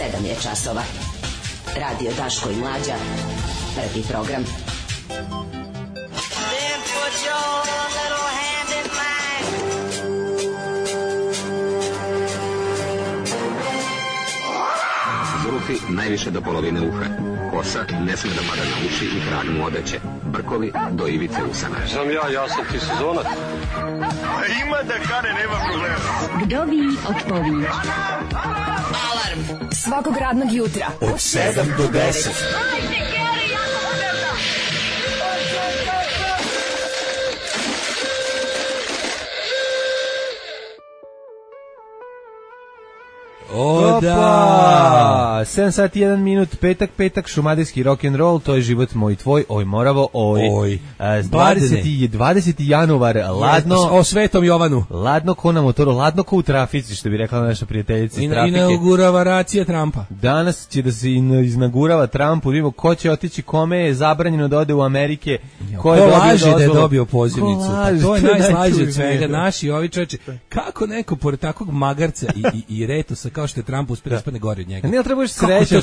7 je časova. Radio Daško i Mlađa. Prvi program. Zulufi najviše do polovine uha. Kosa ne sme da pada na uši i krag mu odeće. Brkovi do ivice usana. Sam ja sam ti sezonac. Ima da kane, nema problema. Vdovi od pović. Alarm svakog radnog jutra od 7 do 10. O da, 7 sati 1 minut, petak, šumadijski rock'n'roll, to je život moj tvoj, oj moravo, oj. 20. januar, ladno. O Svetom Jovanu. Ladno ko na motoru, ladno ko u trafici, što bi rekla naša prijateljica iz trafike. Inauguracija Trumpa. Danas će da se inaugurava Trump, vidimo ko će otići, kome je zabranjeno da ode u Amerike, ko laže da je dobio pozivnicu. Pa to je najslađe od svega, naši ovi čoveče. Kako neko pored takvog magarca i retosa kao što je Trump uspio da ispadne gore od njega. Ne, trebaš sreće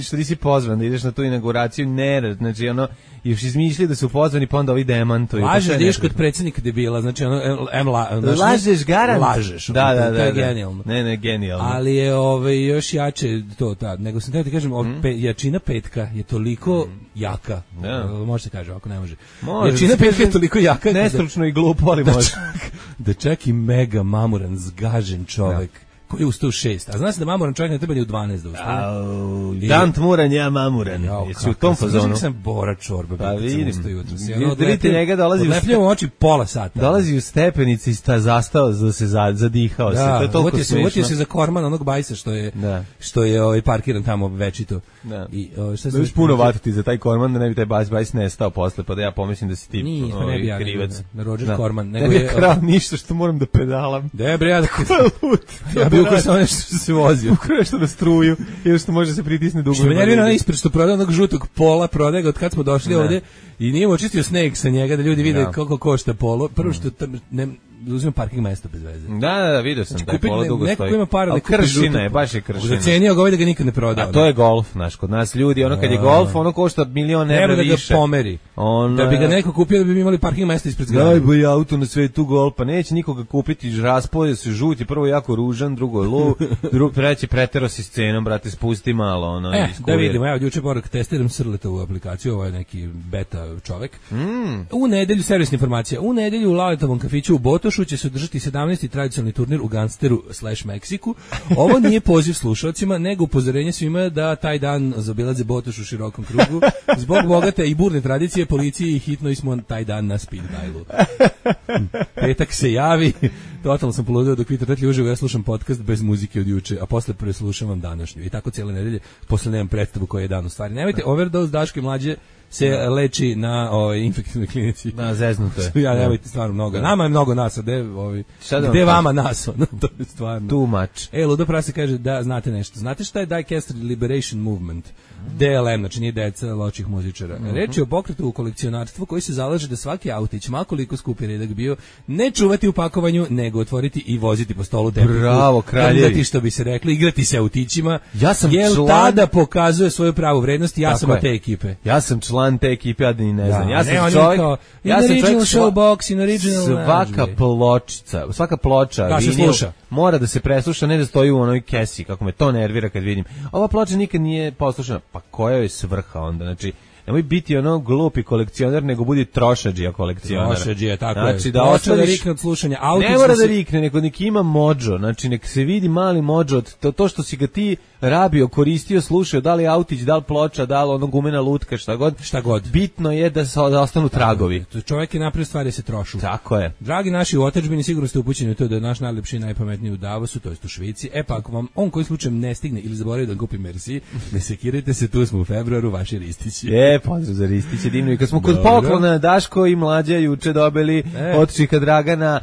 što nisi pozvan da ideš na tu inauguraciju, ne, znači ono još izmišljaju da su pozvani pa onda ovi demantuju. Lažeš da ideš kod predsjednika debila, znači ono lažeš garant. Lažeš. Da, to je genijalno. Ne, genijalno. Ali je još jače to tad. Nego sam teo ti kažem, jačina petka je toliko jaka. Može se kaže, ovako ne može. Jačina petka je toliko jaka. Nestručno i glupo, ali može. Da čak i mega mamuran, zgažen čovek koji je ustao u 6. A zna se da mamuran čovjek ne treba ni u 12 da ustane. Dant muran, ja mamuran. Jesi u tom fazonu? Sam Bora Čorba. Pa vidim. Vidite njega dolazi u oči pola sata. Dolazi u stepenici i zastao da se zadihao se. To je toliko smiješno. Uvotio se za korman onog bajsa što je parkiran tamo večito. I šta se puno vatiti za taj korman da ne bi taj bajs nestao posle, pa da ja pomislim da si ti krivac. Roger Corman. Ne bi krao ništa što moram da pedalam. Da bre, ja bi ukrao samo nešto što se vozi. Ukrao nešto na struju ili što može se pritisne dugo. Što me nervira ispred što prodaje onog žutog pola, prodaje ga od kad smo došli ovde i nije očistio sneg sa njega da ljudi vide koliko košta polo. Prvo što uzima parking mesto bez veze. Da, vidio sam da polo dugo stoji. Neko ima para, kršina je, baš je kršina. Zacenio ga ovaj da ga nikad ne prodao. A to je golf, znaš, kod nas ljudi, ono kad je golf, ono košta milion evra više. Treba da ga pomeri. Da bi ga neko kupio da bi imali parking mesto ispred zgrade. Najbolji auto na svetu golf, pa neće nikoga kupiti, raspoje se žuti, prvo jako ružan, drugo je lov, treći pretero si scenom, brate, spusti malo, ono. Da vidimo, evo, juče moram testiram Srletovu aplikaciju, ovo je neki beta čovek. U nedelju, servisna informacija, u nedelju u Laletovom kafiću u Botošu će se održati 17. tradicionalni turnir u Gangsteru / Meksiku. Ovo nije poziv slušalcima, nego upozorenje svima da taj dan zaobilaze Botoš u širokom krugu. Zbog bogate i burne tradicije, policiji hitno smo taj dan na speed dialu. Petak se javi, totalno sam poludeo dok vi trtli uživo, ja slušam podcast bez muzike od juče, a posle preslušavam današnju. I tako cijele nedelje, posle nemam predstavu koji je dan u stvari. Nemojte, Overdose Daško i Mlađe se leči na infektivnoj klinici. Da, zeznuto je. Ja nemojte stvarno mnogo. Nama je mnogo nas, a gde vama nas? To je stvarno. Too much. Ludo Prase kaže da znate nešto. Znate šta je Dicaster Liberation Movement? DLM, znači nije deca loših muzičara. Reč je o pokretu u kolekcionarstvu koji se zalaže da svaki autić, makoliko skupi redak bio, ne čuvati u pakovanju, nego otvoriti i voziti po stolu tepiku. Bravo, kraljevi. Što bi se rekli, igrati se autićima. Ja sam tada pokazuje svoju pravu vrednost i ja sam od te ekipe. Ja sam član te ekipe, ja da ni ne znam. Ja sam čovjek, showbox, in original svaka ploča mora da se presluša, ne da stoji u onoj kesi, kako me to nervira kad vidim. Ova ploča nikad nije poslušana, pa koja je svrha onda, znači nemoj biti ono glupi kolekcioner, nego budi trošadžija kolekcioner. Trošadžija, tako znači, je. Da ostaviš, rikne od slušanja. Ne mora da rikne, nek ima mođo, znači nek se vidi mali mođo, to što si ga ti rabio, koristio, slušao, da li autić, da li ploča, da li ono gumena lutka, šta god. Bitno je da ostanu tragovi. Čovjek je napravio stvari da se trošu. Tako je. Dragi naši u otadžbini, sigurno ste upućeni u to da je naš najlepši i najpametniji u Davosu, to jest u Švici. Pa ako vam on koji slučajem ne stigne ili zaboravi da kupi Merci, ne sekirajte se, tu smo u februaru, vaši Ristići. Pozdrav za Ristiće, divno. I kad smo kod poklona, Daško i Mlađa juče dobili od Čika Dragana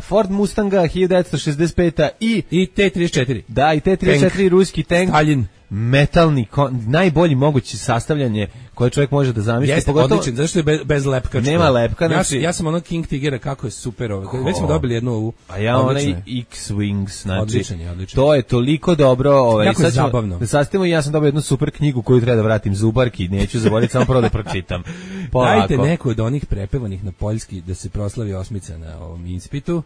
Ford Mustanga 1965 i T-34. Da, i T-34 ruski tank. Stalin. Metalni, najbolji mogući sastavljanje koje čovjek može da zamisli. Jeste, odličan, zašto je bez lepka. Nema lepka, znači... Ja sam ono King Tigera, kako je super ovo. Već smo dobili jednu ovu. A ja onaj X-Wings, znači... Odličan. To je toliko dobro. Jako je zabavno. Da sastavimo, ja sam dobio jednu super knjigu koju treba da vratim Zubarki, neću zaboraviti, samo prvo da pročitam. Polako. Dajte neku od onih prepevanih na poljski da se proslavi osmica na ovom ispitu.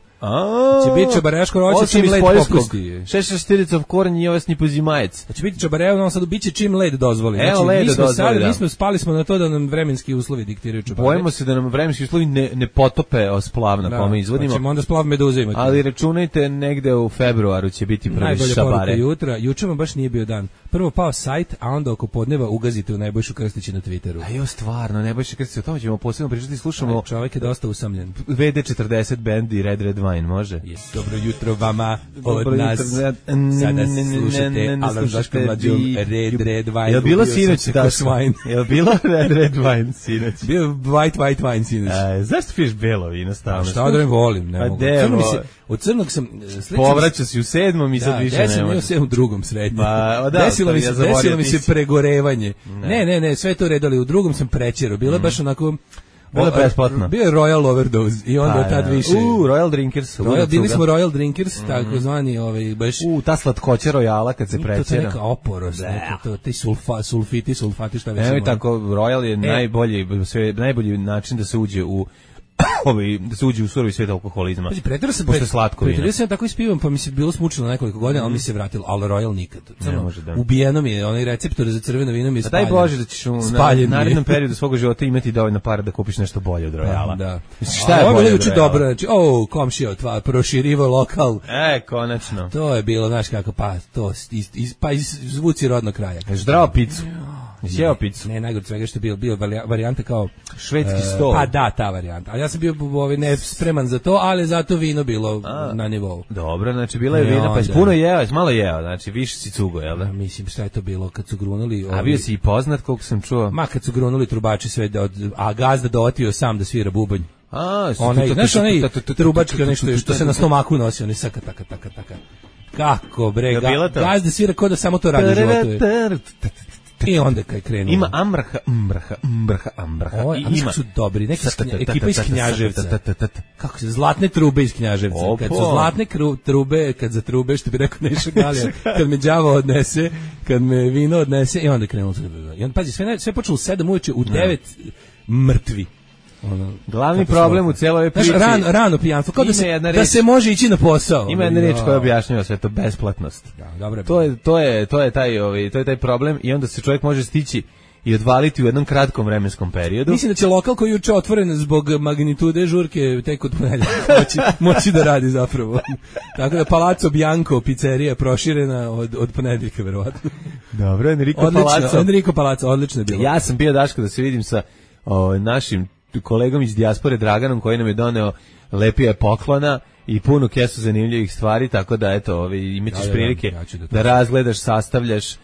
Će biti čabareško roće čim led popusti. 6 korn i ovesni pozimajec. Će biti čabareško, sad biće čim led dozvoli. Evo led dozvoli. Mi smo spali smo na to da nam vremenski uslovi diktiraju čabareško. Bojimo se da nam vremenski uslovi ne potope splav na kome izvodimo. Pa ćemo onda splav meduze imati. Ali računajte negde u februaru će biti prvi najbolja šabare. Najbolja poruka jutra. Juče vam baš nije bio dan. Prvo pao sajt, a onda oko podneva ugazite u Nebojšu Krstića na Twitteru. A jo, stvarno, Nebojša Krstić, o tome ćemo posebno pričati, slušamo. Čovjek je dosta usamljen. VD40 band i Red Wine, može? Dobro jutro vama od nas. Sada slušate Alan Daško Mlađom Red Wine. Je li bilo sinoć Daško? Je li bilo Red Wine sinoć? Bio white wine sinoć. Zašto piješ belo vino stalno? Šta da volim, ne mogu. Od crnog sam... Povraća si u 7. i sad više ne može. Ja sam u 2. sretno. Desilo mi se pregorevanje. Ne, sve to redali. U 2. sam prečero. Bilo je baš onako... Bilo je besplatno. Bio je Royal Overdose i onda tad više... Royal Drinkers. Bili smo Royal Drinkers, takozvani baš... ta slatkoća Royala kad se prečera. To je neka oporost, ti sulfati, šta već... Evo i tako, Royal je najbolji način da se uđe u... da se uđe u surovi svijet alkoholizma. Pretjerao sam tako ispivam, pa mi se bilo smučilo nekoliko godina, ali mi se vratilo, ali Royal nikad. Ubijeno mi je, onaj receptor za crveno vino mi je spaljen. Daj Bože da ćeš u narednom periodu svog života imati dovoljno para da kupiš nešto bolje od Royala. Da. Šta je bolje od Royala? Dobro, znači, komšija, proširivo lokal. Konačno. To je bilo, znaš kako, zvuci rodnog kraja. Zdravo picu. Sjeo picu. Ne, najgore svega što je bio varijanta kao švedski stol. Pa da, ta varijanta. Ali ja sam bio ne spreman za to, ali zato vino bilo na nivou. Dobro, znači bila je vina, pa puno jeo, malo jeo, znači više si cugo, jel da? Mislim, šta je to bilo kad su grunuli... A bio si i poznat, koliko sam čuo? Ma, kad su grunuli trubači sve, a gazda dootio sam da svira bubanj. Znaš onaj trubački, onaj što se na stomaku nosi, onaj saka, taka. Kako, bre, gazda svira ko da samo to radi u životu. I onda kad krenuo. Ima ambraha. Ima su dobri, neka ekipa iz Knjaževca. Kako se zlatne trube iz Knjaževca. Kad su zlatne trube, kad za trube, što bi rekao Neša Galija, kad me đavo odnese, kad me vino odnese, i onda krenuo. I onda, pazi, sve počelo u 7 uveče, u 9 mrtvi. Glavni problem u cijeloj priči. Rano pijanstvo, kao da se može ići na posao. Ima jedna reč koja objašnjava sve to, besplatnost. To je taj problem i onda se čovjek može stići i odvaliti u jednom kratkom vremenskom periodu. Mislim da će lokal koji je juče otvoren zbog magnitude žurke tek od ponedjeljka moći da radi zapravo. Tako da Palazzo Bianco pizzerija proširena od ponedjeljka verovatno. Dobro, Enrico Palazzo, odlično je bilo. Ja sam bio Daško da se vidim sa našim kolegom iz dijaspore Draganom koji nam je doneo lepije poklona i punu kesu zanimljivih stvari, tako da eto, imaćeš prilike da razgledaš, sastavljaš.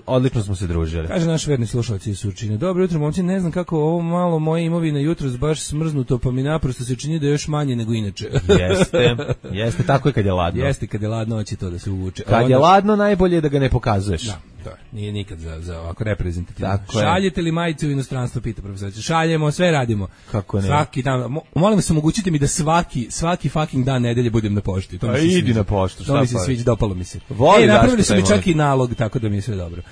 Odlično smo se družili. Kaže naš verni slušalci iz Surčine: dobro jutro momci, ne znam kako ovo malo moje imovine jutros baš smrznuto, pa mi naprosto se čini da je još manje nego inače. Jeste, tako je kad je ladno. Jeste, kad je ladno hoće to da se uvuče. Kad je ladno najbolje je da ga ne pokazuješ. Da, to je. Nije nikad za ovako reprezentativno. Šaljete li majice u inostranstvo, pita profesor. Šaljemo, sve radimo. Kako ne? Svaki dan. Molim vas, omogućite mi da svaki fucking dan nedelje budem na pošti. To mi se idi na poštu, šta pa? To mi se sviđa, dopalo mi se. Napravili su mi čak i nalog, tako da mi je sve dobro.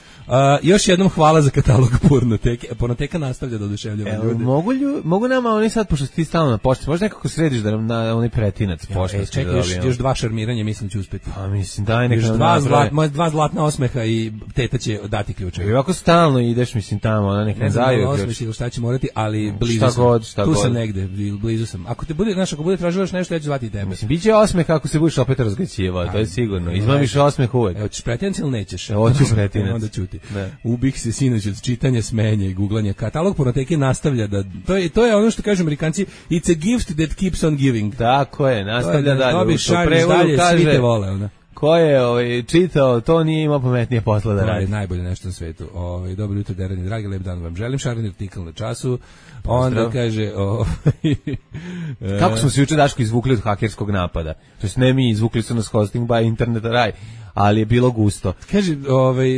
Još jednom hvala za katalog Pornoteke. Pornoteka nastavlja da oduševljava ljude. Mogu nama oni sad, pošto ti stalno na pošti, možda nekako središ da nam na onaj pretinac pošta. Čekaj, još 2 šarmiranja, mislim će uspeti. Pa mislim, daj neka nam dva zlatna osmeha i teta će dati ključeve. I ovako stalno ideš, mislim, tamo, ona neka daju ključ. Šta će morati, ali blizu sam. Tu sam negde, blizu sam. Ako bude tražila još nešto, ja ću zvati tebe. Mislim, biće osmeh ako se budeš opet razgrećivao, to je sigurno. Izmamiš osmeh uvek. Evo, ćeš pretinac ili nećeš? Hoću pretinac. Onda ćuti. Ubih se sinoć od čitanja, smenja i guglanja. Katalog Pornoteke nastavlja da... To je ono što kažu Amerikanci, it's a gift that keeps on giving. Tako je, nastavlja dalje. Dobiš, šalješ dalje, svi te vole, onda. Ko je čitao, to nije imao pametnije posla da radi. Najbolje nešto na svetu. Dobro jutro, Derani, dragi, lep dan vam želim. Šareni artikl na času. Onda kaže... Kako smo se juče, Daško, izvukli od hakerskog napada? To jest ne mi, izvukli su nas hosting by Internet Raj. ali je bilo gusto. Kaže,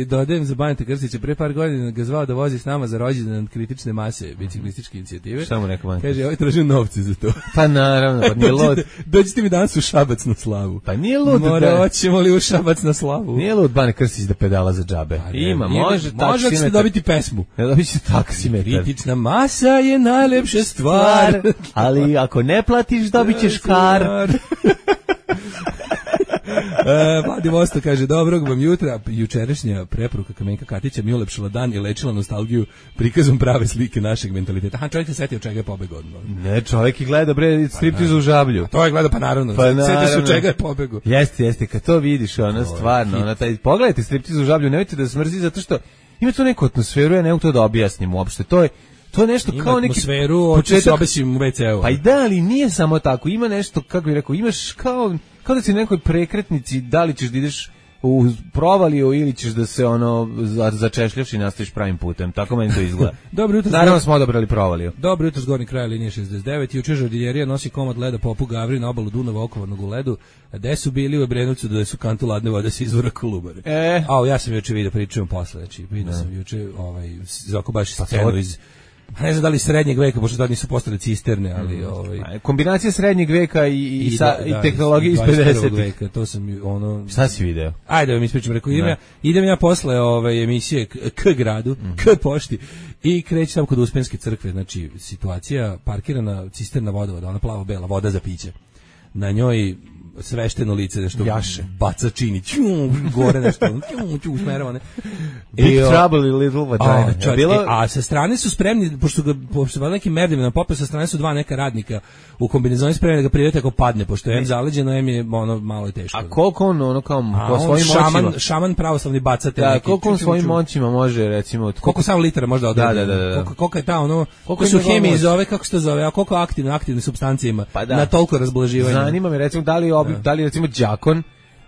dodajem za Baneta Krstića, pre par godina ga zvao da vozi s nama za rođendan kritične mase biciklističke inicijative. Šta mu rekao Baneta? Kaže, traži novce za to. Pa naravno, pa nije lud. Dođite mi danas u Šabac na slavu. Pa nije lud. Hoćemo li u Šabac na slavu? Nije lud Bane Krstić da pedala za džabe. Ima, može ćete dobiti pesmu. Ne dobit ćete taksimetar. Kritična masa je najlepša stvar. Ali ako ne platiš, dobit ćeš kar. Vladi Vosto kaže, dobrog vam jutra. Jučerašnja preporuka Kamenka Katića mi ulepšala dan i lečila nostalgiju prikazom prave slike našeg mentaliteta. Aha, čovjek se setio čega je pobegao. Ne, čovjek i gleda striptiz u Žablju. A to je gleda, pa naravno. Setio se čega je pobegao. Jeste, kad to vidiš, ona stvarno, pogledajte striptiz u Žablju, nemojte da smrzi zato što ima tu neku atmosferu, ja ne mogu to da objasnim uopšte. To je nešto ima kao neki atmosferu, početak se obesim u WC-u. Pa i da, ali nije samo tako. Ima nešto, kako bih rekao, imaš kao da si na nekoj prekretnici, da li ćeš da ideš u provaliju ili ćeš da se začešljaš i nastaviš pravim putem. Tako meni to izgleda. Dobro jutro. Naravno smo odabrali provaliju. Dobro jutro, zgornji kraj linije 69. Juče žardiljerija nosi komad leda Popu Gavri na obalu Dunava okovanog u ledu. Gde su bili u Obrenovcu da su kantu ladne vode sa izvora Kolubare. Ja sam juče vidio, pričujem posle. Znači, vidio sam juče Zoko baš scenu iz... Ne znam da li srednjeg veka, pošto tad nisu postale cisterne, ali... Kombinacija srednjeg veka i tehnologije iz 50. veka, to sam Šta si video? Ajde, da mi ispričam, rekao, idem ja posle emisije K gradu, K pošti, i kreći tamo kod Uspenske crkve, znači situacija, parkirana cisterna vodovoda, ona plavo-bela, voda za piće. Na njoj svešteno lice, nešto jaše, baca čini, gore nešto, usmerava, ne. Big Trouble i Little Vagina. A sa strane su spremni, pošto nekim merdima popeo, sa strane su dva neka radnika u kombinezoni spremni da ga privete ako padne, pošto je zaleđeno, je malo je teško. A koliko on kao svojim moćima? Šaman pravoslavni bacate. Da, koliko on svojim moćima može, recimo... Koliko samo litara može da odredi? Da. Koliko je ta koliko su hemiji zove, kako se to zove, a koliko aktivne substancije ima na toliko razblaživanja? Zanima me, recimo, da li recimo đakon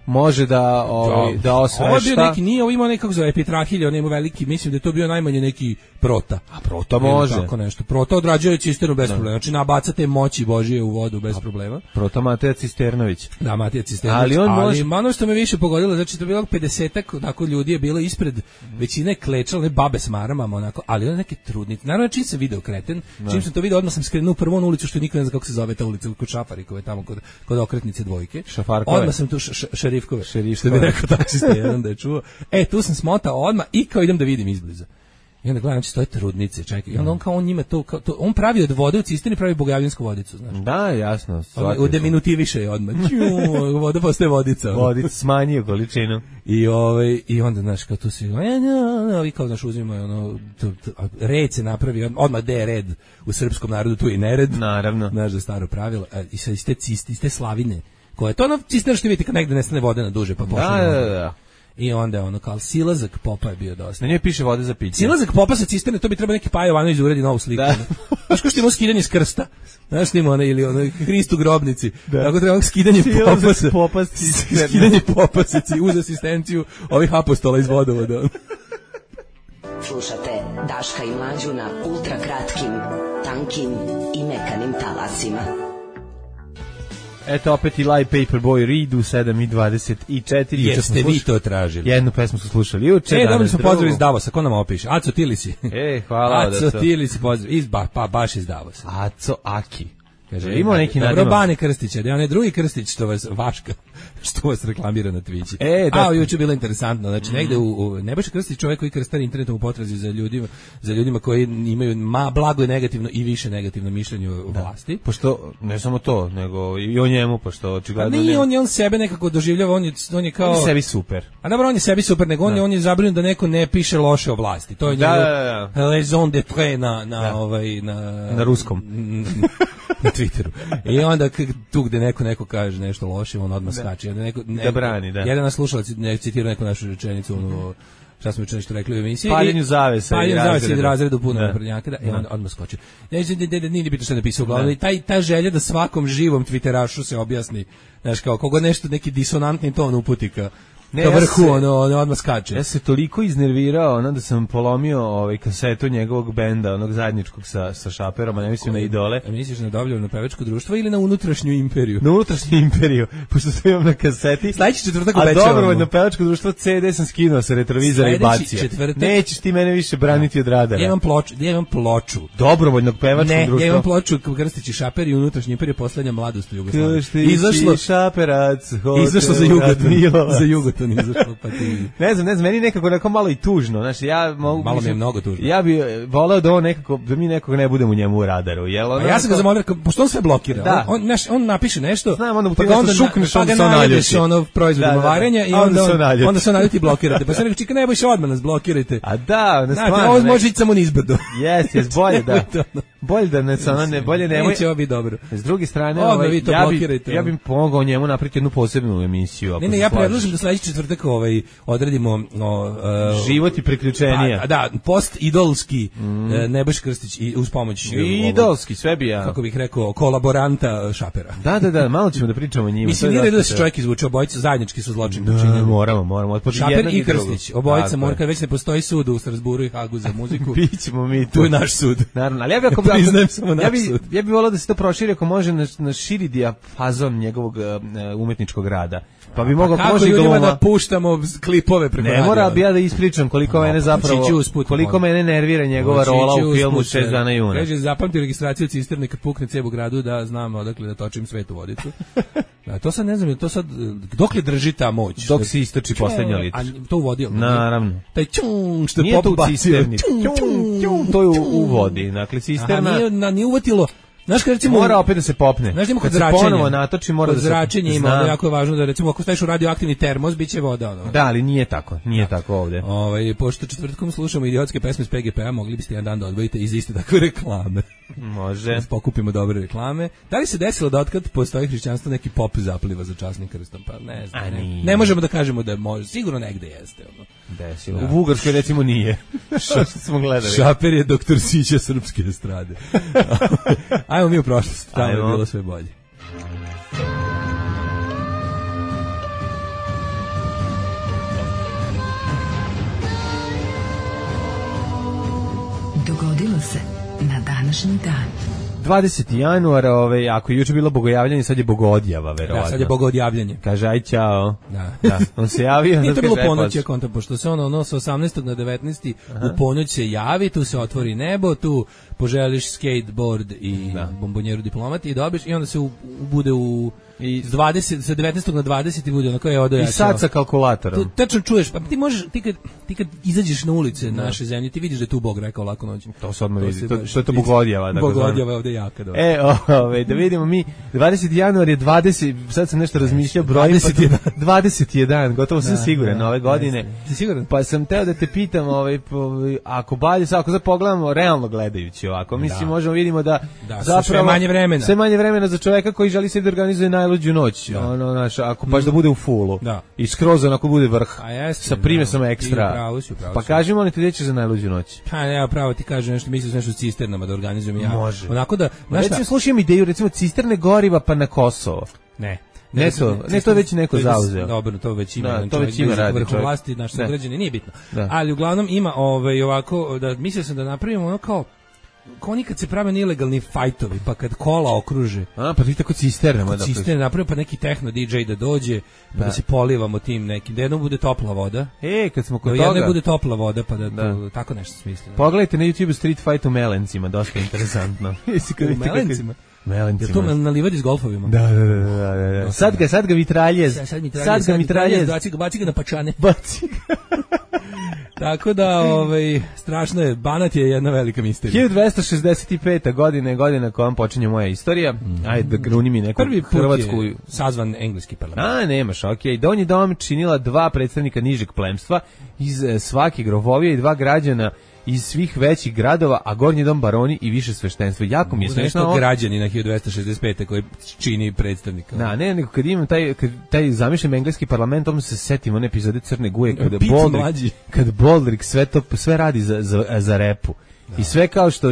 može da osvešta. Ovo je bio neki, nije, ovo imao nekako za epitrahilje, on ima veliki, mislim da je to bio najmanje neki prota. A prota može. Tako nešto. Prota odrađuje cisternu bez problema. Znači nabacate moći Božije u vodu bez problema. Prota Matija Cisternović. Da, Matija Cisternović. Ali ono što me više pogodilo, znači to je bilo 50-ak onako ljudi je bilo ispred, većina je klečala, ne babe s maramama, onako, ali one neke trudnice. Naravno, čim sam video kreten, čim sam to video, odmah sam skrenuo prvo na ulicu, što niko ne zna kako se zove ta ulica, kod Šafarikove, tamo kod okretnice dvojke. Odmah sam tu Šerifkove, što bi rekao taksista jedan da je čuo. Tu sam smotao odmah i kao idem da vidim izbliza. I onda gledam, stoje trudnice, čekaj. I onda on njima to on pravi od vode u cisterni, pravi bogavljansku vodicu, znaš. Da, jasno. U deminutiviše je odmah. Voda postaje vodica. Vodica smanjio količinu. I onda, znaš, kao tu si, i kao, znaš, uzimaju, red se napravi, odmah gde je red u srpskom narodu, tu je nered. Naravno. Znaš, da staro pravilo. I sad iz te slavine, koje je to cisterna što vidite kad negde nestane vode na duže, pa počne. Da. I onda kao silazak popa je bio dosta. Na njoj piše vode za piće. Silazak popa sa cisterne, to bi trebao neki Paja Jovanović uredi novu sliku. Znaš ko što ima skidanje s krsta? Znaš ima ili Hrist u grobnici. Tako treba skidanje popa skidanje popa uz asistenciju ovih apostola iz vodovoda. Slušate Daška i Mlađu na ultra kratkim, tankim i mekanim talasima. Eto opet i Live Paperboy Reed u 7:24. Jeste vi to tražili? Jednu pesmu su slušali juče. Dobili smo pozdrav iz Davosa, ko nam opiše? Aco Tilisi. Hvala. Aco Tilisi pozdrav, baš iz Davosa. Aco Aki. Kaže, imao neki nadimak. Dobro, Bane Krstića, da je onaj drugi Krstić što vas reklamira na Twitchi. Juče bilo interesantno, znači negde u Nebojša Krstić, čovjek koji krstari internetom u potrazi za ljudima koji imaju blago i negativno i više negativno mišljenje o vlasti. Pošto, ne samo to, nego i o njemu, pošto očigledno... Nije, on sebe nekako doživljava, on je kao... On je sebi super. A dobro, on je sebi super, nego on je zabrinut da neko ne piše loše o vlasti. To je raison d'être na ruskom. Na Twitteru. I onda tu gde neko kaže nešto loše, on odmah skače. Da brani, da. Jedan nas slušalac citirao neku našu rečenicu, šta smo juče nešto rekli u emisiji. Paljenju zavesa i razredu puno naprednjaka, i onda odmah skoči. Nije bitno što je napisao uglavnom. Ta želja da svakom živom Twitterašu se objasni, znaš, kao koga nešto, neki disonantni ton uputi ka vrhu, ono odmah skače. Ja se toliko iznervirao, da sam polomio kasetu njegovog benda, onog zajedničkog sa Šaperom, a ne mislim na Idole. A misliš na dobljeno pevačko društvo ili na unutrašnju imperiju? Na unutrašnju imperiju, pošto sam imam na kaseti. Sledeći četvrtak obećavamo. A dobrovoljno pevačko društvo CD sam skinuo sa retrovizora i bacio. Nećeš ti mene više braniti od radara. Ja imam ploču. Dobrovoljnog pevačkog društva. Ja imam ploču Krstić i Šaper i unutrašnja imperija, poslednja mladost u Jugoslaviji. Izašlo Šaperac, izašlo za Jugoton izašlo, pa ti... Ne znam, meni nekako malo i tužno, znači ja mogu... Malo mi je mnogo tužno. Ja bih voleo da mi nekog ne budemo u njemu u radaru, jel? A ja sam ga zamolio, pošto on sve blokira, da. on napiše nešto, znam, onda šukneš, pa ga najdeš proizvodom varenja i onda se naljuti i blokirate. Pa sam rekao, čekaj, neboj se odmah nas blokirajte. A da, ne stvarno. Ovo može ići samo nizbrdo. Jes, bolje da. Bolje da bolje nemoj. Neće ovo biti dobro. S druge strane, ja bih pomogao njemu napraviti jednu posebnu emisiju. Ne, ja predlažem da sledeći četvrtak odredimo život i priključenja. Da, post-idolski Nebojša Krstić i uz pomoć idolski, sve bi ja. Kako bih rekao, kolaboranta Šapera. Da, malo ćemo da pričamo o njima. Mislim, nije da se čovjek izvuče, obojica zajednički su zločin počinjeni. Moramo. Šaper i Krstić, obojica mora, kad već ne postoji sud u Strasburu i Hagu za muziku. Bićemo mi tu. Tu je naš sud. Naravno, ali ja bih volao da se to proširi ako može na širi dijapazon njegovog umetničkog rada. Pa bi mogao kako ljudima da puštamo klipove preko radija. Ne mora bi ja da ispričam koliko mene zapravo, koliko mene nervira njegova rola u filmu 6 dana juna. Kaže, zapamti registraciju cisterne kad pukne cev u gradu da znam odakle da točim svetu vodicu. To sad ne znam, to sad, dok li drži ta moć? Dok se istoči poslednja litr. A to u vodi? Naravno. Taj čung što je pop bacio. To je u vodi, dakle cisterna. Nije uvatilo. Znaš kad recimo mora opet da se popne. Znaš kad se ponovo natoči mora da se zračenje ima, jako je važno da recimo ako staviš u radioaktivni termos biće voda ono. Da, ali nije tako ovde. Pošto četvrtkom slušamo idiotske pesme s PGP-a, mogli biste jedan dan da odvojite iz iste takve reklame. Može. Da pokupimo dobre reklame. Da li se desilo da otkad postoji hrišćanstvo neki pop zapliva za časnim krstom? Pa ne znam. Ne možemo da kažemo da može. Sigurno negde jeste ono. Desilo. U Bugarskoj recimo nije. Što smo gledali. Šaper je doktor Sića srpske estrade. Ajmo mi u prošlost, tamo je bilo sve bolje. Dogodilo se na današnji dan. 20. januar, ako je juče bilo bogojavljanje, sad je bogodjava, verovatno. Da, sad je bogodjavljanje. Kaže, aj ćao. Da. On se javio. Nije to bilo ponoć, ja kontam, pošto se ono sa 18. na 19. u ponoć se javi, tu se otvori nebo, tu poželiš skateboard i bombonjeru diplomat i dobiš i onda se bude i sa 19. na 20. bude ono kao je odoja. I sad sa kalkulatorom. Tačno čuješ, pa ti možeš, ti kad izađeš na ulice naše zemlje, ti vidiš da je tu Bog rekao lako noć. To se odmah vidi, to je to bogodjava. Bogodjava je ovde jaka. Da vidimo mi, 20. januar je 20, sad sam nešto razmišljao, brojim 21, gotovo sam siguran ove godine. Si siguran? Pa sam teo da te pitam, ako sad pogledamo realno gledajući ovako, mislim možemo vidimo da zapravo sve manje vremena za čoveka koji želi se da organizuje najluđu noć, ako baš da bude u fullu i skroz onako bude vrh sa primesom ekstra. Pa kaži molim te gdje ćeš za najluđu noć? Pa ne, pravo ti kažem nešto, mislim nešto u cisternama da organizujem ja. Može. Onako da, recimo slušam ideju, recimo cisterne goriva pa na Kosovo. Ne, to je već neko zauzeo. Dobro, to već ima. To već ima radi čovjek. Vlasti, naši sugrađani, nije bitno. Ali uglavnom ima ovako, da mislio sam da napravimo ono kao oni kad se prave ilegalni fajtovi, pa kad kola okruže. Pa ti tako cisternama. Cisterne napravimo, pa neki techno DJ da dođe, pa da se polivamo tim nekim, da jednom bude topla voda. Kad smo kod toga. Jednom bude topla voda, pa da tako nešto smisli. Pogledajte na YouTube Street Fight u Melencima, dosta interesantno. U Melencima? Melencima. Je to na livadi s golfovima? Da. Sad ga mitraljez. Sad ga mitraljez. Baci ga na pačane. Baci ga. Tako da, strašno je, Banat je jedna velika misterija. 1265. godina kojom počinje moja istorija. Ajde, da gruni mi neku Hrvatsku. Prvi put je sazvan engleski parlament. Nemaš, okej. Donji dom činila 2 predstavnika nižeg plemstva iz svake grofovije i 2 građana iz svih većih gradova, a gornji dom baroni i više sveštenstva. Jako mi je smešno. Građani na 1265. koji čini predstavnika. Nego kad imam taj zamišljen engleski parlament, onda se setim one epizode Crne Guje kad Baldrick sve radi za repu. I sve kao što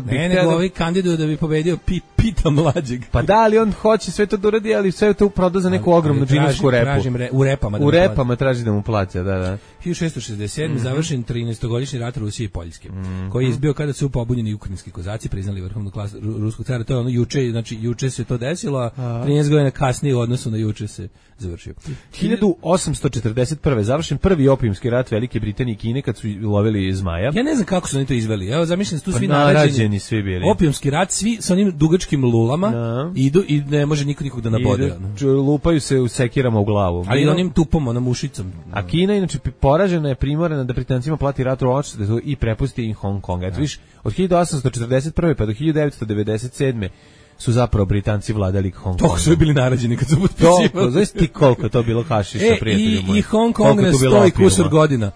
bi ne, nego ovi kandiduju da bi pobedio Pita mlađeg. Pa da, ali on hoće sve to da uradi, ali sve to proda za neku ogromnu džinovsku repu. U repama traži da mu plaća, da. 1667. završen 13-godišnji rat Rusije i Poljske, koji je izbio kada su pobunjeni ukrajinski kozaci priznali vrhovnu klasu ruskog cara. To je ono juče se to desilo, a 13 godina kasnije u odnosu na juče se završio. 1841. završen prvi opijumski rat Velike Britanije i Kine kad su lovili zmaja. Ja ne znam kako su oni to izveli. Evo zamišljam da su tu svi narađeni svi bili. Opijumski rat, svi sa onim dugačkim lulama idu i ne može nikog da nabode. Lupaju se u sekirama u glavu. Ali onim tupom, onom ušicom. A Kina inače poražena je, primorana da Britancima plati rat u odštetu i prepusti im Hong Kong. Eto viš, od 1841. pa do 1997. su zapravo Britanci vladali Hong Kongom. To su bili narađeni kad su potpisivali. Znaš ti koliko to bilo hašiša, prijatelju moj. I Hong Kong na 100 i kusur godina.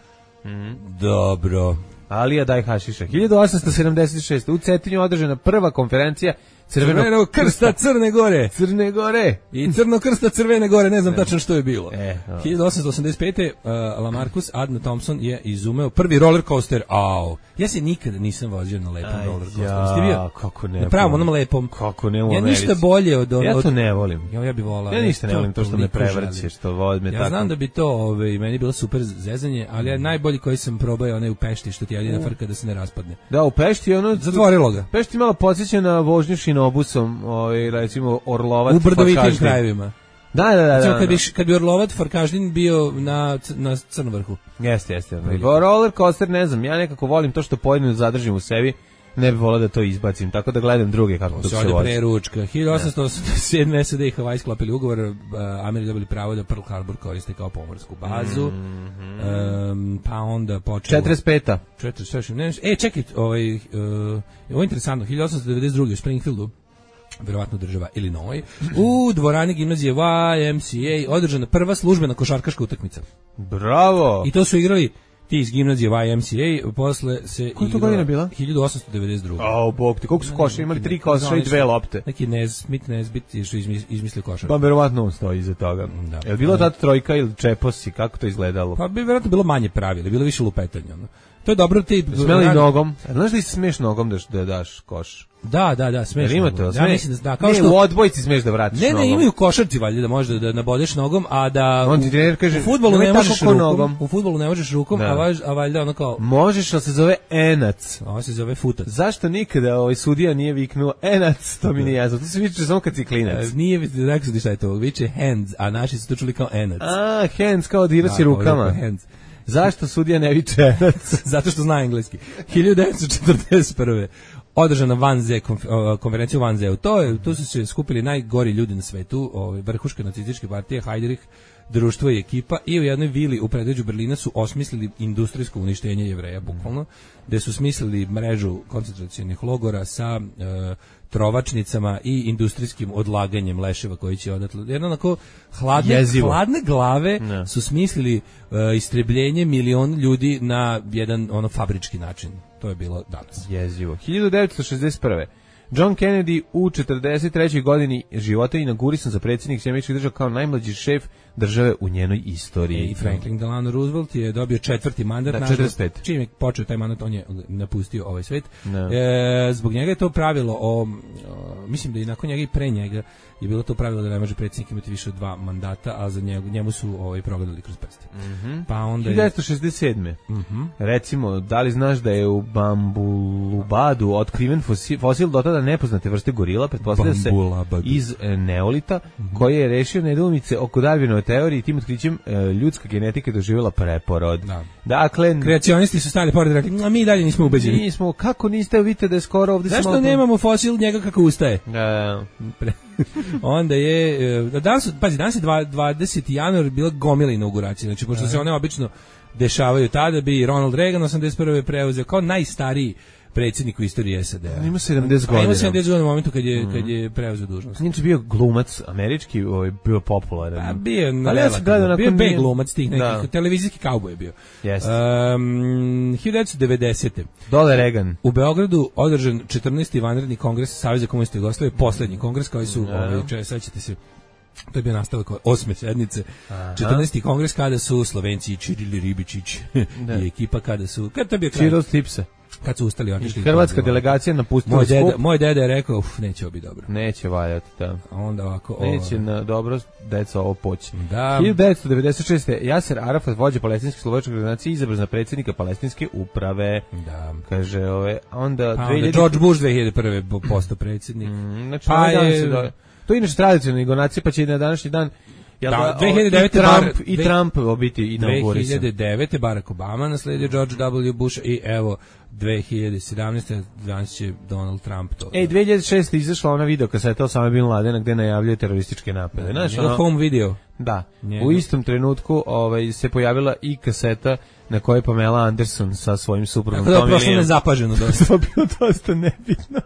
Dobro. Alija daj hašiša. 1876. u Cetinju održana prva konferencija Crvenog krsta Crne Gore. Crne Gore. I Crnog krsta Crvene Gore, ne znam tačno što je bilo. 1885. Lamarcus Adna Thompson je izumeo prvi roller coaster. Ja se nikada nisam vozio na lepom roller coasteru. Ste bio? Kako ne? Na pravom, onom lepom. Kako ne u Americi. Ja ništa bolje od... Ja to ne volim. Ja bi volao. Ja ništa ne volim, to što me prevrće, što vozme tako. Ja znam da bi to, meni bilo super zezanje, ali ja najbolji koji sam probao je onaj u Pešti, što ti jedina frka da se ne raspadne. Da, u Pešti je ono... Zatvorilo ga. Pešti malo podsjeća na vožnju šinobusom, recimo Orlovat. U brdovitim krajevima. Da. Kad bi Orlovat Farkaždin bio na Crnovrhu. Jeste. Roller coaster, ne znam, ja nekako volim to što pojedinu zadržim u sebi, ne bih volao da to izbacim, tako da gledam druge kako to se vozi. Preručka. 1887. SAD i Hawaii sklopili ugovor, Ameri dobili pravo da Pearl Harbor koriste kao pomorsku bazu, pa onda počelo... 45. Čekaj, ovo je interesantno, 1892. u Springfieldu, verovatno država Illinois, u dvorani gimnazije YMCA održana prva službena košarkaška utakmica. Bravo! I to su igrali ti iz gimnazije YMCA, posle se igrala... Koja to godina bila? 1892. Bog ti, koliko su koša, imali 3 koša i 2 lopte. Neki Nesbit što izmislio košar. Pa verovatno on stoji iza toga. Je li bilo tad trojka ili čeposi, kako to izgledalo? Pa bi verovatno bilo manje pravila, bilo više lupetanja. To je dobro ti... Smeli nogom. Znaš da si smiješ nogom da daš koš? Da, smeš. Jer ima to, ja mislim da kao što u odbojci smeš da vratiš nogom. Ne, imaju košarci valjda da možeš da nabodeš nogom, a da on ti trener kaže, u fudbalu ne možeš rukom. U fudbalu ne možeš rukom, a valjda ono kao možeš, ali se zove enac. A on se zove futac. Zašto nikada sudija nije viknuo enac? To mi nije jasno. To se viče samo kad si klinac. Nije rekao šta je to, viče hands, a naši su to čuli kao enac. Hands kao da igraš rukama. Zašto sudija ne viče enac? Zato što zna engleski. 1941. održana konferencija u Vanzeu. Tu su se skupili najgori ljudi na svetu, vrhuška nacističke partije, Heydrich, društvo i ekipa, i u jednoj vili u predgrađu Berlina su osmislili industrijsko uništenje Jevreja, bukvalno, gde su smislili mrežu koncentracionih logora sa trovačnicama i industrijskim odlaganjem leševa koji će odatle. Jedno onako hladne glave su smislili istrebljenje milion ljudi na jedan fabrički način. To je bilo danas. Jezivo. 1961. John Kennedy u 43. godini života inaugurisan za predsjednik Sjedinjenih Država kao najmlađi šef države u njenoj istoriji. I Franklin Delano Roosevelt je dobio 4. mandat. 45. Čim je počeo taj mandat, on je napustio ovaj svet. Zbog njega je to pravilo mislim da i nakon njega i pre njega je bilo to pravilo da ne može predsjednik imati više od 2 mandata, a za njemu su progledali kroz prste. Pa onda 1967. Recimo, da li znaš da je u Bambulubadu otkriven fosil do tada nepoznate vrste gorila, pretpostavlja se iz neolita, koji je rešio nedoumice oko Darwinove teorije i tim otkrićem ljudska genetika doživjela preporod. Dakle, kreacionisti su stali pored i rekli, a mi dalje nismo ubeđeni. Kako niste, vidite da je skoro ovdje... Zašto nemamo fosil njega kako ustaje? Onda je danas je 20. januar bila gomila inauguracija, znači pošto se one obično dešavaju tada, bi Ronald Reagan 81. preuzeo kao najstariji predsjednik u istoriji SAD-a. Ima 70 godina. Ima 70 godina u momentu kad je preuzeo dužnost. Nije bio glumac američki, bio popularan. Bio B glumac tih nekih, televizijski kauboj je bio. 1990. Dole Reagan. U Beogradu održan 14. vanredni kongres Saveza komunista Jugoslavije, poslednji kongres koji su, sećate se, to je bio nastavak 8. sednice, 14. kongres kada su Slovenci Čirili Ribičić i ekipa kada to je bio kraj. Čiro Stipsa. Kad su ustali, otišli. Hrvatska delegacija napustila skup. Moj deda je rekao, neće ovo biti dobro. Neće valjati, da. A onda ovako... Neće na dobro, deca, ovo poći. Da. 1996. Jaser Arafat, vođa palestinske slovačke organizacije, izabran za predsjednika palestinske uprave. Da. Kaže, onda... Pa onda George Bush 2001. postao predsjednik. Znači, pa je... To je inače tradicionalna donacija, pa će na današnji dan... Da, 2009. I Trump biti inaugurisan. 2009. Barack Obama nasledio George W. Bush i evo 2017. danas će Donald Trump to. 2006. izašla ona video kaseta Osama Bin Ladena gde najavljuje terorističke napade. Znaš, home video. Da. U istom trenutku se pojavila i kaseta na kojoj je Pamela Anderson sa svojim suprugom. Tako da je prošlo nezapaženo dosta. To je bilo dosta nebitno.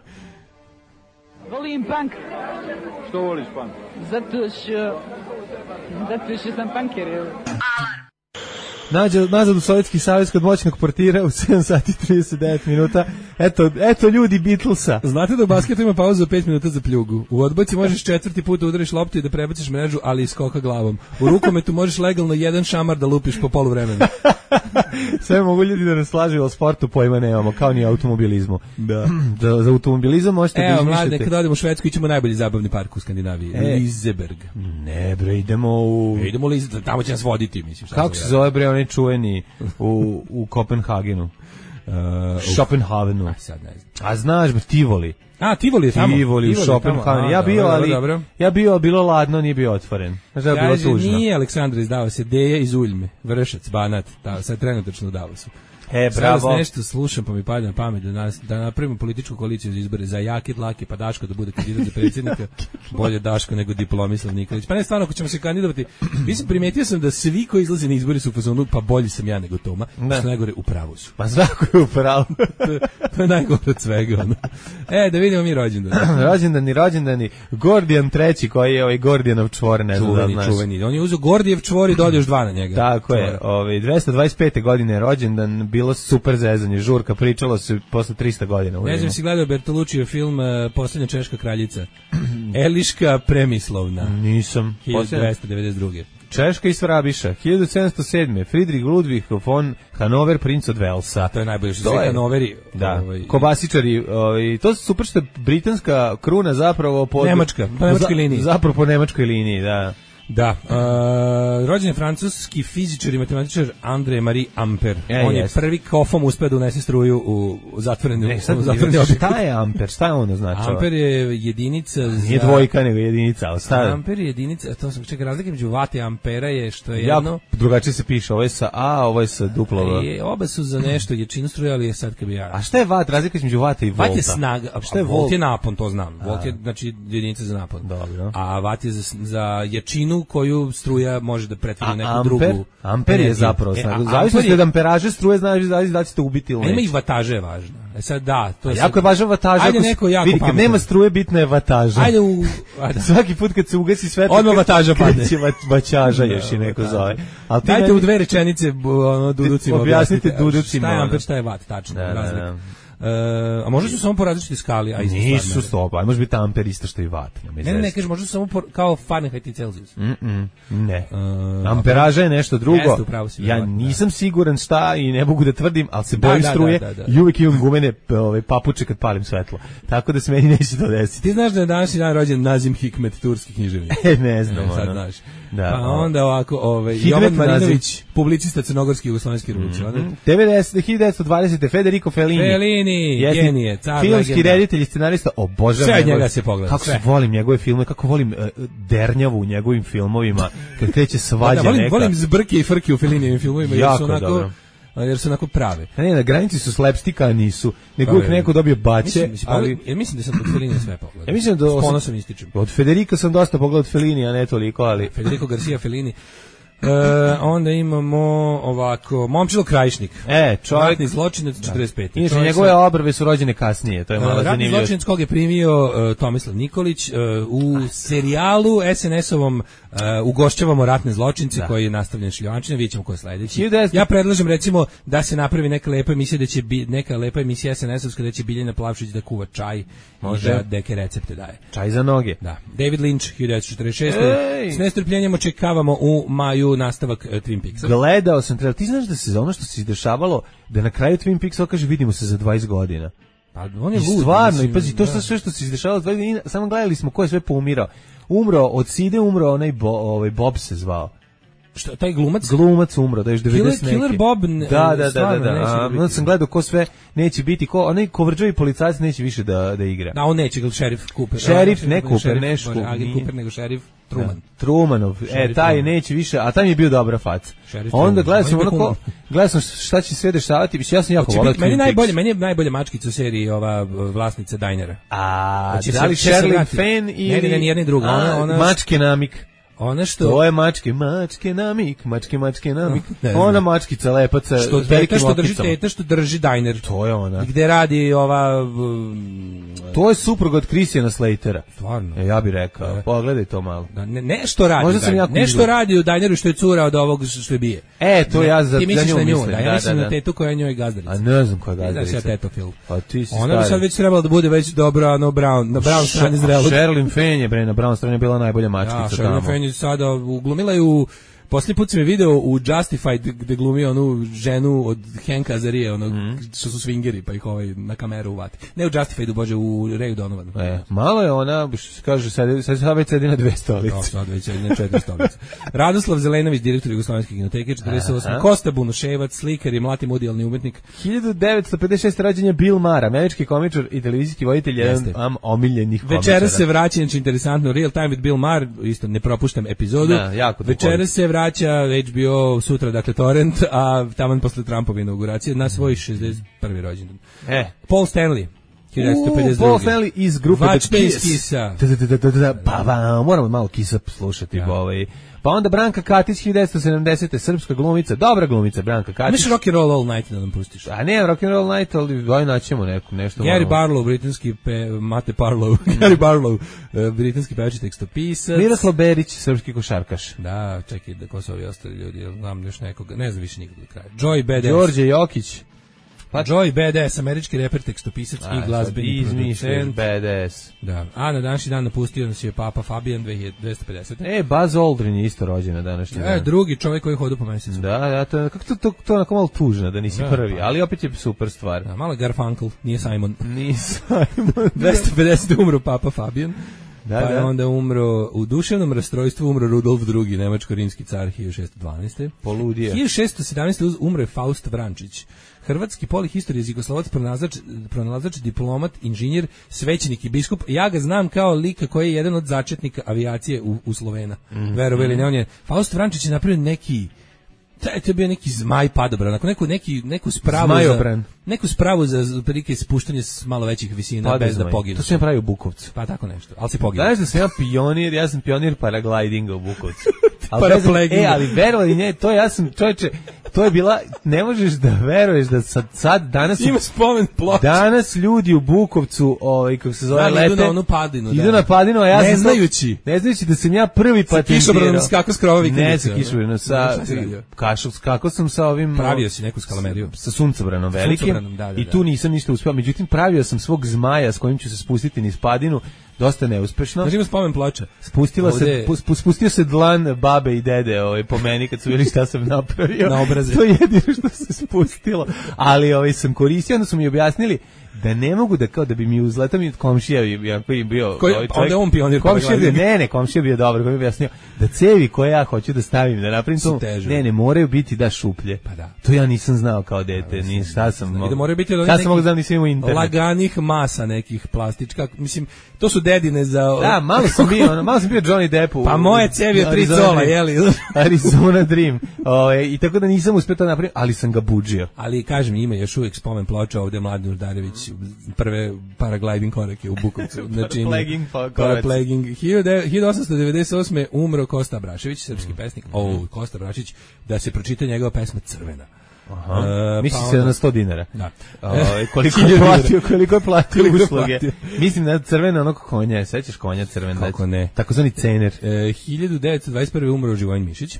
Volim punk. Što voliš punk? Zato što sam punker. Nazad u Sovjetski savez kod moćnog portira u 7 sati 39 minuta. Eto ljudi Beatlesa. Znate da u basketu ima pauzu za 5 minuta za pljugu. U odbojci možeš 4. put udariš loptu i da prebaciš mrežu, ali iskoka glavom. U rukometu možeš legalno jedan šamar da lupiš po poluvremenu. Sve mogu ljudi da nas slažu, o sportu pojma nemamo, kao ni automobilizmu. Da. Za automobilizam možete da izmišljate. Evo, mlade, kad odemo u Švedsku, ićemo najbolji zabavni park u Skandinaviji. Liseberg. Ne bre, idemo u... Idemo tamo će nas voditi, mislim. Kako se zove bre, onaj čuveni u Kopenhagenu? Schopenhavenu. Sad ne znam. A znaš, Tivoli. Tivoli je tamo. Tivoli u Schopenhavenu. Ja bio, bilo ladno, nije bio otvoren. Znači da je bilo tužno. Nije Aleksandra izdao se, Deja iz Uljme, Vršac, Banat, sad trenutačno u Davosu. Bravo. Sad nešto slušam pa mi pada na pamet da napravimo političku koaliciju za izbore za Jaki Dlaki pa Daško da bude kandidat za predsjednika. Bolje Daško nego Diplomislav Nikolić. Pa ne, stvarno, ako ćemo se kandidovati, mislim, primetio sam da svi koji izlaze na izbori su u fazonu, pa bolji sam ja nego Toma, što najgore u pravu su. Pa svako je u pravu. To je najgore od svega. Da vidimo mi rođendani. Gordijan III, koji je Gordijanov čvor, ne znam da znaš. Čuveni. On je uzeo Gordijev čvor i dodao još 2 na njega. Tako je. 225. godine je rođendan, bilo super zezanje, žurka, pričalo se posle 300 godina. Ne znam si gledao Bertoluccijev film Poslednja češka kraljica. Eliška Premislovna. Nisam. 1292. Češka i Svrabiša. 1707. Friedrich Ludwig von Hanover, princ od Velsa. To je najbolje što sve Hanoveri. Da, kobasičari. To su super što je britanska kruna zapravo po nemačkoj liniji. Zapravo po nemačkoj liniji, da. Da, rođen je francuski fizičar i matematičar André Marie Ampère. On je prvi kofom uspeo da unese struju u zatvoreni objekt. Šta je Amper? Šta je ono znači? Amper je jedinica za... Nije dvojka, nego jedinica. Amper je jedinica, to sam čekaj, razlika među vate i ampera je što je jedno... Drugačije se piše, ovo je sa A, ovo je sa duplo V. Oba su za nešto, jačinu struje, ali je sad kad bi ja... A šta je vat? Razlika između vate i volta? Vat je snaga, šta je volt? Je napon, to znam. Volt je, znači, jedinica za napon. Dobro. A vat je za jačinu koju struja može da pretvori u neku drugu. Amper je zapravo snaga. Zavisno od amperaže struje, znači da ćete ubiti ili neće. Ima i vataže je važno. Sad da, to je jako je važna vataža. Ajde neko jako pametno. Kad nema struje, bitna je vataža. Ajde svaki put kad se ugasi svetlo, odmah vataža padne. Vaćaža još i neko zove. Al dajte u 2 rečenice duducima objasnite duducima. Šta je amper, šta je vat, tačno, razlika. A možda su samo po različitoj skali, a nisu stopa, a može biti amper isto što i vat. Ne, kažeš, možda su samo kao Fahrenheit i Celsius. Ne. Amperaža je nešto drugo. Ja nisam siguran šta i ne mogu da tvrdim, ali se bojim struje i uvijek imam gumene papuče kad palim svetlo. Tako da se meni neće to desiti. Ti znaš da je današnji dan rođen Nazim Hikmet, turski književnik? Ne znam. Sad znaš. Pa onda ovako, Jovan Marinović, publicista crnogorski jugoslovenski revolucionar. 1920. Federico Fellini. Genije, car, filmski reditelj i scenarista, obožavam sve njega se pogleda. Kako volim njegove filmove, kako volim dernjavu u njegovim filmovima, kad kreće svađa neka. Volim zbrke i frke u Fellinijevim filmovima, jer su onako prave. Ne, na granici su slapstika, a nisu. Nego uvijek neko dobije baće. Mislim da sam od Fellinija sve pogledao. Ja mislim da s ponosom ističem. Od Federica sam dosta pogledao od Fellinija, ne toliko, ali... Federico Garcia Fellini. Onda imamo ovako Momčilo Krajišnik. Čovjek ratni zločinac 45. Inače njegove obrve su rođene kasnije, to je malo zanimljivo. Ratni zločinac kog je primio Tomislav Nikolić u serijalu SNS-ovom ugošćavamo ratne zločince koji je nastavljen šljivančina, vidjet ćemo ko je sledeći. Ja predlažem recimo da se napravi neka lepa emisija, da će neka lepa emisija SNS-ovska da će Biljana Plavšić da kuva čaj i da neke recepte daje. Čaj za noge. Da. David Lynch 1946. S nestrpljenjem očekavamo u maju najavljuju nastavak Twin Peaksa. Gledao sam trailer. Ti znaš da se ono što se izdešavalo, da na kraju Twin Peaksa kaže vidimo se za 20 godina. Pa on je lud. Stvarno, i pazi, to sve što se izdešavalo 20 godina, samo gledali smo ko je sve poumirao. Umro, od Side umro onaj Bob se zvao. Što, taj glumac? Glumac umro, da još 90 neki. Killer Bob, da. Onda sam gledao ko sve neće biti, onaj kovrđavi policajac neće više da igra. Da, on neće, šerif Cooper. Šerif, ne Cooper, nešto. Agent Cooper, nego šerif Truman. Trumanov, taj neće više, a tam je bio dobra faca. Onda gledao sam šta će sve dešavati, ja sam jako volao. Meni je najbolja mačkica u seriji ova vlasnica Dinera. Da li Sherilyn Fenn ili... Ne, nijedni druga. Mačke namik. Ona što... To je mačke namik. Ona mačkica lepaca s velikim okicama. Što drži diner. To je ona. Gde radi ova... To je suprug od Christiana Slatera. Stvarno. Ja bih rekao, pogledaj to malo. Nešto radi. Nešto radi u dineru što je cura od ovog što je bije. To ja za nju mislim. Ja mislim na tetu koja je njoj gazdarica. A ne znam koja je gazdarica. Znaš ja tetofil. Pa ti si ona bi sad već trebala da bude već dobra na Brown strani zrelog. Sherilyn Fenn je na Brown strani bila najbolja mačkica tamo. Sada uglumila je u posljednji put sam je video u Justified gde glumi onu ženu od Hanka Azarije, što su swingeri pa ih na kameru uvati. Ne u Justified, bože, u Rayu Donovanu. Malo je ona, što se kaže, sad već sedi na 2 stolice. Sad već sedi na 4 stolice. Radoslav Zelenović, direktor Jugoslovenske kinoteke, 48. Kosta Bunuševac, slikar i mlati mudijalni umetnik. 1956. rođen je Bill Maher, američki komičar i televizijski voditelj, jedan omiljenih komičara. Večeras se vraća, znači interesantno, Real Time with Bill Maher, isto ne propuštam epizodu. Večeras se vraća HBO, sutra, dakle, torrent, a taman posle Trumpove inauguracije na svoj 61. rođendan. Paul Stanley, 1952. Paul Stanley iz grupe The Kiss. Pa moramo malo Kissa slušati. Pa onda Branka Katić, 1970. srpska glumica, dobra glumica Branka Katić. Miš Rock and Roll All Night da nam pustiš? A ne, Rock and Roll Night, ali daj naćemo nešto. Gary Barlow, britanski Mate Parlow, Gary Barlow, britanski pevač i tekstopisac. Miroslav Berić, srpski košarkaš. Da, čekaj, da ko su ovi ostali ljudi, znam još nekoga, ne znam više nikog do kraja. Joey Badass. Đorđe Jokić. Joey Badass, američki reper, tekstopisac i glazbeni producent. Badass. Da. A na današnji dan napustio nas je Papa Fabijan 2250. Buzz Aldrin je isto rođen na današnji dan. Drugi čovjek koji hoda po mesecu. Da, kako to onako malo tužno da nisi prvi, ali opet je super stvar. Da, malo Garfunkel, nije Simon. 250 umro Papa Fabijan. Pa je onda umro, u duševnom rastrojstvu umro Rudolf II, nemačko-rimski car 1612. Poludio. 1617. umro je Faust Vrančić, hrvatski polihistorij, jugoslovac, pronalazač, diplomat, inženjer, svećenik i biskup. Ja ga znam kao lika koji je jedan od začetnika avijacije u Slovena. Verovali ne, on je, Faust Vrančić je napravio neki, to je bio neki zmaj padobran, neku spravu za prilike spuštanje s malo većih visina bez da poginu. To se pravi u Bukovcu. Pa tako nešto, ali se poginu. Znaš da sam ja sam pionir paraglidinga u Bukovcu. Ali verovali ne, to ja sam, čovječe, to je bila, ne možeš da veruješ da sad danas ima spomen ploča. Danas ljudi u Bukovcu, kako se zove, lete, idu na onu padinu, idu na padinu, a ja ne znajući da sam ja prvi patentirao. Kišobranom skako s krovovi. Ne, sa kišobranom, kako sam sa ovim, pravio si neku skalameriju sa suncobranom velikim, i tu nisam ništa uspeo. Međutim, pravio sam svog zmaja s kojim ću se spustiti niz padinu, dosta neuspešno. Znači ima spomen ploča. Spustio se dlan babe i dede po meni kad su vidjeli šta sam napravio. Na obraze. To je jedino što se spustilo. Ali sam koristio, onda su mi objasnili da ne mogu da bi mi uzletao mi komšija koji bio onda on pionir komšija bio dobar, koji mi objasnio da cevi koje ja hoću da stavim da napravim to ne moraju biti šuplje. Pa da. To ja nisam znao kao dete, ni šta sam da moraju biti od nekih nisam imao internet. Laganih masa nekih plastička, mislim to su dedine za da malo sam bio Johnny Depp pa moje cevi od 3 cola jeli Arizona Dream i tako da nisam uspeo to napraviti, ali sam ga budžio. Ali kažem, ima još uvijek spomen ploča ovde Mladen Urdarević prve paragliding korake u Bukovcu. Znači, paragliding. 1898. umro Kosta Abrašević, srpski pesnik. Kosta Abrašević, da se pročita njegova pesma Crvena. Misli se na 100 dinara. Da. Koliko je platio usluge. Mislim na crvena onog konja, sećaš konja crvena? Kako ne. Takozvani cener. 1921. umro Živojin Mišić.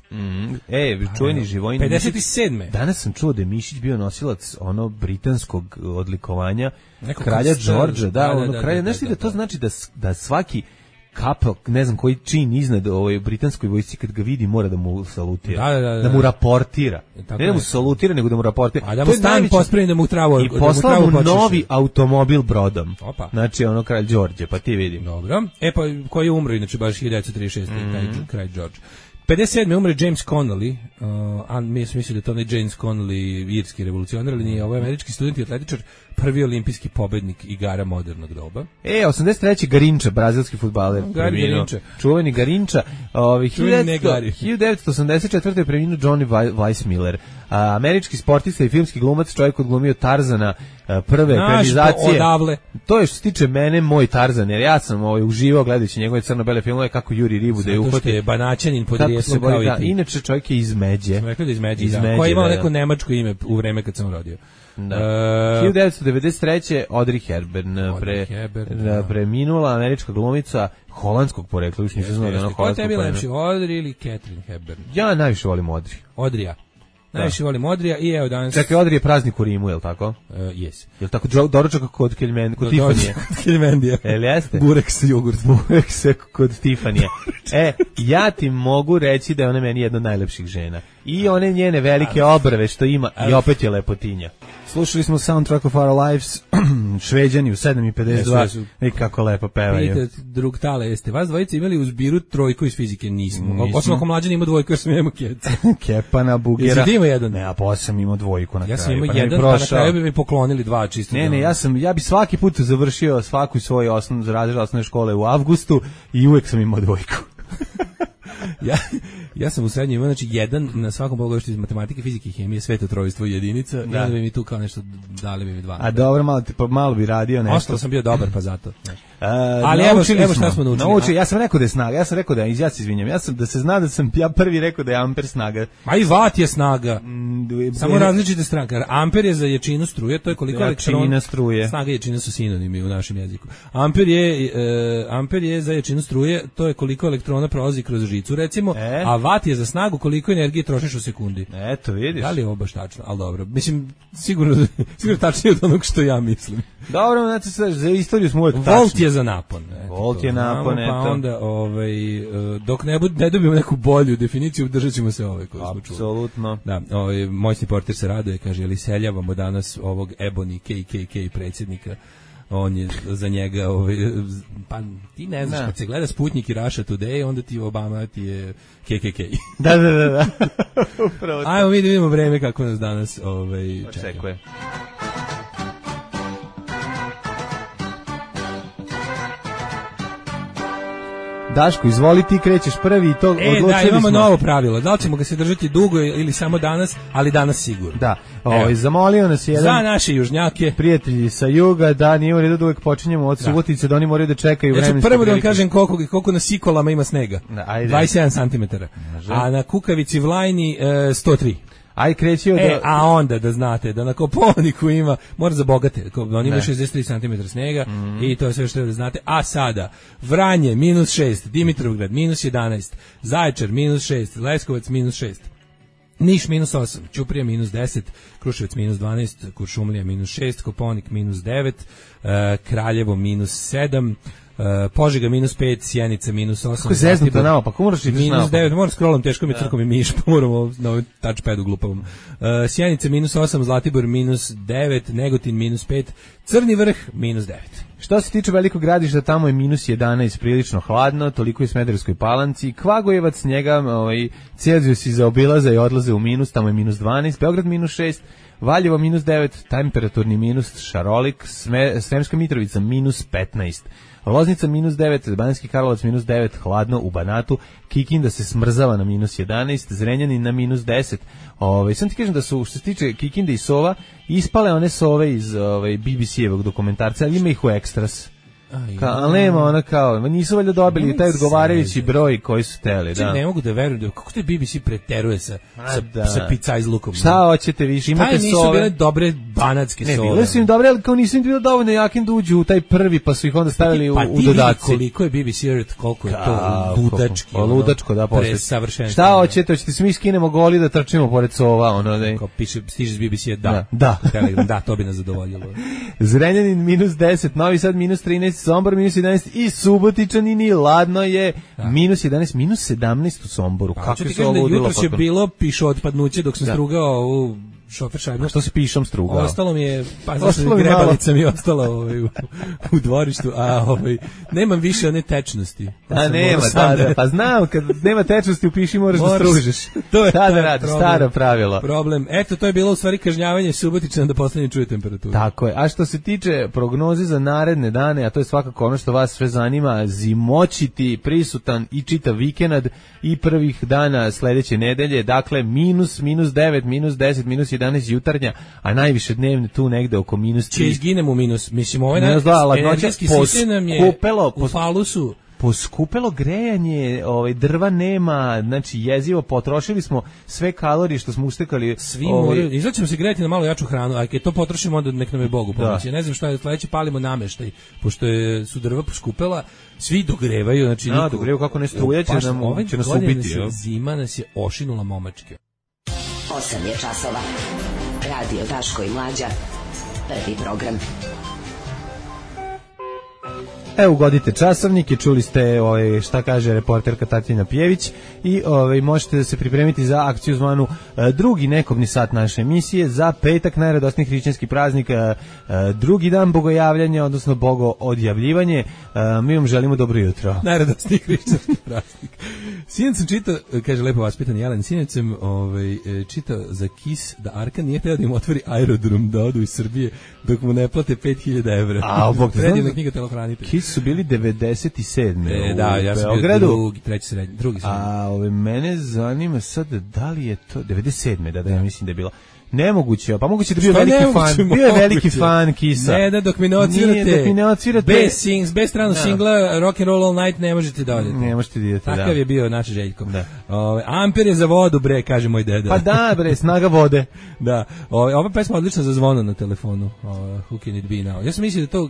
Čuveni Živojin Mišić. 57. Danas sam čuo da je Mišić bio nosilac britanskog odlikovanja kralja Đorđa. Kralja. Nešto da to znači da svaki kapel, ne znam koji čin iznad ovoj britanskoj vojsci, kad ga vidi mora da mu salutira, da mu raportira. Ne da mu salutira, nego da mu raportira. A da mu stan pospremi, da mu travu. I poslao mu novi automobil brodom. Opa. Znači ono kralj Đorđe, pa ti vidi. Dobro. Pa koji je umro, inače baš 1936. Kralj Đorđe. 57. umre James Connolly, mi smo mislili da to ne James Connolly, irski revolucionar, ali nije, ovo je američki student i atletičar, prvi olimpijski pobednik igara modernog doba. 83. Garinča, brazilski fudbaler. Garinča. Čuveni Garinča. 1984. je preminuo Johnny Weissmuller, američki sportista i filmski glumac, čovjek odglumio Tarzana prve ekranizacije. Odavle. To je što se tiče mene, moj Tarzan, jer ja sam uživao gledajući njegove crno-bele filmove, kako juri ribu da je uhvati. Zato što je banaćanin podrijesom kao i ti. Inače čovjek je iz Međe. Sam rekao da iz Međe, koji je imao neko nemačko ime u vreme kad sam rodio. Da. 1993. Audrey Hepburn preminula, američka glumica holandskog porekla, još nisam znao da je ona holandskog porekla. Ko tebi lepši, Audrey ili Catherine Hepburn? Ja najviše volim Audrey. Audrija. Najviše volim Audrija i evo danas... Čekaj, Audrey je praznik u Rimu, je li tako? Yes. Je li tako doručak kod Tifanije? Kod Tifanije. Jel jeste? Burek sa jogurt. Burek sa kod Tifanije. Ja ti mogu reći da je ona meni jedna od najlepših žena. I one njene velike obrve što ima i opet je lepotinja. Slušali smo Soundtrack of Our Lives, Šveđani u 7:52, i kako lepo pevaju. Vidite, drug Tale, jeste vas dvojice imali u zbiru trojku iz fizike? Nismo. Osim ako mlađan ima dvojku jer sam imao keca. Kepana, Bugera. Jesi ti imao jedan? Ne, a posle sam imao dvojku na kraju. Ja sam imao jedan, pa na kraju bi mi poklonili dva čisto. Ne, ja bi svaki put završio svaku svoju razred osnovne škole u avgustu i uvek sam imao dvojku. Ja sam u srednjoj imao, znači jedan na svakom pogledu iz matematike, fizike i hemije, svetotrojstvo i jedinica, i onda bi mi tu kao nešto, dali bi mi dva. A dobro, malo bi radio nešto. Ostalo sam bio dobar, pa zato. Ali evo šta smo naučili. Ja sam rekao da je snaga, ja se izvinjam, da se zna da sam ja prvi rekao da je amper snaga. Ma i vat je snaga. Samo različite stranke. Amper je za jačinu struje, to je koliko elektrona struje. Snaga i jačina su sinonimi u našem jeziku. Amper je za jačinu struje, to je koliko elektrona prolazi kroz žicu, recimo, a vat je za snagu koliko energije trošiš u sekundi. Eto, vidiš. Da li je ovo baš tačno? Ali dobro. Mislim, sigurno tačnije od onog što ja mislim. Dobro, znači za istoriju smo uvijek tačni. Volt je za napon. Volt je napon, eto. Pa onda, dok ne dobijemo neku bolju definiciju, držat ćemo se ove koje smo čuli. Apsolutno. Da, moćni portir se raduje, kaže, jel iseljavamo danas ovog Ebony KKK predsjednika. On je za njega, pa ti ne znaš, kad se gleda Sputnik i Russia Today, onda ti Obama ti je KKK. Da. Upravo. Ajmo mi da vidimo vreme kako nas danas čekuje. Daško, izvoli, ti krećeš prvi i to odlučili smo. Da, imamo novo pravilo. Da li ćemo ga se držati dugo ili samo danas, ali danas sigurno. Da, zamolio nas jedan... Za naše južnjake. Prijatelji sa juga, da nije u redu da uvek počinjemo od Subotice, da oni moraju da čekaju vremenske prilike. Prvo da vam kažem koliko na Sikolama ima snega. 27 cm. A na Kukavici Vlajni 103. Aj krećio da... A onda da znate da na Kopaoniku ima, mora za bogate, on ima 63 cm snega i to je sve što treba da znate. A sada, Vranje -6, Dimitrovgrad -11, Zaječar -6, Leskovac -6, Niš -8, Ćuprija -10, Kruševac -12, Kuršumlija -6, Kopaonik -9, Kraljevo -7, Požega -5, Sjenica -8. Kako zeznuto nama, pa ko moraš ideš nama? -9, moram scrollom, teško mi crkom i miš, pa moramo na ovaj touchpadu glupavom. Sjenica -8, Zlatibor -9, Negotin -5, Crni Vrh -9. Što se tiče Velikog Gradišta, tamo je -11, prilično hladno, toliko je u Smederevskoj Palanci. Kvagojevac, njega Celzijusi zaobilaze i odlaze u minus, tamo je -12, Beograd -6, Valjevo -9, temperaturni minus, šarolik, Sremska Mitrovica -15. Loznica -9, Banjski Karlovac -9, hladno u Banatu, Kikinda se smrzava na -11, Zrenjanin na -10. Sam ti kažem da su, što se tiče Kikinde i sova, ispale one sove iz BBC-evog dokumentarca, ali ima ih u ekstras. Ali nema ona kao, nisu valjda dobili taj odgovarajući broj koji su teli. Da. Ne mogu da verujem, kako te BBC preteruje sa pizza izlukom. Šta hoćete više, imate sove. Nisu bile dobre banatske sole. Ne, bile su im dobre, ali kao nisu im bilo dovoljno jakim da uđu u taj prvi, pa su ih onda stavili u dodaci. Koliko je BBC Earth, koliko je to ludački, da, presavršenstvo. Šta hoćete se mi skinemo goli da trčimo pored sova, ono da. Kao piše, stiže s BBC-a, da. Telegram, da, to bi nas zadovoljilo. Zrenjanin -10, Novi Sad -13, Sombor -11 i Subotičanini, ladno je -11, -17 u Somboru. Kako se ovo ludilo? Jutros je bilo pišootpadnuće dok sam strugao u šofer šajbu. Što si pišom strugao? Ostalo mi je, grebalica mi je ostala u dvorištu, a nemam više one tečnosti. A nema, pa znam, kad nema tečnosti u piši moraš da stružeš. To je da radiš, staro pravilo. Problem. Eto, to je bilo u stvari kažnjavanje Subotičana da poslednje čuje temperaturu. Tako je. A što se tiče prognoze za naredne dane, a to je svakako ono što vas sve zanima, zimoćiti, prisutan i čitav vikend i prvih dana sledeće nedelje, dakle -9, -10, -11 jutarnja, a najviše dnevne tu negde oko -3. Će izginemo u minus. Mislim, ovaj energetski sistem nam je u falusu. Poskupelo grejanje, drva nema, znači jezivo, potrošili smo sve kalorije što smo ustekali. Svi moraju, izlaćemo se grejati na malo jaču hranu, a kad to potrošimo onda nek nam je Bogu pomoći. Ne znam šta je sledeće, palimo nameštaj, pošto su drva poskupela, svi dogrevaju, znači dogrevaju kako ne struje će nas ubiti. Zima nas je ošinula momačke. 8 je časova. Radio Daško i Mlađa. Prvi program. Evo, ugodite časovnike, čuli ste šta kaže reporterka Tatjana Pjević i možete da se pripremiti za akciju zvanu drugi nekobni sat naše emisije za petak, najradosniji hrišćanski praznik, drugi dan bogojavljanja, odnosno bogoodjavljivanje. Mi vam želimo dobro jutro. Najradosniji hrišćanski praznik. Sinac sam čitao, kaže lepo vaspitan Jelen, sinac sam čitao za KIS da Arkan nije htio da im otvori aerodrom da odu iz Srbije dok mu ne plate 5.000 evra. A, bog te predivna knjiga telohranitelj. KIS su bili 97. Da, ja sam bio drugi srednji. A mene zanima sad da li je to 97. Da, ja mislim da je bilo. Nemoguće, pa moguće da bio veliki fan. Bio je veliki fan Kisa. Ne, da dok mi ne odsvirate. Bez stranog singla Rock and Roll All Night ne možete da odete. Ne možete da idete, da. Takav je bio naš Željko. Amper je za vodu, bre, kaže moj deda. Pa da, bre, snaga vode. Da. Ova pesma odlična za zvono na telefonu. Who can it be now? Ja sam mislio da to,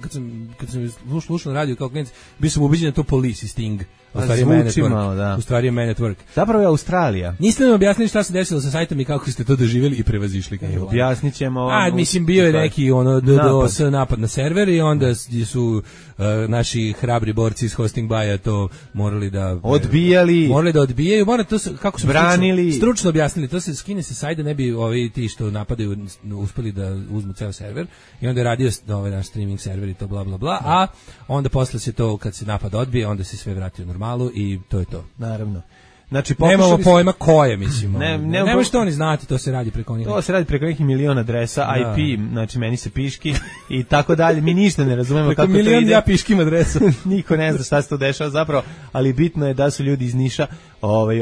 kad sam slušao na radiju kao klinac, bio sam ubeđen da to Police i Sting. U stvari je Man at Work. Zapravo je Australija. Niste nam objasnili šta se desilo sa sajtom i kako ste to doživjeli i prevazišli. Objasnit ćemo. Mislim, bio je neki DDoS napad na server i onda su naši hrabri borci iz Hosting Baja to morali da odbijaju. To se, kako su branili. Stručno objasnili. To se skine se sajda, ne bi ti što napadaju uspeli da uzmu ceo server i onda je radio naš streaming server i to bla bla bla, a onda posle se to, kad se napad odbije, onda se sve vrati u normalu i to je to. Naravno. Znači, nemamo pojma koje, mislimo. Nema što oni znati, to se radi preko njih. To se radi preko nekih miliona adresa, IP, znači meni se piški i tako dalje. Mi ništa ne razumemo kako to ide. Preko milion ja piškim adresa. Niko ne zna šta se to dešava zapravo, ali bitno je da su ljudi iz Niša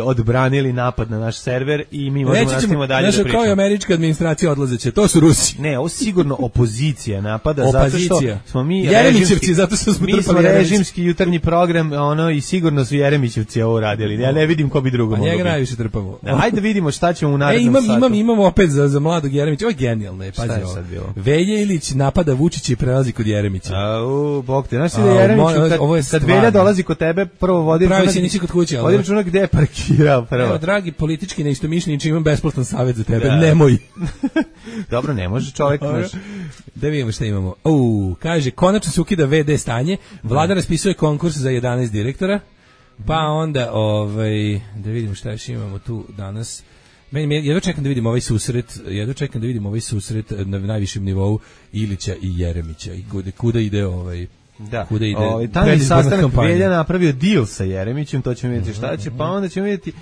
odbranili napad na naš server i mi možemo nastavimo dalje da pričamo. Kao i američka administracija odlazeće, to su Rusi. Ne, ovo sigurno opozicija napada, zato što smo mi Jeremićevci, zato što smo trpali režimski jutarnji program, i sigurno su Jeremićevci ovo radili. Ja ne vidim ko bi drugo mogao. Njega najviše trpamo. Ajde vidimo šta ćemo u narednom satu. Imamo opet za mladog Jeremića. Ovo je genijalno, pazi ovo. Velja Ilić napada Vučića i prelazi kod Jeremića. Bog te, znaš da Jeremić, kad Velja dolazi kod tebe, prvo vodi računak gde je parkirao prvo. Evo, dragi politički neistomišljenici, imam besplatan savjet za tebe, nemoj. Dobro, ne može čovjek. Da vidimo šta imamo. Kaže, konačno se ukida VD stanje, vlada raspisuje konkurs za 11 direktora. Pa onda, da vidimo šta još imamo tu danas. Jedva čekam da vidim ovaj susret na najvišem nivou Ilića i Jeremića i kuda ide kuda ide. Tamo sastanak Velja napravio deal sa Jeremićem, to ćemo vidjeti šta će, pa onda ćemo vidjeti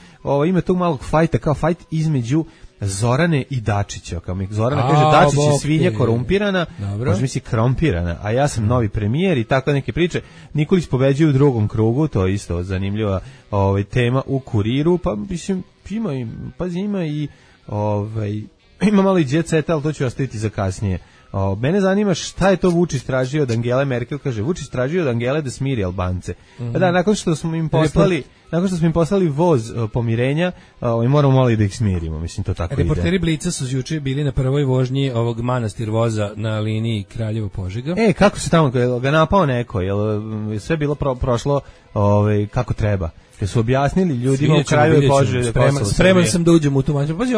ima tog malog fajta, kao fajt između Zorane i Dačića. Kao mi Zorana kaže, Dačić je svinja korumpirana, može misli krompirana, a ja sam novi premijer i tako neke priče. Nikolić pobeđuje u drugom krugu, to je isto zanimljiva tema u Kuriru, pa mislim, ima malo i jet seta, ali to ću ostaviti za kasnije. Mene zanima šta je to Vučić tražio od Angele Merkel, kaže Vučić tražio od Angele da smiri Albance. Pa da, nakon što smo im poslali nakon što smo im poslali voz pomirenja, moramo malo i da ih smirimo, mislim, to tako ide. Reporteri Blica su juče bili na prvoj vožnji ovog manastir voza na liniji Kraljevo-Požega. Kako se tamo, ga napao neko, jel sve bilo prošlo kako treba? Jer su objasnili ljudima u kraju i Požege. Spreman sam da uđem u tu manju. Pazi,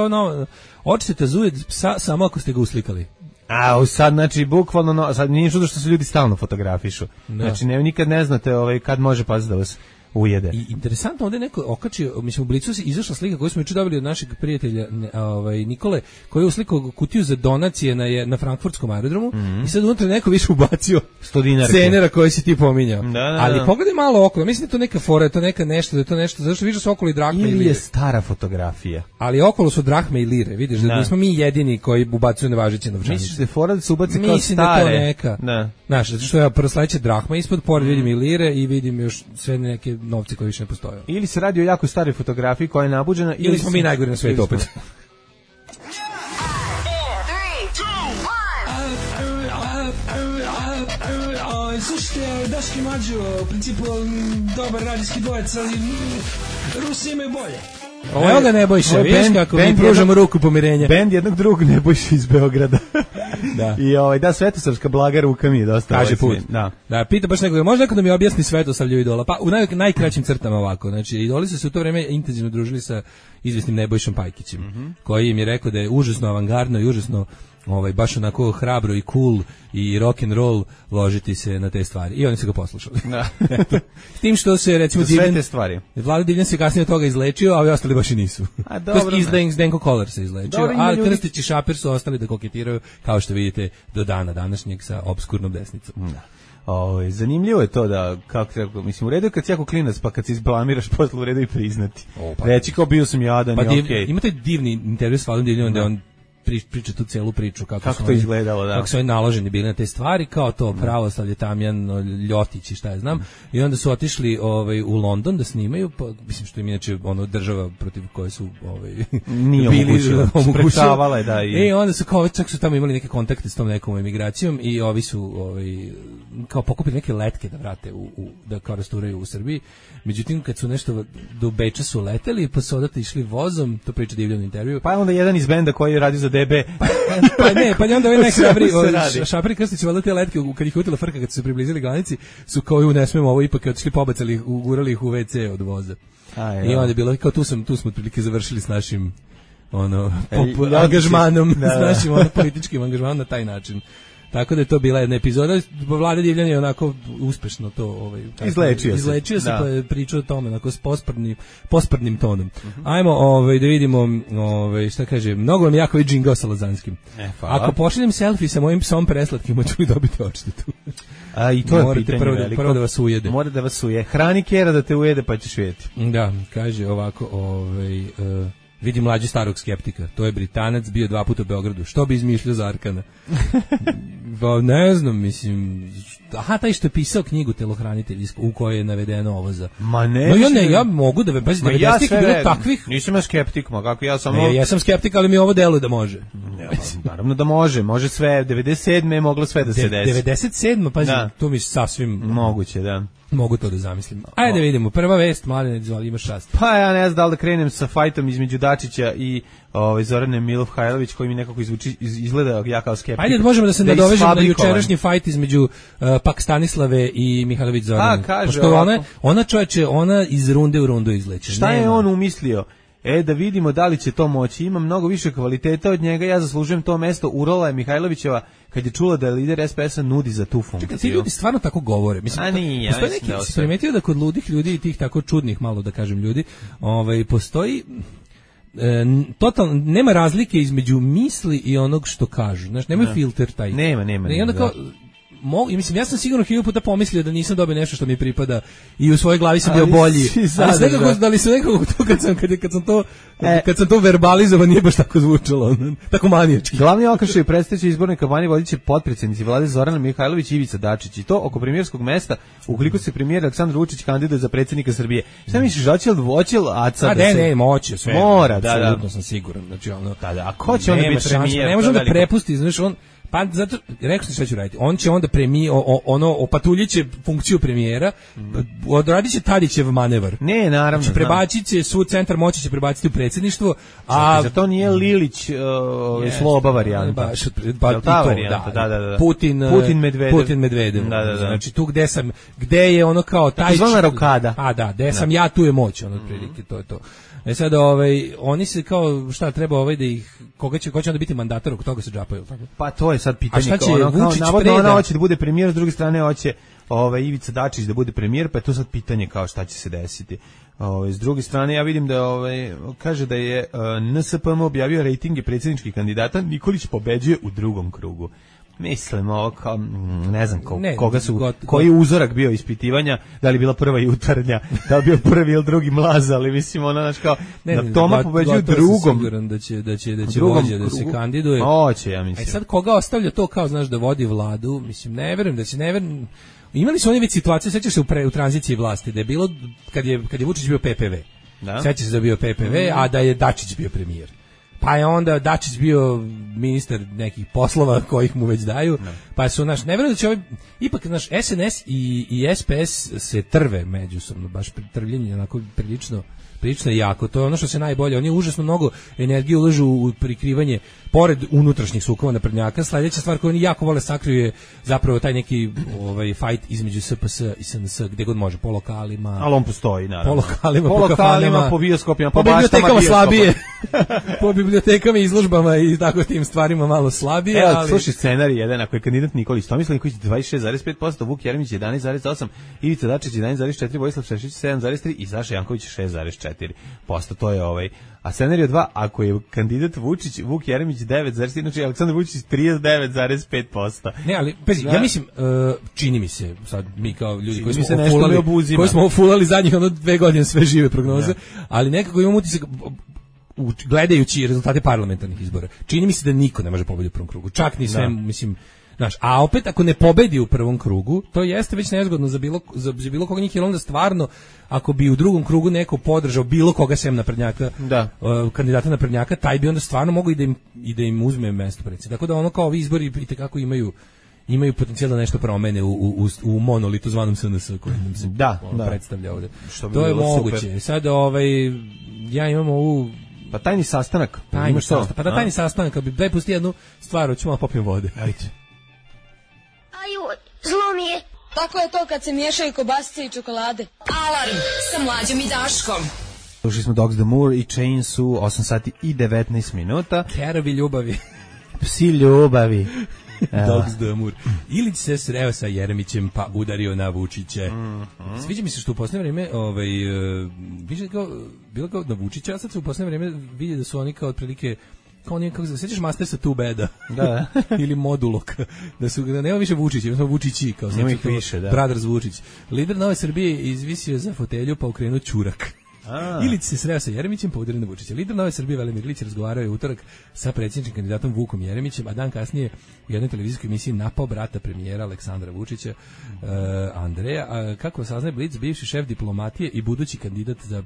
očite zuje psa samo ako ste ga uslikali. A sad, znači, bukvalno, sad nije čudo što se ljudi stalno fotografišu. Da. Znači, nikad ne znate kad može pas da vas ujede. I interesantno, ovdje neko okačio, mislim, u Blicu se izašla slika koju smo juče dobili od našeg prijatelja Nikole, koji je uslikao kutiju za donacije na frankfurtskom aerodromu i sad unutra neko više ubacio cenera koji si ti pominjao. Ali pogledaj malo okolo, mislim da je to neka fora, to neka nešto, da je to nešto, zašto vidiš su okolo i drahme i lire. Ili je stara fotografija. Ali okolo su drahme i lire, vidiš, da nismo mi jedini koji ubacuju nevažeće novčanice. Misliš da je fora da se ubaci kao stare? Mislim da je to neka. Znaš, zato što ja prvo sledeće drahma ispod, pored vidim i lire i vidim još sve neke novci koji više ne postoje. Ili se radi o jako staroj fotografiji koja je nabuđena, ili smo mi najgori na svijetu opet. Slušajte, Daški Mađo, u principu dobar radijski dvojec, ali Rusi imaju bolje. Evo ga Nebojša, vidiš kako mi pružamo ruku pomirenja. Bend jednog drugog Nebojša iz Beograda. Da. I Svetosavska blaga ruka mi je dosta. Kaže put. Da, pita baš nekoga, može neko da mi objasni Svetosavlju idola? Pa u najkraćim crtama ovako. Znači, idoli su se u to vreme intenzivno družili sa izvesnim Nebojšom Pajkićem, koji im je rekao da je užasno avangardno i užasno baš onako hrabro i cool i rock and roll ložiti se na te stvari. I oni su ga poslušali. S tim što se, recimo, Vlada Divljan se kasnije od toga izlečio, a ovi ostali baš i nisu. Zdenko Kolar se izlečio, a Krstić i Šapir su ostali da koketiraju, kao što vidite, do dana današnjeg sa obskurnom desnicom. Zanimljivo je to da, mislim, u redu je kad si jako klinac, pa kad se izblamiraš posle u redu i priznati. Reći kao bio sam jadan i okej. Ima taj divni intervju s Vladom Divljanom da on priča tu celu priču kako to izgledalo, da. Kako su oni naloženi bili na te stvari, kao to pravoslavlje, Tamjan, Ljotić i šta ja znam. I onda su otišli u London da snimaju, pa mislim što im inače država protiv koje su nije omogućavala je, da. I onda su kao čak su tamo imali neke kontakte s tom nekom emigracijom i ovi su kao pokupili neke letke da vrate da kao rasturaju u Srbiji. Međutim, kad su nešto do Beča su leteli, pa su odate išli vozom, to priča Divljan u intervju. Pa onda jedan iz benda koji je radio za DB. Pa onda ovaj najhrabri Šapir i Krstić, valjda te letke, kad ih utila frka, kad su se približili granici, su kao ne smemo ovo, ipak otišli pobacali, ugurali ih u WC od voza. I onda je bilo, kao tu smo otprilike završili s našim angažmanom, s našim političkim angažmanom na taj način. Tako da je to bila jedna epizoda. Vlada Divljan je onako uspešno to izlečio se, pa je pričao o tome onako s posprdnim tonom. Ajmo da vidimo šta kaže, mnogo vam jako je džingao sa Lazanskim. Ako pošaljem selfie sa mojim psom preslatkim, hoću li dobiti odštetu? I to je pitanje veliko. Prvo da vas ujede. Mora da vas uje. Hrani kera da te ujede, pa ćeš vidjeti. Da, kaže ovako, vidi mlađi starog skeptika. To je Britanac, bio 2 puta u Beogradu. Što bi izmišljao za Arkana? Ne znam, mislim... taj što je pisao knjigu Telohranitelj, u kojoj je navedeno ovo za... Ma ne... ja mogu da... Pazi, 90-ih je bilo takvih... Nisam ja skeptik, kako ja samo... Ja sam skeptik, ali mi ovo deluje da može. Naravno da može. Može sve. 97. je moglo sve da se desi. 97. Pazi, to mi sasvim... Moguće, da. Mogu to da zamislim. Ajde vidimo, prva vest, Mladene, izvoli, imaš šast. Pa ja ne znam da li da krenem sa fajtom između Dačića i Zorane Milofhajlović, koji mi nekako izgleda ja kao skeptik. Ajde, možemo da se nadovežemo na jučerašnji fajt između Stanislave i Mihajlović Zorane. Pošto ona iz runde u rundu izleće. Šta je on umislio? Da vidimo da li će to moći. Ima mnogo više kvaliteta od njega, ja zaslužujem to mesto. Urala je Mihajlovićeva kad je čula da je lider SPS-a nudi za tu funkciju. Čekaj, ti ljudi stvarno tako govore. Mislim, si primetio da kod ludih ljudi i tih tako čudnih, malo da kažem ljudi, postoji totalno, nema razlike između misli i onog što kažu. Znaš, nema filter taj. Nema. I onda kao, mislim, ja sam sigurno 1000 puta pomislio da nisam dobio nešto što mi pripada i u svojoj glavi sam bio bolji. Da li su nekako to kad sam to verbalizovao nije baš tako zvučalo, tako manijački. Glavni okršaj predstojeće izborne kampanje vodit će potpredsjednici vlade Zorana Mihajlović i Ivica Dačić, i to oko premijerskog mesta ukoliko se premijer Aleksandar Vučić kandiduje za predsjednika Srbije. Šta misliš, hoće Aca? Ne, moće sve. Mora, apsolutno sam siguran. Znači a ko će onda biti premijer? Ne možemo da prepusti, znaš, on Pa zato, rekao sam šta ću raditi. On će onda opatuljiće funkciju premijera, odradit će Tadićev manevar. Ne, naravno. Znači, prebacit će svu centar moći će prebaciti u predsjedništvo, a... Za to nije Lilić sloba varijanta. Ta varijanta, da. Putin Medvedev. Da. Znači, tu gde je ono kao taj... Zvona rokada. A da, gde sam ja, tu je moć, ono, prilike, to je to. Sad oni se kao šta treba da ih ko će onda biti mandatar, oko toga se džapaju, tako. Pa to je sad pitanje. A šta će Vučić navodno ona hoće da bude premijer, s druge strane hoće Ivica Dačić da bude premijer, pa je to sad pitanje kao šta će se desiti. S druge strane ja vidim da kaže da je NSPM objavio rejtinge predsjedničkih kandidata, Nikolić pobeđuje u drugom krugu. Mislim, ovo kao, ne znam koji je uzorak bio ispitivanja, da li bila prva jutarnja, da li bio prvi ili drugi mlaz, ali mislim, kao, da Toma pobeđuje u drugom. Siguran da će vođa da se kandiduje. Hoće, ja mislim. Sad koga ostavlja to kao, znaš, da vodi vladu, mislim, ne verujem. Imali su oni već situacije, sećaš se u tranziciji vlasti, da je bilo, kad je Vučić bio PPV, sećaš se da je bio PPV, a da je Dačić bio premijer. Pa je onda Dačić bio ministar nekih poslova kojih mu već daju, pa su ne verujem da će ipak SNS i SPS se trve međusobno, baš trvljenje onako prilično jako, to je ono što se najbolje, oni užasno mnogo energije ulažu u prikrivanje, pored unutrašnjih sukoba naprednjaka. Sledeća stvar koju oni jako vole sakriju je zapravo taj neki fight između SPS i SNS, gde god može, po lokalima. Ali on postoji, naravno. Po kafanima, po bioskopima, po bibliotekama slabije, po bibliotekama i izložbama i tako tim stvarima malo slabije. Evo, slušaj scenarij jedan, ako je kandidat Nikolić Tomislav Nikolić 26,5%, Vuk Jeremić 11,8%, Ivica Dačić 11,4%, Vojislav Šešelj 7,3% i Saša Janković 6,4%. To je A scenarij 2, ako je kandidat Vučić, Vuk Jeremić 9,3%, znači Aleksandar Vučić 39,5%. Ne, ali ja mislim, čini mi se, sad mi kao ljudi koji smo ofulali zadnjih 2 godine sve žive prognoze, ali nekako imam utisak, gledajući rezultate parlamentarnih izbora, čini mi se da niko ne može pobediti u prvom krugu. Čak ni sve, mislim, znaš, a opet ako ne pobedi u prvom krugu, to jeste već nezgodno za bilo koga njih, jer onda stvarno, ako bi u drugom krugu neko podržao bilo koga sem naprednjaka, kandidata naprednjaka, taj bi onda stvarno mogao i da im uzme mesto predsjednika. Tako da ono kao ovi izbori itekako imaju potencijal da nešto promene u monolitu zvanom SNS koji nam se predstavlja ovde. To je moguće. Super. Sad ja imam ovu tajni sastanak. Tajni sastanak, daj pusti jednu stvar, hoću malo popijem vode. Ajde. Aju, zlo mi je. Tako je to kad se miješaju kobasice i čokolade. Alarm sa Mlađom i Daškom. Slušali smo Dogs the Moor i Chains u 8 sati i 19 minuta. Kerovi ljubavi. Psi ljubavi. Dogs the Moor. Ilić se sreo sa Jeremićem pa udario na Vučiće. Sviđa mi se što u posljednje vrijeme više bilo kao na Vučića, a sad se u posljednje vrijeme vidi da su oni kao otprilike kako se sećaš Mastersa Too Bada? Da. Ili Modulok. Da nema više Vučića, ima Vučići kao nema ih više, da. Brothers Vučić. Lider Nove Srbije izvisio za fotelju pa okrenuo ćurak. Ilić se sreo sa Jeremićem pa udario na Vučića. Lider Nove Srbije Velimir Ilić razgovarao je utorak sa predsjedničkim kandidatom Vukom Jeremićem, a dan kasnije u jednoj televizijskoj emisiji napao brata premijera Aleksandra Vučića, Andreja. Kako saznaje Blic, bivši šef diplomatije i budući kandidat za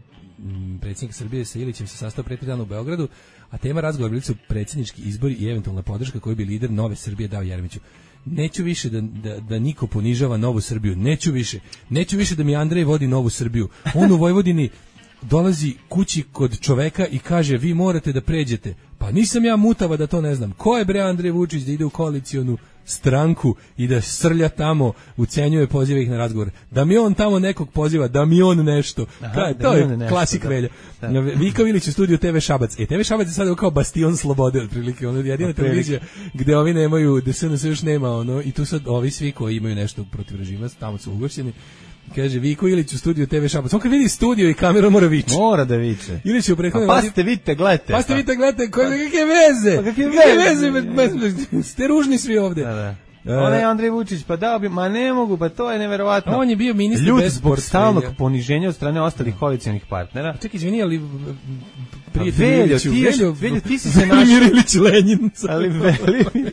predsjednika Srbije sa Ilićem se sastao pre 3 dana u Beogradu, a tema razgovora bili su predsjednički izbori i eventualna podrška koju bi lider Nove Srbije dao Jeremiću. Neću više da niko ponižava Novu Srbiju, neću više da mi Andrej vodi Novu Srbiju. On u Vojvodini dolazi kući kod čoveka i kaže vi morate da pređete. Pa nisam ja mutava da to ne znam. Ko je bre Andrej Vučić da ide u koalicionu stranku i da srlja tamo, ucenjuje, poziva ih na razgovor. Da mi on tamo nekog poziva, da mi on nešto. To je klasik Velja. Vika Vilić u studiju TV Šabac. TV Šabac je sada kao bastion slobode, otprilike. Ono jedina televizija gde ovi nemaju, gde SNS još nema, i tu sad ovi svi koji imaju nešto protiv režima, tamo su ugošćeni. Kaže Viko Ilić u studiju TV Šabac. On kad vidi studio i kameru mora viče. Mora da viče. Ilić je u prethodnoj vladi. Pazite, vidite, gledajte. Kakve veze? Pa kakve veze? Ste ružni svi ovde. Da. Onaj Andrej Vučić, pa dao bi, ma ne mogu, pa to je neverovatno. On je bio ministar Ljud bez zbog stalnog poniženja od strane ostalih koalicionih partnera. Čekaj, izvini, ali Veljo, ti si se našao. Velimir Ilić Lenin. Ali Velimir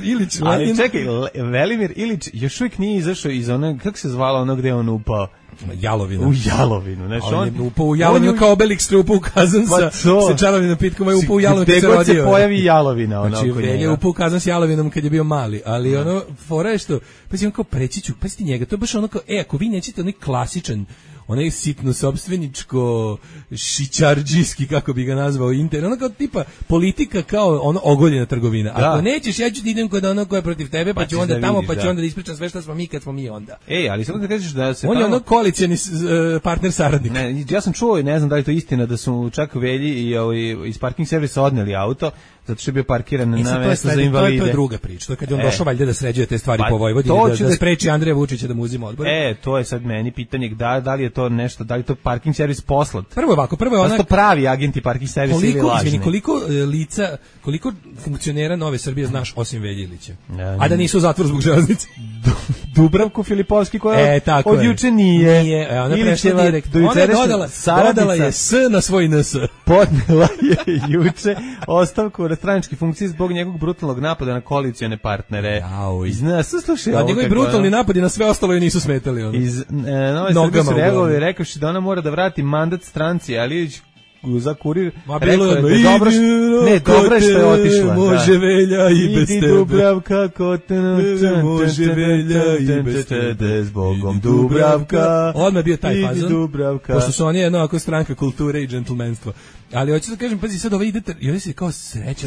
Ilić Lenin. Ali čekaj, Velimir Ilić još uvijek nije izašao iz onog, kako se zvalo ono gde on upao? Jalovina. U Jalovinu, znači on je upao u Jalovinu kao Obelix upao u kazan sa čarovnim napitkom, je upao u Jalovinu kad se rodio. Gde god se pojavi Jalovina, ono znači, oko njega. Je upao u kazan s Jalovinom kad je bio mali, ali ono, fora je što, pa si on kao preći ću, pa si ti njega, to je baš ono kao, ako vi nećete onaj klasičan, onaj sitno sopstveničko šićardžijski, kako bi ga nazvao, ono kao tipa politika kao ono ogoljena trgovina. Ako nećeš, ja ću ti idem kod ono ko je protiv tebe, pa ću onda tamo, pa ću onda da ispričam sve što smo mi kad smo mi onda. Ali samo da kažeš da se on je ono koalicioni partner saradnik. Ne, ja sam čuo, ne znam da li to istina, da su čak Velji i iz parking servisa odneli auto, zato što je bio parkiran na mesto za invalide. To je druga priča. To je kad je on došao valjda da sređuje te stvari po Vojvodini, da spreči Andreja Vučića da mu uzima odbor. To je sad meni pitanje da li je to nešto, da li to parking servis poslat. Prvo je ona to pravi agenti parking servisa ili lažni. Koliko lica, koliko funkcionera Nove Srbije znaš osim Veljilića? A da nisu u zatvoru zbog železnice. Dubravku Filipovski koja od juče nije. Ona prešla direkt. Ona je dodala je S na svoj NS. Podnela je juče ostavku na stranačke funkcije zbog njegovog brutalnog napada na koalicione partnere. Slušaj, njegovi brutalni napadi na sve ostalo joj nisu smetali. Iz Nove Srbije su reagovali rekavši da ona mora da vrati mandat stranci, ali za Kurir rekao je dobro je što je otišla. Može Velja i bez tebe. Idi Dubravka, može Velja i bez tebe. Zbogom Dubravka. Odmah je bio taj fazon. Dubravka. Pošto su oni jedno ako stranka kulture i džentlmenstva. Ali hoću da kažem, pazi, sad ovaj ide, i ovdje se kao sreća,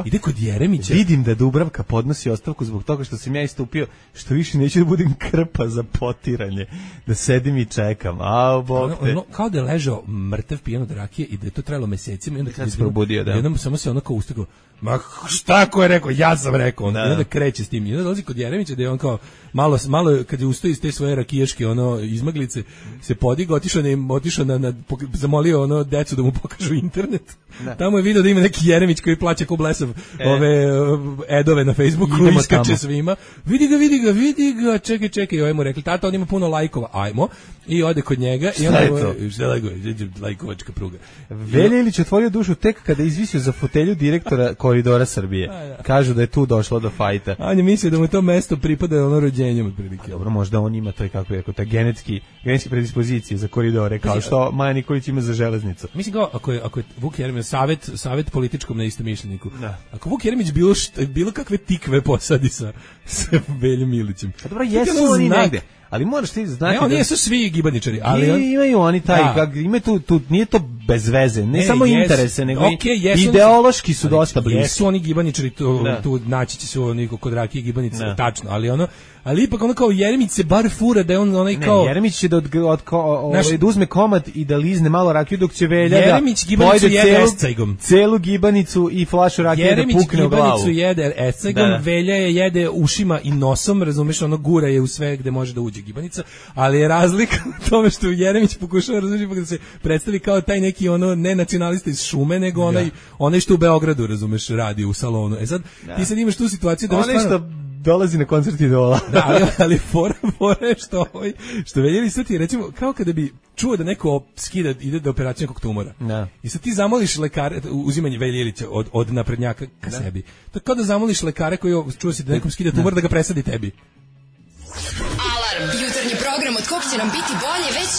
ide kod Jeremića. Vidim da Dubravka podnosi ostavku zbog toga što sam ja istupio, što više neću da budem krpa za potiranje, da sedim i čekam. Bog te. Kao da je ležao mrtav pijan od rakije i da je to trajalo mesecima i onda kad se probudio, da. Jednom samo se ono kao ustakao, ma šta ko je rekao, ja sam rekao, i onda kreće s tim. I onda dolazi kod Jeremića da je on kao malo kad je ustao iz te svoje rakijaške izmaglice, se podigao, otišao zamolio decu da mu pokažu internet. Tamo je video da ima neki Jeremić koji plaća ko blesav ove edove na Facebooku, iskače svima. Vidi ga, čekaj, ovaj mu rekli, tata, on ima puno lajkova, ajmo. I ode kod njega i onda šta lajkovačka pruga. Velja Ilić otvorio dušu tek kada je izvisio za fotelju direktora Koridora Srbije. Kažu da je tu došlo do fajta. On je mislio da mu to mesto pripada rođenjem otprilike. Dobro, možda on ima to, kako je rekao, taj genetske predispozicije za koridore, kao što Maja Nikolić ima za železnicu. Mislim kao, ako je Vuk Jeremić savjet političkom neistomišljeniku. Ako Vuk Jeremić bilo kakve tikve posadi sa Veljom Ilićem. Pa dobro, jesu oni negde. Ali moraš ti znati oni jesu svi gibaničari, ali imaju oni taj, ima tu nije to bez veze, ne samo interese, nego ideološki su dosta bliski. Jesu oni gibaničari, tu naći će se oni kod rakije gibanice, tačno, ali ipak ono kao Jeremić se bar fura da je on onaj kao... Jeremić će da uzme komad i da lizne malo rakiju, dok će Velja Jeremić gibanicu jede escajgom. Celu gibanicu i flašu rakije da pukne u glavu. Jeremić gibanicu jede escajgom, Velja je jede ušima i nosom, razumeš, ono gura je u sve gde može da uđe gibanica, ali je razlika u tome što Jeremić pokušava, razumeš, da se predstavi kao taj neki ne nacionalista iz Šume, nego onaj što u Beogradu, razumeš, radi u salonu. Sad, ti sad imaš tu situaciju da dolazi na koncert Idola. Ali fora je što Velja sad ti recimo, kao kada bi čuo da neko ide do operacije nekog tumora. I sad ti zamoliš lekare, uzimanje Velje Ilića od naprednjaka ka sebi. To je kao da zamoliš lekare koji čuo si da nekom skida tumor da ga presadi tebi. Alarm! Jutarnji program od kog će nam biti bolje već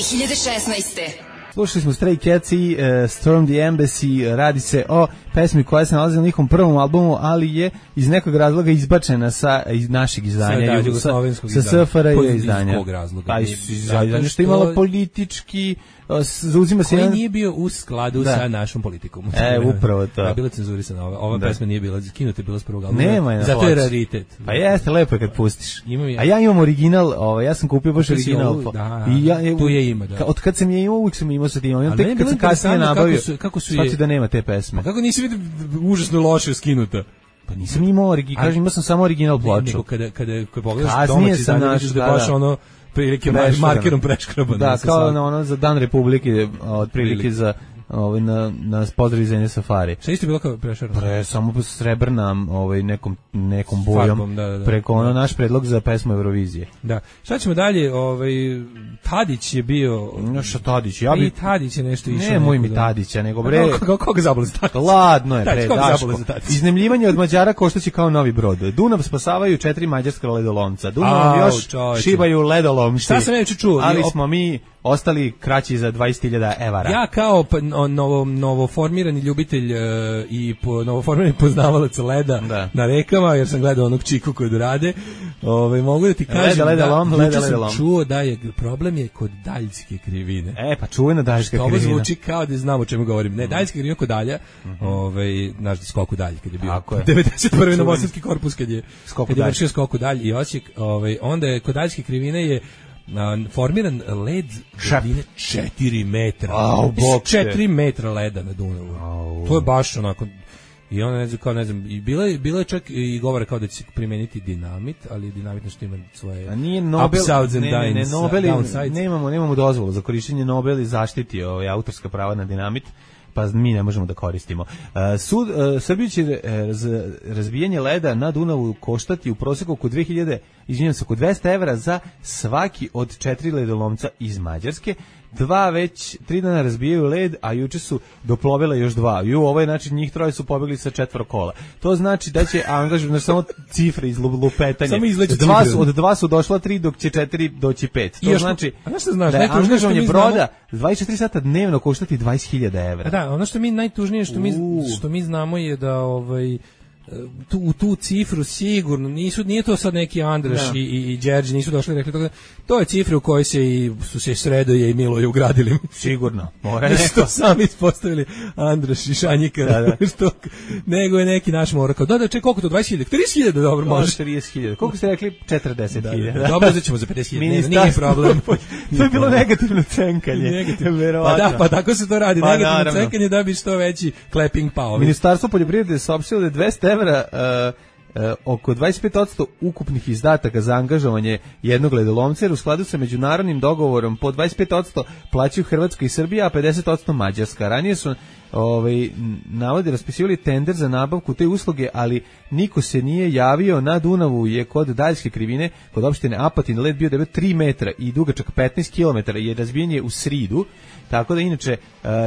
2016. Slušali smo Stray Cats i Storm the Embassy, radi se o pesmi koja se nalazi na njihovom prvom albumu, ali je iz nekog razloga izbačena sa našeg izdanja, sa SFRJ izdanja. Iz kog razloga? Zato što je imala politički, zauzima se koji nije bio u skladu sa našom politikom. Upravo to. A bila cenzurisana ova pesma nije bila, skinuta je bila s prvog albuma. Nema je na zato je raritet. Pa jeste, lepo je kad pustiš. A ja imam original, ja sam kupio baš original. Tu je ima, da. Od kad sam je imao, uvijek sam imao sa tim. Ali tek kad sam kasnije nabavio, shvatio da nema te pesme. Kako nisi vidio užasno loše skinuta? Pa nisam imao original, kažem, imao sam samo original ploču. Nego kada pogledaš domaći izdanje, vidiš da baš prilike markerom preškraban. Da, kao za Dan Republike, otprilike za na pozdrav iz zemlje Safari. Šta isto bilo kao prešarno? Samo srebrna nekom bojom. Farbom, da. Preko naš predlog za pesmu Eurovizije. Da. Šta ćemo dalje? Tadić je bio... Šta Tadić? I Tadić je nešto išao. Ne, moj mi Tadića, nego bre... Koga zabole za Tadić? Ladno je, bre, Daško. Iznemljivanje od Mađara koštaće kao novi brod. Dunav spasavaju 4 mađarska ledolomca. Dunav još šibaju ledolomci. Šta sam neće čuo? Ali smo mi ostali kraći za 20.000 evara. Ja kao novoformirani ljubitelj i novoformirani poznavalac leda na rekama, jer sam gledao onog Čiku kod rade, mogu da ti kažem da sam čuo da je problem je kod daljske krivine. Pa čuvena daljska krivina. Ovo zvuči kao da znam o čemu govorim. Ne, daljska krivina kod dalja, naš skoku dalj, kad je bio 91. Novosadski korpus, kad je vršio skoku dalj i Osijek, onda je kod daljske krivine je formiran led dubine 4 metra. 4 metra leda na Dunavu. To je baš onako. I ona ne znam, i bilo je čak i govore kao da će se primeniti dinamit, ali dinamit nešto ima svoje upsides and downsides. Nemamo dozvolu za korištenje. Nobel zaštiti autorska prava na dinamit, pa mi ne možemo da koristimo. Srbiju će razbijanje leda na Dunavu koštati u proseku oko 200 evra za svaki od 4 ledolomca iz Mađarske. 3 dana razbijaju led, a juče su doplovile još 2. Ovo je znači njih 3 su pobegli sa 4 kola. To znači da će angažovati samo cifre iz lupetanja. Od 2 su došla 3, dok će 4 doći 5. To znači da je angažovanje broda 24 sata dnevno koštati 20.000 evra. Da, ono što mi najtužnije što mi znamo je da tu cifru sigurno nije to sad neki Andraš i Đerđi nisu došli i rekli toga. To je cifra u kojoj su se Sredoje i Miloje ugradili. Sigurno. Mora neko. Što sami ispostavili Andraš i Šanjika. Nego je neki naš mora kao, čekaj, koliko to, 20.000? 30.000, dobro, može. 30.000. Koliko ste rekli? 40.000. Dobro, uzet ćemo za 50.000, nije problem. To je bilo negativno cenkanje. Pa tako se to radi, negativno cenkanje da bi što veći clapping pao. Ministarstvo poljoprivrede je saopštilo da je 200 evra oko 25% ukupnih izdataka za angažovanje jednog ledolomca, jer u skladu sa međunarodnim dogovorom po 25% plaćaju Hrvatska i Srbija, a 50% Mađarska. Ranije su navodi raspisivali tender za nabavku te usluge, ali niko se nije javio. Na Dunavu je kod daljske krivine, kod opštine Apatin, led bio debel 3 metra i dugačak 15 km i razbijen je u sridu. Tako da inače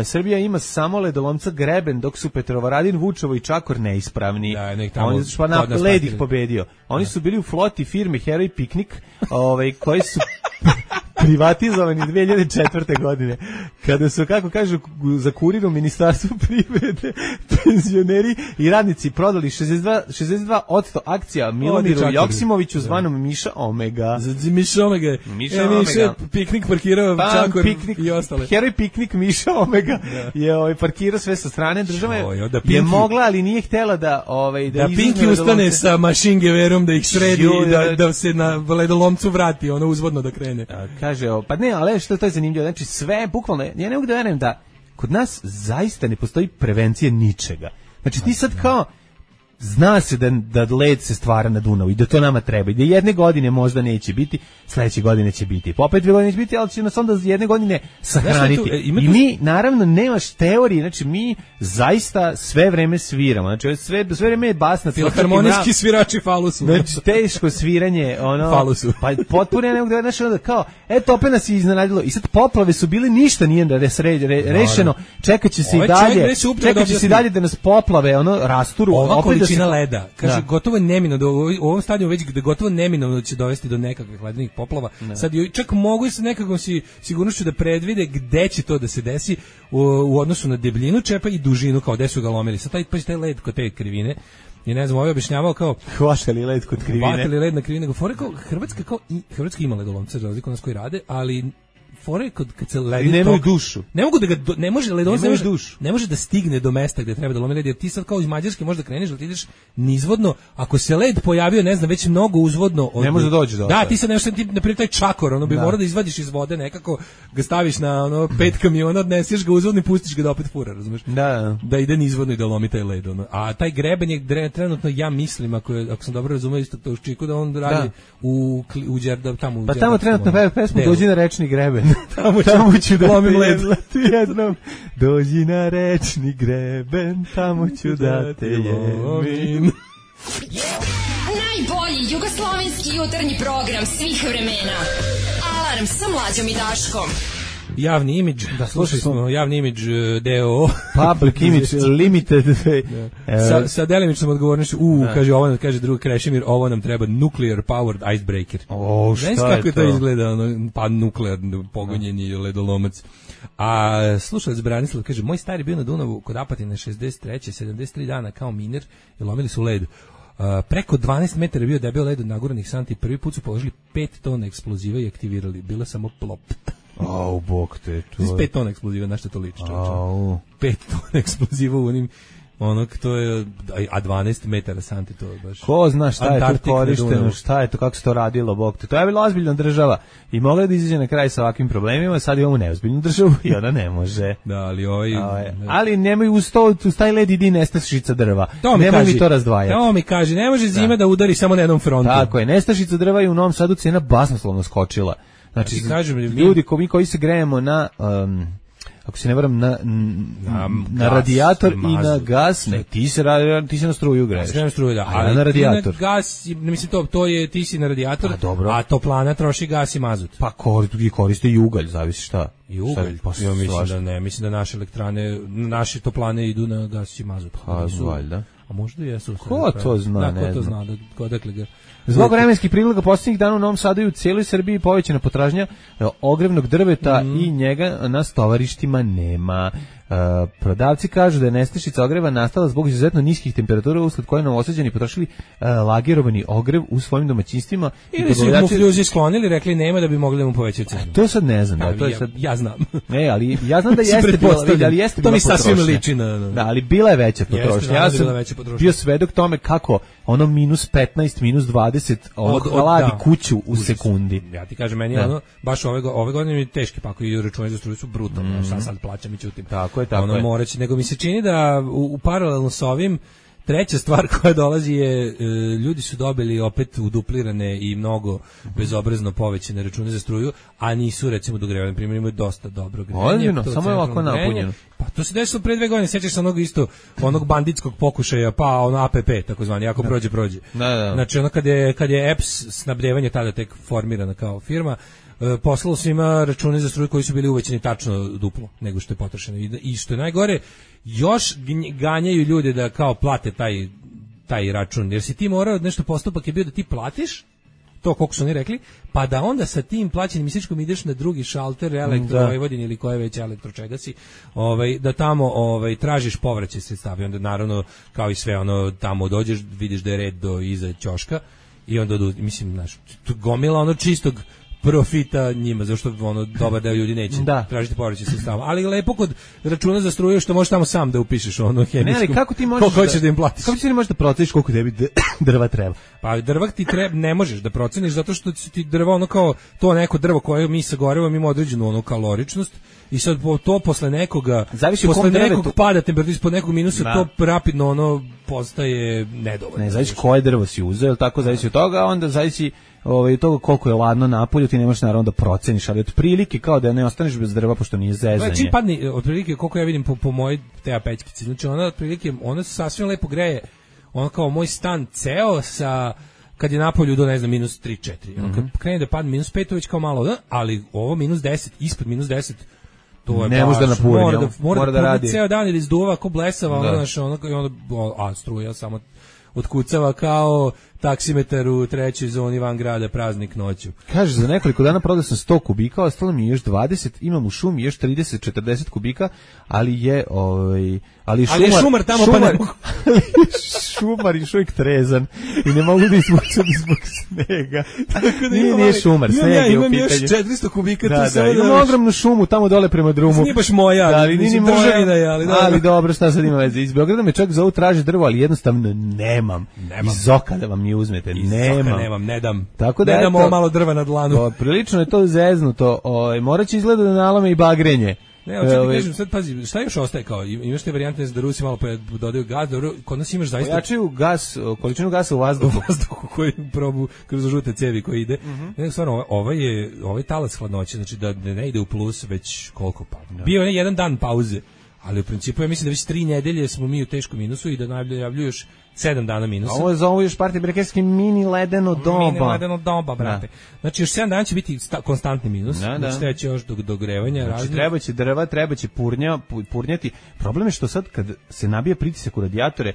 Srbija ima samo ledolomca Greben, dok su Petrovaradin, Vučevo i Čakor neispravni. Oni su led ih pobedio. Oni su bili u floti firme Heroj Piknik, koji su privatizovani 2004. godine. Kada su, kako kažu, za kurirom Ministarstvo privrede penzioneri i radnici prodali 62% akcija Milomiru Joksimoviću zvanom Miša Omega. Miša Omega. Miša Piknik parkirao Čakor i ostale. Heroj Piknik Miša Omega je parkirao sve sa strane države. Je mogla, ali nije htjela da Pinki ustane sa mašingeverom da ih sredi i da se na ledolomcu vrati, ono uzvodno da krene. Kaže, pa ne, ali što to je zanimljivo, znači sve, bukvalno, ja ne mogu da verujem da kod nas zaista ne postoji prevencija ničega. Znači ti sad kao, zna se da led se stvara na Dunavu i da to nama treba i da jedne godine možda neće biti, sledeće godine će biti, pa opet 2 godine neće biti, ali će nas onda jedne godine sahraniti. I mi, naravno, nemaš teorije, znači mi zaista sve vreme sviramo, znači sve vreme je basna. Filharmonijski svirači falusu. Znači teško sviranje, falusu. Pa potpuno ja ne mogu da znači onda kao, eto opet nas je iznenadilo i sad poplave su bile, ništa nije rešeno, čekat će se i dalje da nas poplave rasturu. Količina leda, kaže, gotovo je neminovno, u ovom stadiju već da gotovo neminovno da će dovesti do nekakvih ledenih poplava. Sad čak mogu se nekakvom sigurnošću da predvide gde će to da se desi u odnosu na debljinu čepa i dužinu, kao gde su ga lomili. Sad taj led kod te krivine, i ne znam, ovaj objašnjavao kao hvatali led kod krivine. Hvatali led na krivine. Hrvatska ima ledolomce, za razliku od nas koji rade, ali fore kad se ledi nemaju dušu. Ne može da stigne do mesta gde treba da lomi led, jer ti sad kao iz Mađarske možeš da kreneš, da ti ideš nizvodno, ako se led pojavio, ne znam, već mnogo uzvodno ne može da dođe do. Da, ti sad nešto na primjer taj Čakor, bi morao da izvadiš iz vode nekako, ga staviš na 5 kamiona, odneseš ga uzvodno i pustiš ga da opet fura, razumeš? Da ide nizvodno i da lomi taj led, A taj Greben je trenutno, ja mislim, ako sam dobro razumeo isto to u Čiku, da on radi u Đerdap tamo. Pa tamo trenutno pesmu Dođi na rečni Greben. greben. Tamo ću da te jednom dođi na rečni greben, tamo ću da te jebim. Najbolji jugoslovenski jutarnji program svih vremena. Alarm sa Mlađom i Daškom. Javni imidž, da slušali smo Javni imidž DOO. Public Image Limited. Sa delimičnom odgovornošću, kaže drug Krešimir, ovo nam treba nuclear powered icebreaker. Šta je to? Znaš kako to izgleda, pa nuklearno pogonjeni ledolomac. A slušalac Branislav kaže, moj stari bio na Dunavu kod Apatina 63. 73 dana kao miner i lomili su led. Preko 12 metara bio debel led od naguranih santi. Prvi put su položili 5 tona eksploziva i aktivirali. Bila samo plop. Bog te. 5 tona eksploziva, na što to liči? 5 tona eksploziva u onim to je, a 12 metara santi, to je baš... Ko zna šta je to korišteno, šta je to, kako se to radilo, Bog te. To je bila ozbiljna država i mogla da izađe na kraj sa ovakvim problemima, sad imamo neozbiljnu državu i ona ne može. Da, ali ali nemoj uz taj led idi nestašica drva. Nemoj mi to razdvajati. To mi kaže, ne može zima da udari samo na jednom frontu. Tako je, nestašica drva i u Novom Sadu cena basnoslovno skočila. Znači, ljudi koji se grejemo na... ako se ne varam na radijator i na gas, ne, ti se na struju greješ. Na struju, da. A na radijator. Na gas, mislim to je ti si na radijator, a toplana troši gas i mazut. Pa koriste i ugalj, zavisi šta. I ugalj, ja mislim da ne, mislim da naše elektrane, naše toplane idu na gas i mazut. Pa, valjda. A možda jesu. Ko to zna, ne znam. Ko to zna, odakle ga... Zbog vremenskih prilika posljednjih dana u Novom Sadu i u cijeloj Srbiji povećana potražnja ogrevnog drveta i njega na stovarištima nema. Prodavci kažu da je nestašica ogreva nastala zbog izuzetno niskih temperatura usled koje Novosađani potrošili lagerovani ogrev u svojim domaćinstvima. Ili su mu fljuzi sklonili, rekli nema da bi mogli mu povećati cenu. To sad ne znam. Ja znam. Ne, ali ja znam da jeste bila potrošnja. To mi sasvim liči na... Da, ali bila je veća potrošnja. Ja sam bio svedok tome kako ono minus 15, minus 20 hladi kuću u sekundi. Ja ti kažem, meni baš ove godine mi teški pakovi i računi za struju su brutalni. Šta sad plaćam i ćutim. Tako je. Moraći, nego mi se čini da u paralelno s ovim treća stvar koja dolazi je ljudi su dobili opet uduplirane i mnogo bezobrazno povećane račune za struju, a nisu recimo dogrevani, primjer imaju dosta dobro grejanje. Samo je ovako napunjeno. Pa to se desilo pre 2 godine, sećaš se onog banditskog pokušaja, pa ono APP takozvani, ako prođe. Da. Znači ono kad je EPS snabdevanje tada tek formirana kao firma, poslalo svima račune za struju koji su bili uvećani tačno duplo nego što je potrošeno. I što je najgore, još ganjaju ljude da kao plate taj račun. Jer si ti morao, nešto postupak je bio da ti platiš to koliko su oni rekli, pa da onda sa tim plaćenim misličkom ideš na drugi šalter Elektrovojvodin ili koje već elektro čega si, da tamo tražiš povraćaj sredstava i onda naravno kao i sve tamo dođeš, vidiš da je red do iza ćoška i onda mislim, znaš, gomila čistog profita njima, zašto dobar deo ljudi neće tražiti povraćaj sredstava. Ali lepo kod računa za struju što možeš tamo sam da upišeš hemijskom. Ne, ali kako ti možeš da im platiš? Kako ti možeš da proceniš koliko tebi drva treba? Pa drva ti ne možeš da proceniš zato što ti drva kao to neko drvo koje mi sagorevamo ima određenu kaloričnost i sad to posle nekoga pada temperatura ispod nekog minusa, to rapidno postaje nedovoljno. Ne, zavisi koje drvo si uzeo, ili tako zavisi od toga, onda zavisi od toga koliko je ladno napolju, ti ne možeš naravno da proceniš, ali otprilike kao da ne ostaneš bez drva pošto nije zezanje. Čim padne, otprilike koliko ja vidim po mojoj te pećkici, znači ona sasvim lepo greje, ona kao moj stan ceo sa kad je napolju do minus 3-4. Kad krene da padne minus 5, to već kao malo, ali ovo minus 10, ispod minus 10, to je ne može da napuni, mora da radi ceo dan ili izduva ko blesava, a struja samo otkucava kao taksimetar u 3. zoni van grada praznik noću. Kaže, za nekoliko dana prodao sam 100 kubika, ostalo mi je još 20, imam u šumi još 30-40 kubika, ali je šumar tamo pa ne mogu. Šumar je šujk trezan i ne mogu da izvučem zbog snega. Nije šumar, sneg je u pitanju. Imam još 400 kubika. Imam ogromnu šumu tamo dole prema drumu. Nije baš moja, ali dobro, šta sad ima veze. Iz Beograda me čovjek zovu traži drvo, ali jednostavno nemam. Iz oka da vam mi uzmete, nemam, ne dam. Tako da ne dam ovo malo drva na dlanu. Prilično je to zeznuto, morat će izgleda da nalame i bagrenje. Ne, hoću ti kažem, sad pazi, šta još ostaje kao, imaš te varijante da Rusi malo dodaju gas, dobro, kod nas imaš zaista... Pojačaju gas, količinu gasa u vazduhu. Koji probu kroz žute cevi koji ide. Ne, stvarno, ovaj talas hladnoće, znači da ne ide u plus već koliko pa. Bio je jedan dan pauze, ali u principu ja mislim da već 3 nedelje smo mi u teškom minusu i da najavljuju još 7 dana minusa. Ovo je zovu još partije brekerski mini ledeno doba. Mini ledeno doba, brate. Znači još 7 dana će biti konstantni minus, znači treće još do grevanja. Znači trebaće drva, trebaće purnjati. Problem je što sad kad se nabija pritisak u radijatore,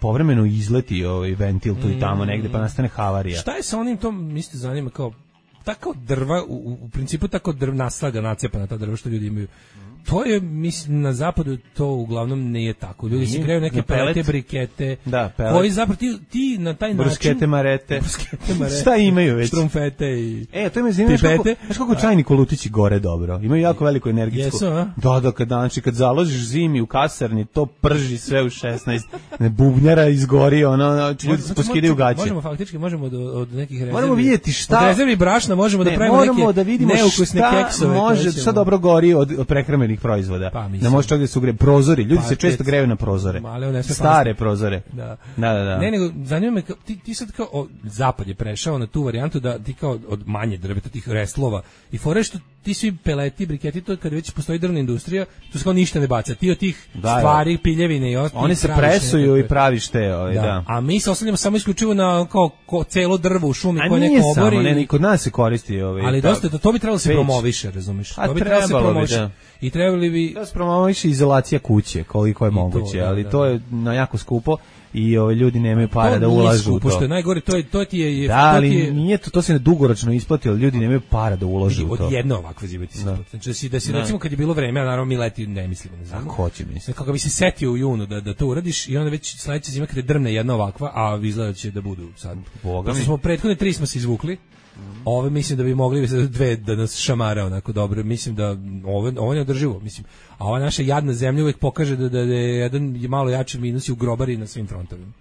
povremeno izleti ventil tu i tamo negde pa nastane havarija. Šta je sa onim tom, mislite zanima kao tako drva, u principu tako naslaga nacepana ta drva što ljudi imaju. To je, mislim, na zapadu to uglavnom nije tako. Ljudi se greju neke pelete, brikete, koji zapravo ti na taj način... Bruskete, marete. Šta imaju već? Štrumfete i to me zanima, znaš kako čajni kolutići gore dobro. Imaju jako veliku energetsku. Jesu, a? Da, kad založiš zimi u kasarni, to prži sve u 16. Bubnjara izgori, ljudi se poskidaju gaće. Možemo od nekih rezervi. Moramo vidjeti šta... Od rezervi brašna možemo da pravimo neke neukusne keksove. Može, šta dobro gori od prehramenih proizvoda. Pa, da može čak da se ugreje prozori. Ljudi se često greju na prozore. Stare prozore. Da. Ne, nego zanima me, ti sad kao zapad je prešao na tu varijantu da ti kao od manje drveta, tih reslova i fore što ti svi peleti, briketi, to kad već postoji drvna industrija, tu se kao ništa ne baca. Ti od tih stvari, piljevine i ostalo. Oni se presuju i praviš te. Da. A mi se oslanjamo samo isključivo na kao celo drvo u šumi koje neko obori. A nije samo, kod nas se koristi. Ali dosta, to bi trebalo se promoviše, razumiješ? To bi trebalo se promoviše. I trebali bi... Da se promoviše izolacija kuće, koliko je moguće, ali to je jako skupo. I ljudi nemaju para da ulažu u to. Što je najgore, to ti je... Da, ali nije to se dugoročno isplati, ali ljudi nemaju para da ulažu u to. Od jedne ovakve zime ti se isplati. Znači da si recimo kad je bilo vreme, a naravno mi leti ne mislimo na zimu. Ako hoće misliti. Kako bi se setio u junu da to uradiš i onda već sledeća zima kad je drvne jedna ovakva, a izgleda će da budu sad. Pošto smo prethodne 3 smo se izvukli. Ove mislim da bi mogli 2 da nas šamara onako dobro. Mislim da ovo ne održivo, mislim. A ova naša jadna zemlja uvek pokaže da je jedan malo jači minus i u grobari na svim frontovima.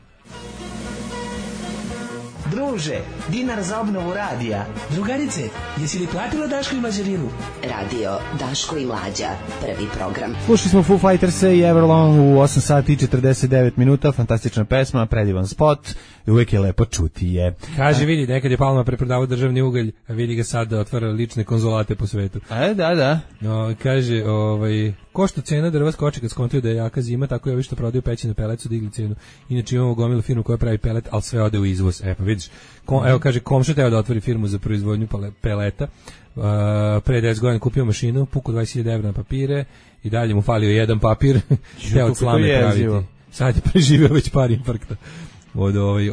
Druže, dinar za obnovu radija. Drugarice, jesi li platila Daško i Mlađarinu? Radio Daško i Mlađa, prvi program. Slušali smo Foo Fighters i Everlong u 8 sati i 49 minuta, fantastična pesma, predivan spot, i uvijek je lepo čuti je. Kaže, vidi, nekad je Palma preprodavao državni ugalj, a vidi ga sad da otvara lične konzulate po svetu. Da. Kaže, ko što cena drva skoči kad skontuju da je jaka zima, tako i ovi što prodaju pećine pelet su digli cenu. Inače imamo gomilu firmu koja pravi pelet, ali sve ode u izvoz. Pa vidiš, evo kaže, komšo teo da otvori firmu za proizvodnju peleta. Pre 10 godina kupio mašinu, puku 20.000 evra na papire i dalje mu falio jedan papir, teo od slame praviti. Sad je preživio već par infarkta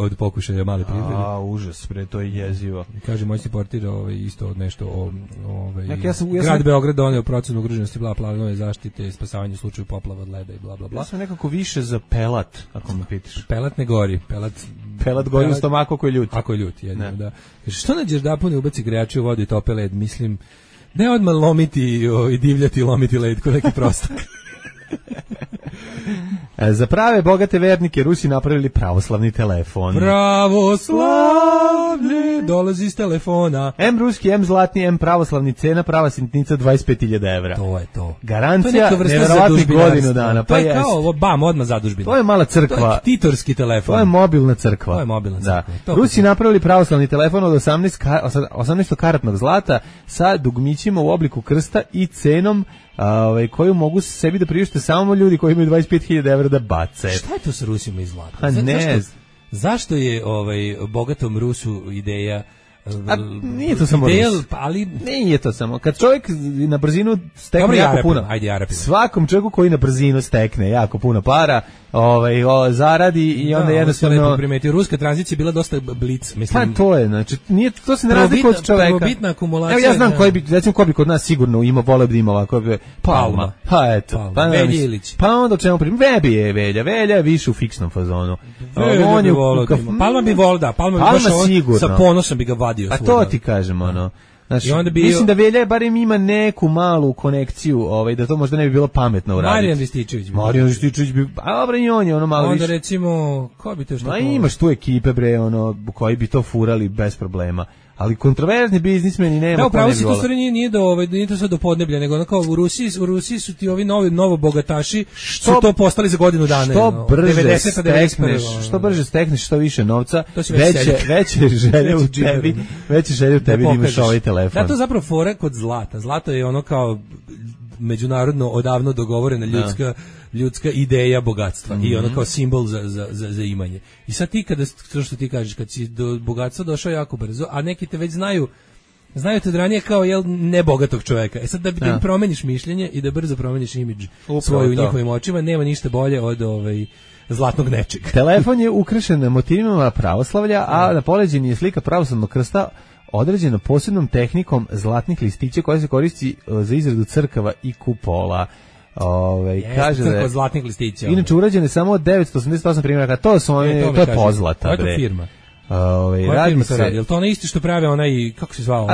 od pokušaja male privrede. Užas, to je jezivo. Kaže, moj si portir isto od nešto grad Beograd doneo procenu ugroženosti, planove zaštite, spasavanje u slučaju poplava od leda i bla bla bla. Ja sam nekako više za pelat, ako me pitaš. Pelat ne gori, pelat gori u stomaku ako je ljut. Ako je ljut, jedno, da. Kaže, što nađeš da puni ubaci grejače u vodu i tope led, mislim, ne odmah lomiti i divljati i lomiti led kod neki prostak. Za prave bogate vernike Rusi napravili pravoslavni telefon. Pravoslavlje dolazi iz telefona. M ruski, M zlatni, M pravoslavni, cena prava sitnica 25.000 evra. To je to. Garancija nevjerovatnih godinu dana. To je kao odmah zadužbina. To je mala crkva. To je titorski telefon. To je mobilna crkva. Da. Rusi napravili pravoslavni telefon od 18-karatnog zlata sa dugmićima u obliku krsta i cenom koju mogu sebi da priušte samo ljudi koji imaju 25.000 evra da bace. Šta je to sa Rusima i zlatom? Pa ne. Zašto je bogatom Rusu ideja nije to samo Rus. Ali nije to samo. Kad čovjek na brzinu stekne jako puno. Svakom čovjeku koji na brzinu stekne jako puno para, zaradi i onda jednostavno primetio, ruska tranzicija bila dosta blic, mislim. Pa to je, znači nije to se ne razlikuje od čovjeka. Prvobitna akumulacija. Evo ja znam ko bi kod nas sigurno ima, voleo bi ima ovako Palma. Pa eto, Velja Ilić. Pa onda čemu Velja je više u fiksnom fazonu. Palma bi volda, Palma bi sa ponosom bi ga vadio. A to ti kažem, Znači, mislim da Velja barem ima neku malu konekciju, da to možda ne bi bilo pametno uraditi. Marijan Rističević bi, a dobro i on je malo više. Onda recimo, ko bi to što? Imaš tu ekipe koji bi to furali bez problema. ali kontroverzni biznismeni nema. Da, upravo si to stvari nije to sad do podneblja, nego kao u Rusiji su ti ovi novo bogataši su to postali za godinu dana. Što brže stekneš, što više novca, veće želje u tebi, da imaš ovaj telefon. Da, to je zapravo fora kod zlata. Zlato je ono kao međunarodno odavno dogovorena ljudska ideja bogatstva i ono kao simbol za imanje. I sad ti što ti kažeš, kad si do bogatstva došao jako brzo, a neki te već znaju te od ranije kao nebogatog čoveka. Sad da im promeniš mišljenje i da brzo promeniš imidž svoj u njihovim očima, nema ništa bolje od zlatnog nečega. Telefon je ukrašen motivima pravoslavlja, a na poleđini je slika pravoslavnog krsta određeno posebnom tehnikom zlatnih listića koja se koristi za izradu crkava i kupola. Kaže da je zlatnih listića. Inače urađene samo od 988 primjeraka. To je pozlata. Koja je firma? Radi se. Je li to ono isti što prave onaj, kako se zvao?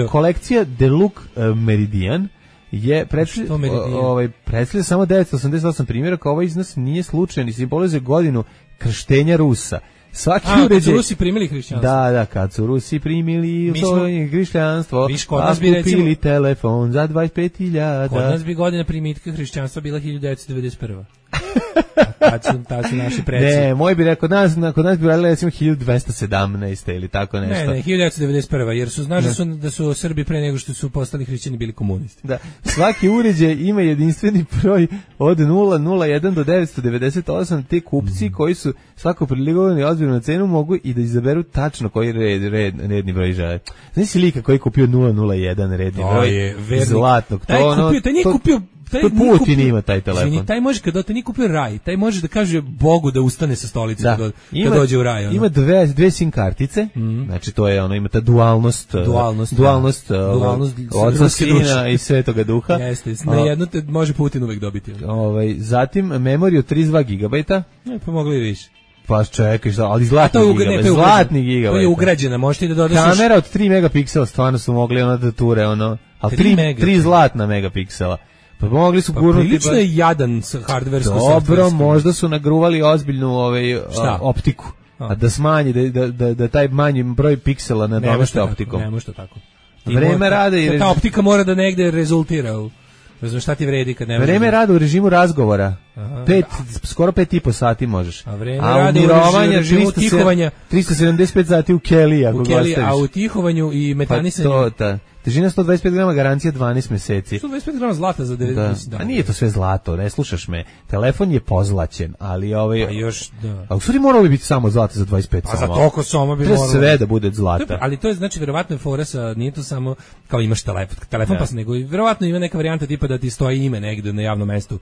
Kolekcija Deluxe Meridian je predstavlja samo 988 primjeraka. Ovaj iznos nije slučajan i simbolizuje godinu krštenja Rusa. Kad su Rusi primili hrišćanstvo. Da, kad su Rusi primili hrišćanstvo, a kupili telefon za 25.000. Kod nas bi godina primitka hrišćanstva bila 1991. Tad su naši preci. Ne, moj bi rekao, kod nas bi radili recimo 1217. ili tako nešto. Ne, 1991. Jer znaš da su Srbi pre nego što su postali hrišćani bili komunisti. Da, svaki uređaj ima jedinstveni broj od 001 do 998. Te kupci koji su svako priligovani ozbiljno na cenu mogu i da izaberu tačno koji redni broj žele. Znaš si lika koji je kupio 001 redni broj zlatnog? Taj nije kupio. Putin ima taj telefon. Izvini, taj može kad nije kupio raj, taj može da kaže Bogu da ustane sa stolice kad dođe u raj. Ima dve SIM kartice, znači to je ima ta dualnost oca, sina i Svetoga Duha. Jeste, na jednu te može Putin uvek dobiti. Zatim memoriju 32 GB. Pa mogli i više. Pa čekaj, ali zlatni gigabajt. To je ugrađena, možete da dodaš. Kamera od 3 megapiksela, stvarno su mogli da ture, ali 3 zlatna megapiksela. Pa mogli su gurnuti. Prilično je jadan hardversko. Dobro, možda su nagruvali ozbiljnu optiku. A da smanji, da taj manji broj piksela nadomeste optikom. Ne može to tako. Vreme rade i ta optika mora da negde rezultira. Znaš šta ti vredi kad ne može. Vreme rada u režimu razgovora. Skoro 5,5 sati možeš. A vreme rada u režimu tihovanja 375 sati u Kelly ako ga ostaviš. A u tihovanju i metanisanju. Težina 125 grama, garancija 12 meseci. 125 grama zlata za 90 dana. A nije to sve zlato, ne slušaš me. Telefon je pozlaćen, ali Pa još, da. A u stvari moralo bi biti samo zlato za 25 soma. A za toliko soma bi moralo. Sve da bude zlata. Ali to je, znači, verovatno je fora sa, nije to samo, kao imaš telefon pa se nego, verovatno ima neka varijanta tipa da ti stoji ime negde na javnom mestu,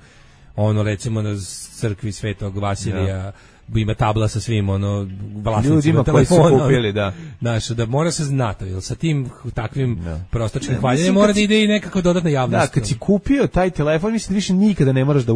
recimo na crkvi Svetog Vasilija, ima tabla sa svim vlasnicima telefona. Ljudima koji su kupili, da. Znaš, da mora se znati, jer sa tim takvim prostočnim hvaljenjem mora da ide i nekako dodatna javnost. Da, kad si kupio taj telefon, mislim da više nikada ne moraš da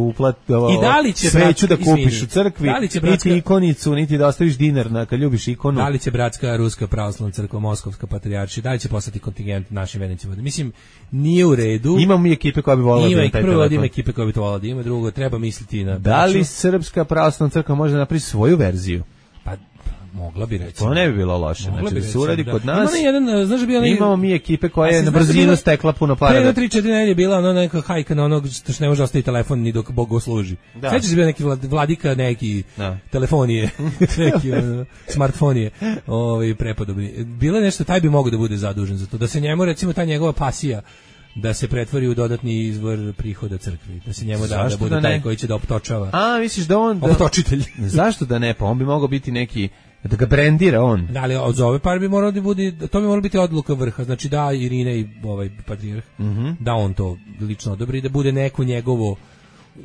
sveću da kupiš u crkvi, niti ikonicu, niti da ostaviš dinar kad ljubiš ikonu. Da li će Bratska Ruska pravoslavna crkva, Moskovska patrijaršija, da li će poslati kontingent našim vernicima? Mislim, nije u redu. Imamo mi ekipe koja bi volila da taj telefon. Prvo ima ekipe koja bi to volila da ima, drugo treba misliti na... Da li Srpska pravoslavna crkva može napraviti svoju verziju? Pa mogla bi reći. To ne bi bilo loše. Znači da se uradi kod nas. Imamo mi ekipe koja je na brzinu stekla puno para. Pre 3-4 nedelje je bila neka hajka na onog što ne može ostaviti telefon ni dok Bog služi. Sećaš se bio neki vladika, neki telefonije, neki smartfonije, prepodobni. Bilo je nešto, taj bi mogao da bude zadužen za to. Da se njemu recimo ta njegova pasija da se pretvori u dodatni izvor prihoda crkvi, da se njemu da bude taj koji će da optočava. A, misliš da on... Optočitelj. Zašto da ne? Pa on bi mogao biti neki, da ga brendira on. Da, ali od ove par bi moralo da bude, to bi moralo biti odluka vrha, znači da Irine i patrijarh, da on to lično odobri, da bude neko njegovo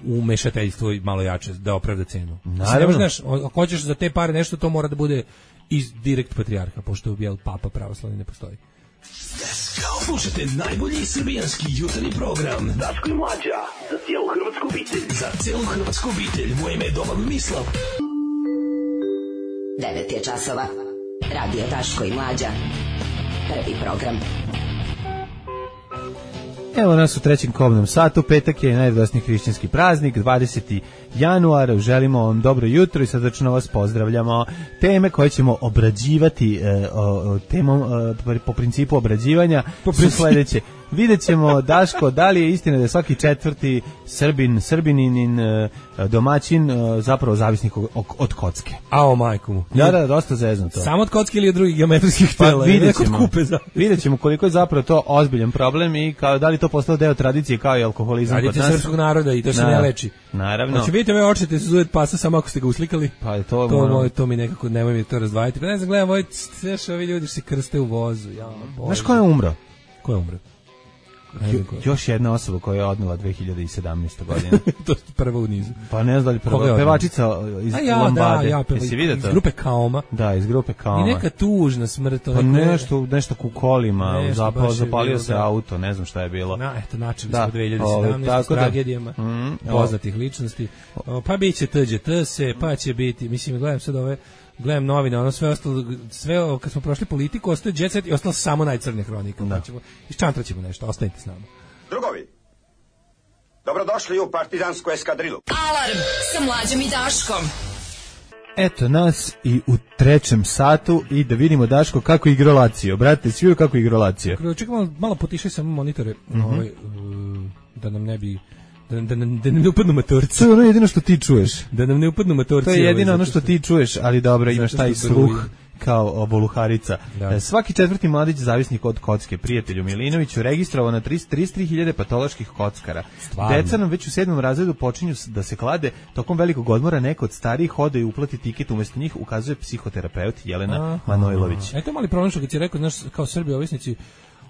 umešateljstvo malo jače, da opravda cenu. Naravno. Znaš, ako hoćeš za te pare nešto, to mora da bude iz direkt patrijarha, pošto papa pravoslavni ne postoji. Slušajte najbolji srbijanski jutarnji program Daško i Mlađa, za cijelu hrvatsku obitelj. Za cijelu hrvatsku obitelj, moje ime je Domagoj Mislav. 9 je časova. Radio Daško i Mlađa. Prvi program. Evo nas u trećem kobnom satu, petak je najradosniji hrišćanski praznik, 20. januar, želimo vam dobro jutro i srdačno vas pozdravljamo. Teme koje ćemo obrađivati po principu obrađivanja su sledeće. Vidjet ćemo, Daško, da li je istina da je svaki četvrti Srbinin domaćin zapravo zavisnik od kocke. Ao majku mu. Da, dosta zezno to. Samo od kocke ili od drugih geometrijskih tela? Vidjet ćemo koliko je zapravo to ozbiljan problem i da li to postalo deo tradicije kao i alkoholizam kod nas. Tradicija srpskog naroda i to se ne leči. Naravno. Znači vidite ove očete se zujet pasa samo ako ste ga uslikali. Pa je to mi nekako, nemoj mi to razdvajati. Pa ne znam, gledam, ovi ljudi se krste u vozu. Znaš ko je umro? Ko je umro? Još jedna osoba koja je odnela 2017. godine. To je prva u nizu. Pa ne znam da li prva. Pevačica iz Lambade. Iz grupe Kaoma. Da, iz grupe Kaoma. I neka tužna smrt. Pa nešto ku kolima. Zapalio se auto, ne znam šta je bilo. Eto, načeli smo 2017. s tragedijama poznatih ličnosti. Pa bit će se, pa će biti. Mislim, gledam sad gledam novine, ono sve ostalo, kad smo prošli politiku, ostaje Jet Set i ostalo samo najcrnija hronika. Iščantraćemo nešto, ostanite s nama. Drugovi, dobrodošli u partizansku eskadrilu. Alarm sa Mlađom i Daškom. Eto nas i u trećem satu i da vidimo, Daško, kako igra Lazio. Brate, svi kako igra Lazio. Čekaj, malo potišaj samo monitore, da nam ne bi... Da nam ne upadnu matorci. To je ono jedino što ti čuješ. Da nam ne upadnu matorci. To je jedino ono što ti čuješ, ali dobro, imaš taj sluh kao voluharica. Svaki četvrti mladić zavisnik od kocke. Prijatelju Milinoviću registrovao na 33.000 patoloških kockara. Deca nam već u 7. razredu počinju da se klade. Tokom velikog odmora neko od starijih ode i uplati tiket, umesto njih ukazuje psihoterapeut Jelena Manojlović. Eto mali problem što kad si rekao, znaš, kao Srbi ovisnici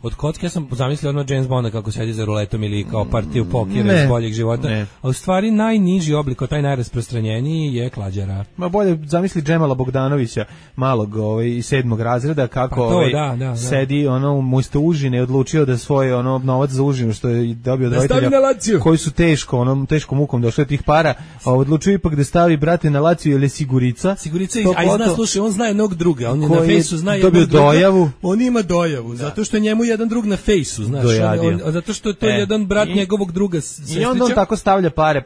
od kocke, ja sam zamislio ono James Bonda kako sedi za ruletom ili kao partiju pokera iz boljeg života, a u stvari najniži oblik, taj najrasprostranjeniji je klađara. Ma bolje zamisli Džemala Bogdanovića, malog iz 7. razreda, kako sedi umesto užine i odlučio da svoj novac za užinu što je dobio od roditelja koji su teškom mukom došli od tih para, odlučio ipak da stavi, brate, na Lazio ili Sigurica. A i zna, slušaj, on zna jednog druga, on je na fejsu zna jednog druga, on ima dojavu, zato što njemu jedan drug na fejsu, znaš, zato što to je jedan brat njegovog druga sestrića. I onda on tako stavlja pare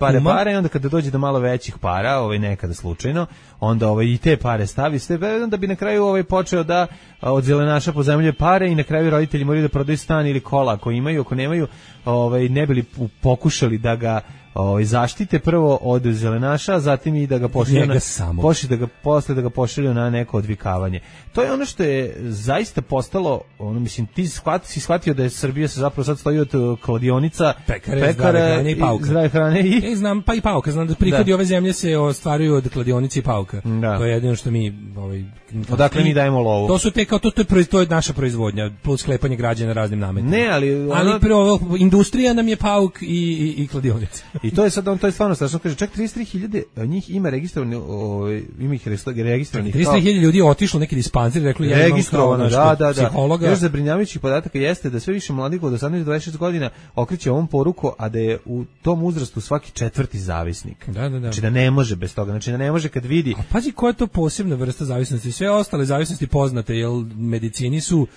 i onda kada dođe do malo većih para, nekada slučajno, onda i te pare stavi sve, da bi na kraju počeo da od zelenaša pozajmljuje pare i na kraju roditelji moraju da prodaju stan ili kola ako imaju, ako nemaju, ne bi li pokušali da ga zaštite prvo od zelenaša, zatim i da ga posle da ga pošalju na neko odvikavanje. To je ono što je zaista postalo, mislim, ti si shvatio da je Srbija se zapravo sad stoji od kladionica, pekara i pauka. Zdrave hrane i... znam, pa i pauka, znam da prihodi ove zemlje se ostvaruju od kladionice i pauka. To je jedino što mi... Odakle mi dajemo lovu? To su to je naša proizvodnja, plus sklepanje građana raznim nametima. Ne, ali prvo, industrija nam je pauk i kladionica. I to je sad, to je stvarno strašno, kaže, čak 33.000 njih ima registrovanih, ima ih registrovanih. 33.000 ljudi je otišlo neki dispanzir, rekli ja imam kao psihologa. Još zabrinjavajućih podataka jeste da sve više mladih od 18 do 26 godina okreće ovom poruku, a da je u tom uzrastu svaki četvrti zavisnik. Znači da ne može bez toga, znači da ne može kad vidi. A pazi koja je to posebna vrsta zavisnosti, sve ostale zavisnosti poznate, jer medicini su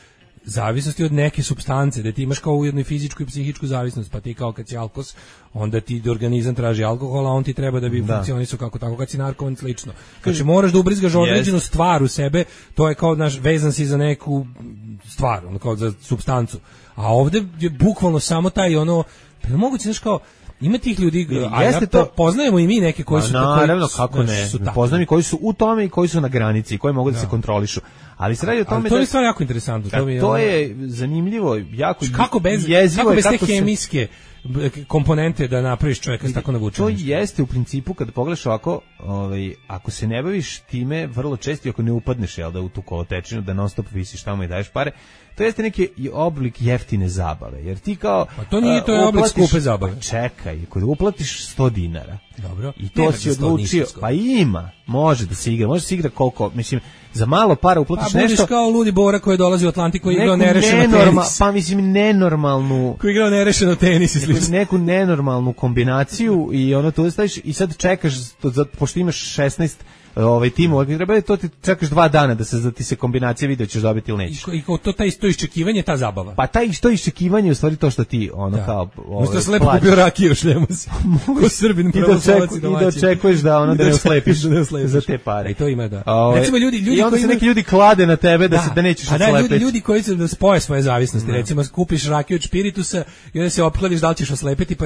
zavisnosti od neke supstance, da ti imaš kao ujedno i fizičku i psihičku zavisnost, pa ti kao kad si alkos, onda ti organizam traži alkohol, a on ti treba da bi funkcionisao kako tako, kad si narkoman slično. Znači moraš da ubrizgaš određenu stvar u sebe, to je kao vezan si za neku stvar, kao za supstancu. A ovde je bukvalno samo taj moguće, znaš kao, ima tih ljudi, poznajemo i mi neke koji su tako. Naravno, kako ne. Poznajemo i koji su u tome i koji su na granici i koji mogu da se kontrolišu. Ali se radi o tome to je stvar jako interesantno. To je zanimljivo, jako jezivo. Kako bez te hemijske komponente da napraviš čovjeka s tako navučenim? To jeste u principu, kad pogledaš ovako, ako se ne baviš time vrlo često, ako ne upadneš u tu kolotečinu, da non stop visiš tamo i daješ pare, to jeste neki oblik jeftine zabave, jer ti kao... Pa to nije, to je oblik skupe zabave. Pa čekaj, ako uplatiš 100 dinara, dobro, i to si odlučio, pa ima, može da se igra koliko, mislim, za malo para uplatiš nešto... Pa budiš kao ludi Bora koji dolazi u Atlantik, koji igrao nerešeno tenis. Pa mislim, nenormalnu... Koji igrao nerešeno tenis i slično. Neku nenormalnu kombinaciju i tu staviš i sad čekaš, pošto imaš 16 timu, treba to ti čekaš 2 dana da ti se kombinacija video ćeš dobiti ili nećeš. I to iščekivanje, ta zabava. Pa to iščekivanje je u stvari to što ti kao možda se lepo kupio rakiju, šljemo se. Ko Srbin pravoslavac i domaćin. I da očekuješ da ne uslepiš za te pare. I to ima da. Recimo ljudi i onda se neki ljudi klade na tebe da nećeš uslepiti. A ljudi koji se spoje svoje zavisnosti, recimo kupiš rakiju od špiritusa i onda se opkladiš da li ćeš oslepiti pa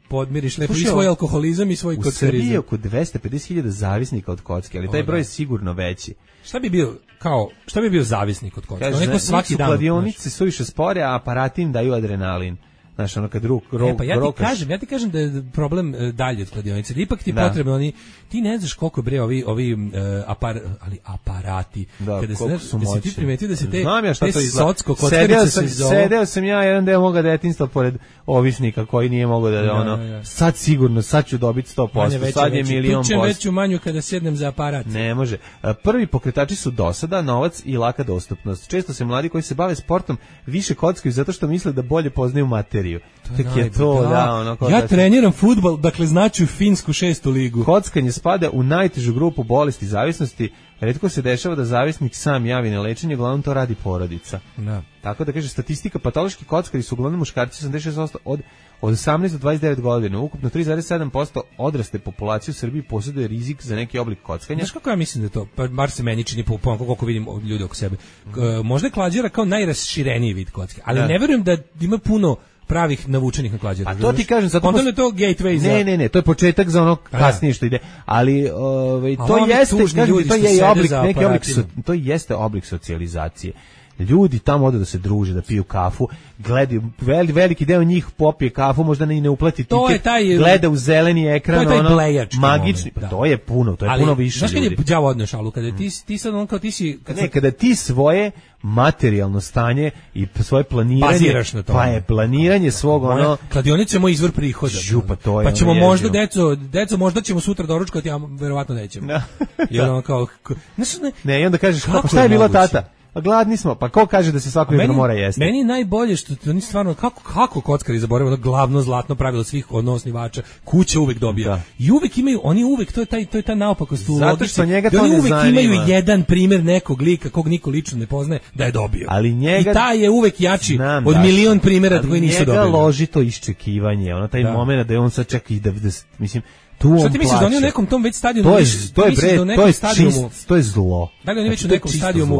podmiriš lepo i svoj alkoholizam i svoj kockarizam. U Srbiji je oko 250.000 zavisnika od kocke, ali taj broj je sigurno veći. Šta bi bio zavisnik od kocke? Neko svaki dan. Kladionice su više spore, a aparati im daju adrenalin. Znaš, ono kad ja ti kažem da je problem dalje od kladionice. Da ipak ti potrebno ti ne znaš koliko bre ovi aparati. Da, kada su moćni. Ti primetio da se te socko kockarice sedeo sam ja jedan deo moga detinjstva pored ovisnika koji nije mogao da sad sigurno, sad ću dobiti 100%, sad je 1.000.000%. Tučem veću manju kada sednem za aparat. Ne može. Prvi pokretači su dosada, novac i laka dostupnost. Često se mladi koji se bave sportom više kockaju zato što misle da bolje poznaju materiju. Ja treniram fudbal, dakle znaću finsku 6. ligu. Kockanje spada u najtežu grupu bolesti zavisnosti. Retko se dešava da zavisnik sam javi na lečenje, uglavnom to radi porodica. Da. Tako da kaže statistika, patološki kockari su uglavnom muškarci 86% od 18 do 29 godina. Ukupno 3,7% odrasle populacije u Srbiji posjeduje rizik za neki oblik kockanja. Znaš kako ja mislim da je to? Pa bar se meni čini koliko vidim ljudi oko sebe. Možda je klađera kao najrašireniji vid kocke, ali ne verujem da ima puno pravih navučenih na klađenje. A to ti kažem, zato je to gateway za... Ne, to je početak za ono kasnije što ide. Ali to jeste, kažem, to jeste oblik socijalizacije. Ljudi tamo odu da se druže, da piju kafu, gledaju, veliki deo njih popije kafu, možda ne uplati tiket, gleda u zeleni ekran, to je taj blejač, magični, da. To je puno više ljudi. Znaš kad je đavo odneo šalu, kada ti sad on kao ti si... Kada ti svoje materijalno stanje i svoje planiranje, baziraš na to. Pa je planiranje svog kladionica je moj izvor prihoda. Pa ćemo možda, deco, možda ćemo sutra doručkati, a verovatno nećemo. Jer on kao... Ne, i onda kažeš, šta je bila tata? Gladni smo, pa ko kaže da se svako jutro mora jesti? Meni je najbolje što oni stvarno, kako kockari zaboravaju ono glavno zlatno pravilo svih osnivača, kuća uvek dobija. Da. I uvek imaju, oni uvek, to je ta naopakost u logici. Zato što njega to ne zanima. Uvek imaju jedan primjer nekog lika, kog niko lično ne poznaje, da je dobio. Ali njega... I taj je uvek jači od milion primjera koji nisu dobili. Ali njega loži to iščekivanje, taj moment da je on sad čeka i da mislim... Što ti misliš da oni u nekom tom već stadionu to je zlo. Da li oni već u nekom stadionu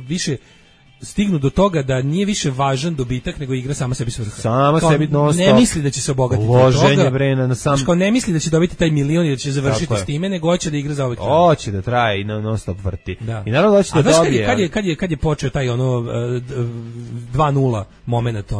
više stignu do toga da nije više važan dobitak nego igra sama sebi svrha. Sama sebi non-stop. Ne misli da će se obogatiti loženje vrena na sam. Što ne misli da će dobiti taj milion i da će završiti s time, nego hoće da igra za ovaj klub. Hoće da traje i non-stop vrti. Da. I naravno hoće da dobije. Kad je počeo taj 2:0 momenat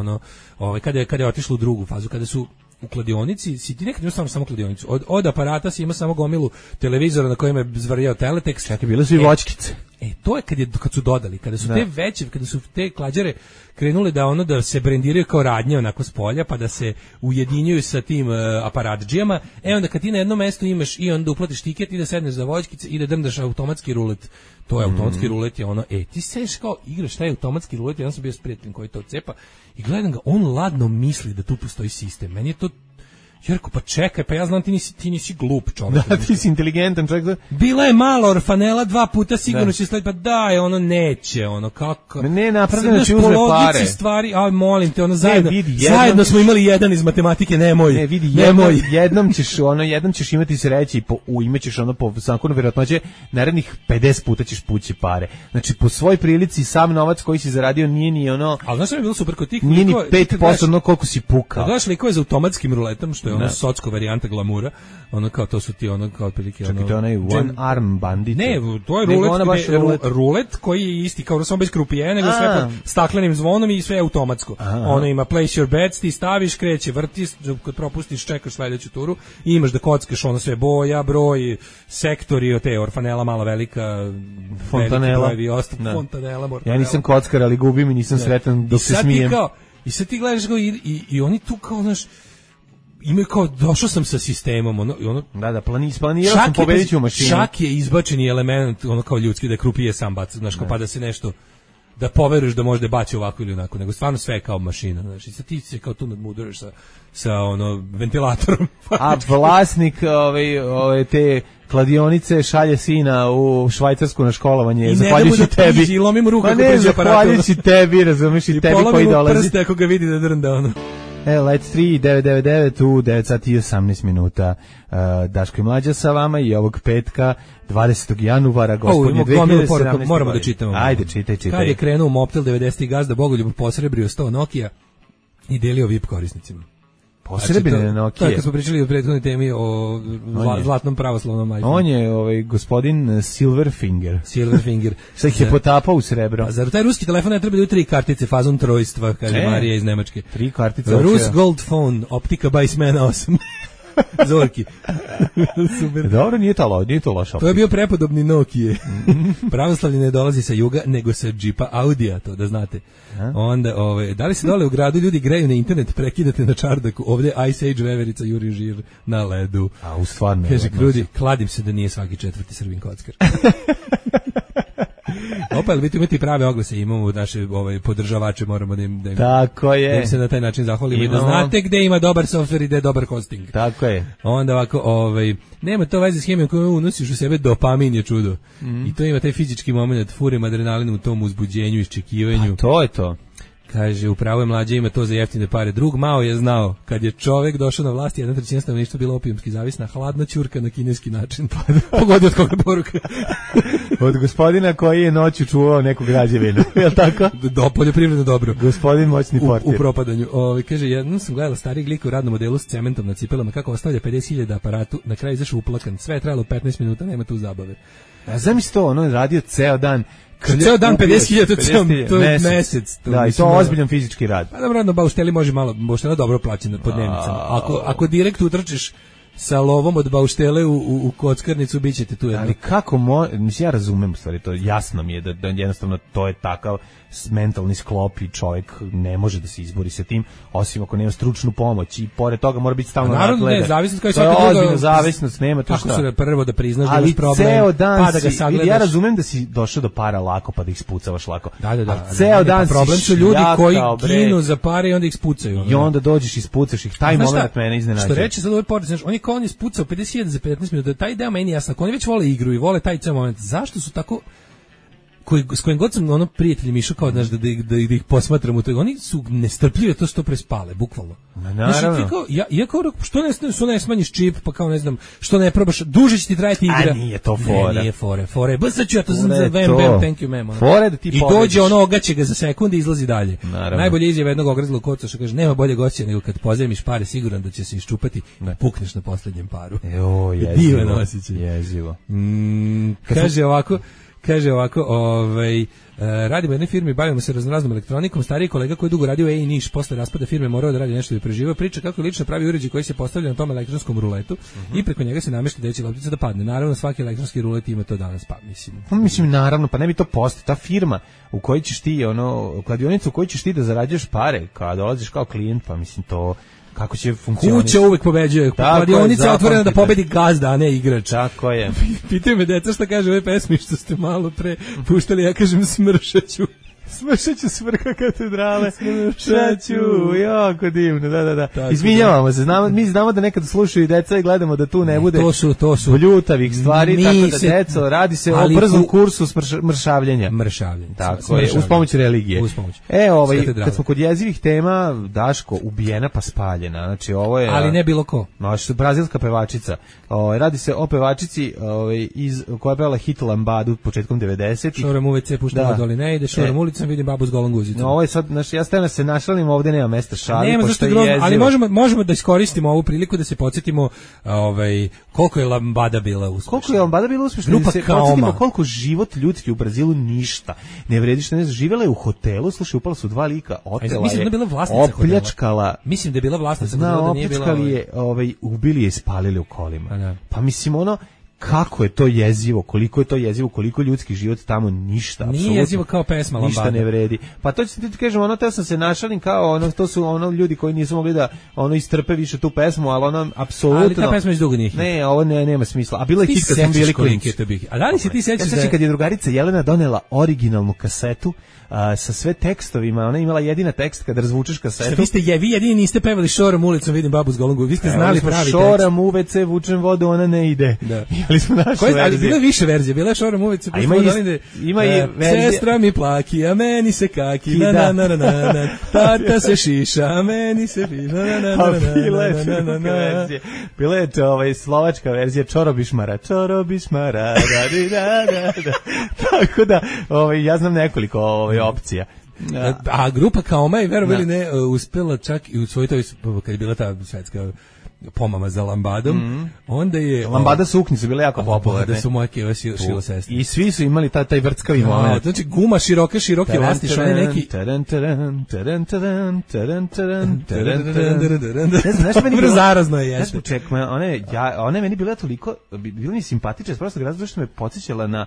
kada je otišlo u drugu fazu, kada su u kladionici, si ti nekad imao samo kladionicu. Od aparata si ima samo gomilu televizora na kojem je zvarjao teletekst. Čekaj, bile su i voćkice. To je kad su dodali, kada su te veće, kada su te klađare krenule da se brendiraju kao radnje onako s polja, pa da se ujedinjuju sa tim aparatdžijama, onda kad ti na jednom mestu imaš i onda uplatiš tiket i da sedneš za voćkice i da drndaš automatski rulet. To je automatski rulet je ti sediš kao igraš taj automatski rulet, ja sam bio s prijateljem koji to cepa i gledam ga, on ladno misli da tu postoji sistem. Meni je to Jerko, pa čekaj, pa ja znam ti nisi glup čovjek. Da, ti si inteligentan čovjek. Bila je malo orfanela 2 puta, sigurno će slediti, pa daj, neće, kako. Ne, napravljeno da će uzme pare. Stvari, molim te, zajedno smo imali jedan iz matematike, nemoj. Ne, vidi, jednom ćeš imati sreće i imaćeš po zakonu vjerojatnoće, narednih 50 puta ćeš pući pare. Znači, po svoj prilici sam novac koji si zaradio nije ni Ali znaš što je bilo super kod tih? Nije ni 5% koliko si pukao. Gledaš likove za automatskim ruletom, što je socko varijanta glamura, kao to su ti kao otprilike čekaj, to je onaj one arm bandit. Ne, to je rulet koji je isti kao samo bez krupije, nego sve pod staklenim zvonom i sve automatsko. Ono ima place your bets, ti staviš, kreće, vrtiš, kad propustiš čekaš sledeću turu i imaš da kockaš sve boja, broj, sektori, te orfanela mala velika, fontanela, fontanela. Ja nisam kockar, ali gubim i nisam sretan dok se smijem. I sad ti gledaš i oni tu kao, znaš, imaju kao, došao sam sa sistemom, Da, planirao sam pobediti u mašinu. Čak je izbačeni element, kao ljudski, da je krupije sam baca, znaš, pa da se nešto, da poveruješ da može da baci ovako ili onako, nego stvarno sve je kao mašina, znači sa ti se kao tu nadmuduješ sa ono ventilatorom. A vlasnik te kladionice šalje sina u Švajcarsku na školovanje, zahvaljujući tebi. I lomi mu ruku ako priđe aparatom. Zahvaljujući tebi, razumiješ, i tebi koji dolazi. I polomi mu prste ako ga vidi da drnda ono. Let's 3-999 u 9 sati i 18 minuta. Daško i Mlađa sa vama i ovog petka 20. januara, gospodnje 2017. Moramo da čitamo. Ajde, čitaj. Kad je krenuo Mobtel 90. gazda Bogoljub posrebrio 100 Nokia i delio VIP korisnicima. Posrebljene Nokia. Tako smo pričali u prethodnoj temi o zlatnom pravoslavnom iPhone. On je gospodin Silverfinger. Sad ih je potapao u srebro. A zar taj ruski telefon ne treba da 3 kartice fazon trojstva, kaže Marija iz Nemačke. 3 kartice. Rus Gold Phone, optika Bajsmena 8. Zorki. Super. Dobro, nije to loša. To je bio prepodobni Nokia. Pravoslavlje ne dolazi sa juga, nego sa džipa Audija, to da znate. Onda, da li se dole u gradu ljudi greju na internet, prekidate na čardaku, ovdje Ice Age veverica juri žir na ledu. A u stvarno. Kaže Krudi, kladim se da nije svaki 4. Srbin kockar. Opa, ali imati prave oglase, imamo naše podržavače, moramo da im tako je. Da im se na taj način zahvalimo i da znate gde ima dobar softver i gde je dobar hosting. Tako je. Onda ovako, nema to veze s hemijom koju unosiš u sebe, dopamin je čudo. I to ima taj fizički moment, furem adrenalina u tom uzbuđenju, iščekivanju. Pa to je to. Kaže, upravo je Mlađe, ima to za jeftine pare. Drug Mao je znao, kad je čovek došao na vlast, 1/3 stanovništva bila opijumski zavisna, hladna ćurka na kineski način. Pogodi od koga poruka. Od gospodina koji je noću čuvao neku građevinu, je li tako? Poljoprivredno dobro. Gospodin moćni portir. U propadanju. Kaže, jednom sam gledala starih glika u radnom modelu s cementom na cipelama, kako ostavlja 50.000 aparatu, na kraju izašao uplakan. Sve je trajalo 15 minuta, nema tu zabave. A zamisli to, ono je radio ceo dan. Ceo dan 50.000, to je mesec. Da, i to ozbiljan fizički rad. Pa dobro, na baušteli može malo, bauštela dobro plaćena pod dnevnicama. Ako direkt utrčiš sa lovom od bauštele u kockarnicu, bit ćete tu jedno. Ali kako mislim, ja razumem u stvari, to jasno mi je da jednostavno to je takav mentalni sklop i čovjek ne može da se izbori sa tim, osim ako nema stručnu pomoć i pored toga mora biti stalno nadgleda. Naravno, ne, zavisnost kao i svaka druga. To je ozbiljna zavisnost, nema to šta. Tako se prvo da priznaš da imaš problem, pa da ga sagledaš. Ja razumem da si došao do para lako, pa da ih spucavaš lako. Da. Ceo dan si problem su ljudi koji ginu za pare i onda ih spucaju. I onda dođeš i spucaš ih. Taj moment mene iznenađuje. Što reče sad ovaj portir, znaš, on je spucao 50.000 za 15 minuta. Taj ideja meni jasna. Ako oni već vole igru i vole taj ceo moment, zašto su tako s kojim god sam prijatelji išao kao da ih posmatram u toj, oni su nestrpljivi to što prespale, bukvalno. Naravno. Ja kao što ne smanjiš čip, pa kao ne znam, što ne probaš, duže će ti trajati igra. A nije to fora. Ne, nije fore. Sad ću ja to za bam, thank you, ma'am. Fore da ti i dođe ono, ogaće ga za sekunde i izlazi dalje. Naravno. Najbolje izjava jednog ogrezlog koca što kaže, nema bolje gošća nego kad pozajmiš pare, siguran da će se iščupati i pukneš na poslednjem paru. Jezivo. Kaže ovako, radimo u jednoj firmi, bavimo se raznoraznom elektronikom, stariji kolega koji je dugo radio u Niš, posle raspada firme morao da radi nešto da preživao, priča kako lično pravi uređaj koji se postavlja na tom elektronskom ruletu i preko njega se namešta da će loptica da padne. Naravno, svaki elektronski rulet ima to danas, mislim, naravno, pa ne bi to postoji. Ta firma u kojoj ćeš ti, kladionica u kojoj ćeš ti da zarađuješ pare, kada dolaziš kao klijent, pa mislim to... Kako će funkcionirati? Kuća uvek pobeđuje. Kladionica je otvorena da pobedi gazda, a ne igrač. Tako je. Pitaju me deca šta kaže ove pesmi što ste malo pre puštali, ja kažem smršaću. Smršaću s vrha katedrale. Smršaću, jako divno, da. Izvinjavamo se, mi znamo da nekad slušaju i deca i gledamo da tu ne bude to su bljutavih stvari, tako da deco, radi se o brzom kursu mršavljenja. Tako je, uz pomoć religije. Kad smo kod jezivih tema, Daško, ubijena pa spaljena, znači ovo je... Ali ne bilo ko. Brazilska pevačica. Radi se o pevačici koja je pevala hit Lambadu početkom 90-ih. Šoram UVC, puštamo doli ne ide, šoram ulicom, vidim babu s golom guzicom. Ovo je sad, ja stavljam se našalim, ovdje nema mesta šali, nema, pošto je jezivo. Ali možemo da iskoristimo ovu priliku da se podsjetimo koliko je Lambada bila uspešna. Koliko je Lambada bila uspešna, da se podsjetimo koliko život ljudski u Brazilu ništa ne vredi, što ne znam, živjela je u hotelu, slušaj, upala su 2 lika, otela je, opljačkala. Mislim da je bila vlasnica, opljačkali je, ubili je i spalili u kolima. Pa mislim, kako je to jezivo, koliko je to jezivo, koliko ljudski život tamo ništa, apsolutno. Nije jezivo kao pesma Lambada. Ništa ne vredi. Pa to ću ti kažem, ono, teo sam se našalim kao, ono, to su ono ljudi koji nisu mogli da ono istrpe više tu pesmu, ali ono, apsolutno. Ali ta pesma iz dugo nije hit. Ne, ovo nema smisla. A bilo je hit kad smo bili klinci. A da li se ti sećaš? Ja sećam kad je drugarica Jelena donela originalnu kasetu sa sve tekstovima, ona je imala jedina tekst kad razvučeš kasetu. Vi jedini niste pevali Šoram ulicom, vidim babu s golom gubi. Vi ste znali pravi tekst. Šoram u WC, vučem vodu, ona ne ide. Da. Ali smo našu verziju. Ali bila je više verzija, bila je Šoram u WC. Ima i verzija. Sestra mi plaki, a meni se kaki, na. Tata se šiša, a meni se piša, na. Bila je slovačka verzija Čorobišmara, da. Tako da, ja znam nekoliko opcija. A grupa Kaoma je, verovali ne, uspela čak i u svojoj toj, kad je bila ta svetska pomama za Lambadom, onda je... Lambada suknje su bile jako popularne. Da su moje keva šila sestre. I svi su imali taj vrckavi moment. Znači guma široke lastiš, one neki... Zarazno je jeste. One meni bila toliko, bila mi simpatična, prosto razlog što me podsjećala na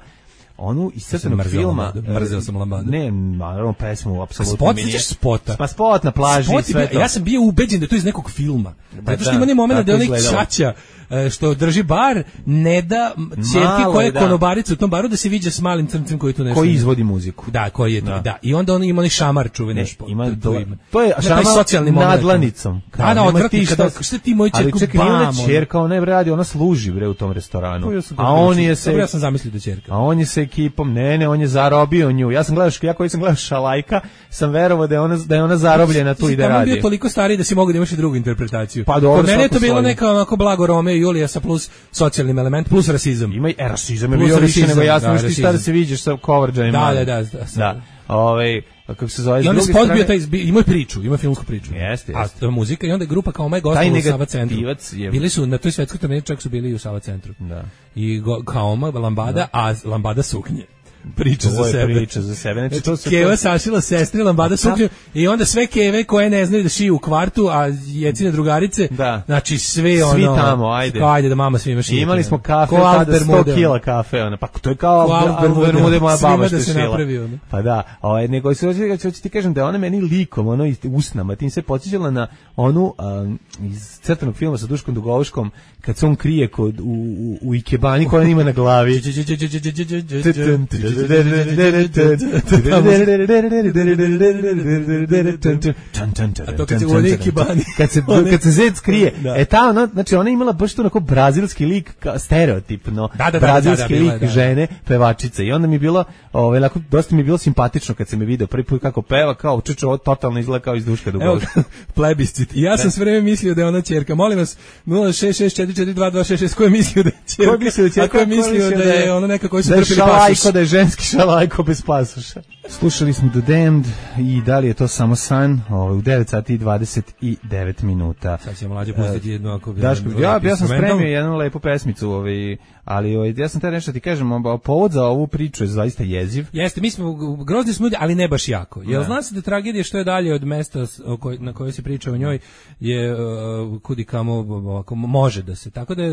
onu iscrtanog filma. Mrzeo sam Lambadu. Ne, naravno pesmu, apsolutno. Spot, sećaš spota? Pa spot na plaži i sve to. Ja sam bio ubeđen da je to iz nekog filma. Zato što ima ne moment da je onaj čača što drži bar, ne da ćerki koja je konobarica u tom baru da se viđa s malim crncem koji tu nešto... Koji izvodi muziku. Da, koji je to, da. I onda on ima onaj šamar čuveni. To je šamar nadlanicom. Da, odvratni, šta ti moji ćerku bam? Ali čekaj, nije čerka, ona je radi, ona služi bre u tom restoranu. A on je se... Ja sam zamislio da čerka. A on je se ekipom, ne, on je zarobio nju. Ja koji sam gledao Šalajka, sam verovao da je ona zarobljena tu i da radi. On bio toliko stariji da si mogu da imaš i drugu interpretaciju. Pa dobro, kod mene je to bilo neka onako blago Romeo i Julija sa plus socijalnim element, plus rasizam. Ima i rasizam je bio više nego jasno što ti šta da se viđeš sa coverđajima. Da. Kako se zove, i onda spot bio taj, ima priču, ima filmsku priču. Jeste. A muzika i onda je grupa kao Maj gostovala u Sava centru. Bili su na toj svetskoj turneji, čak su bili i u Sava centru. Da. I kao Lambada, a Lambada suknje. Priča za sebe. Znači, to Keva sašila sestri Lambada suknju i onda sve keve koje ne znaju da šiju u kvartu, a jecine drugarice, znači sve ono... Svi tamo, ajde da mama svima šije. Imali smo kafe, tada 100 kila kafe, pa to je kao Bermude moja baba što šila. Pa da, nego ću ti kažem da je ona meni likom, ono usnama, tim se podsjećala na onu iz crtanog filma sa Duškom Dugovuškom, kad se on krije u ikebani koja ima na glavi. Kad se zec krije, znači ona imala baš to onako brazilski lik, stereotipno brazilski lik žene pevačice i onda mi je bilo dosta mi je bilo simpatično kad se me video prvi put kako peva, kao čuče, ovo totalno izgleda kao iz Duška Dugovuška. Plebiscit. Ja sam sve vreme mislio da je ona ćerka. Molim vas, 066442266, ko je mislio da je ćerka? Ko je mislio da je ona neka koji su trpili pasoš? Da je ženski šalajko bez pasoša. Slušali smo The Damned i da li je to samo san u 9 sati i 29 minuta. Sad ćemo Mlađe pustiti jednu ako... Ja sam spremio jednu lepu pesmicu, ali ja sam te nešto ti kažem, povod za ovu priču je zaista jeziv. Jeste, mi smo grozni smo ljudi, ali ne baš jako. Jel zna se da tragedija što je dalje od mesta na kojoj se priča o njoj je kudi kamo može da se, tako da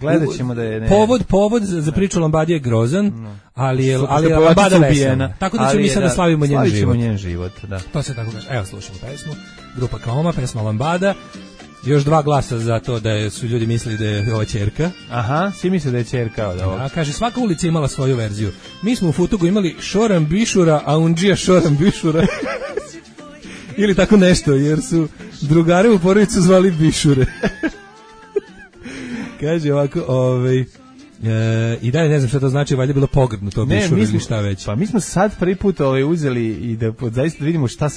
gledat ćemo da je... Povod za priču Lambadi je grozan, ali je Lambada vesna. Tako da ćemo mi sada slavimo njen život. Da. To se tako kaže. Evo slušamo pesmu. Grupa Kaoma, pesma Lambada. Još 2 glasa za to da su ljudi mislili da je ova ćerka. Aha, svi misle da je ćerka od ovog. A kaže, svaka ulica imala svoju verziju. Mi smo u Futugu imali Šoram Bišura, a Undžija Šoram Bišura. Ili tako nešto, jer su drugare u porodicu zvali Bišure. Kaže ovako, i dalje ne znam šta to znači, valjda je bilo pogrdno to Bišura ili šta već. Pa mi smo sad prvi put uzeli i da zaista vidimo šta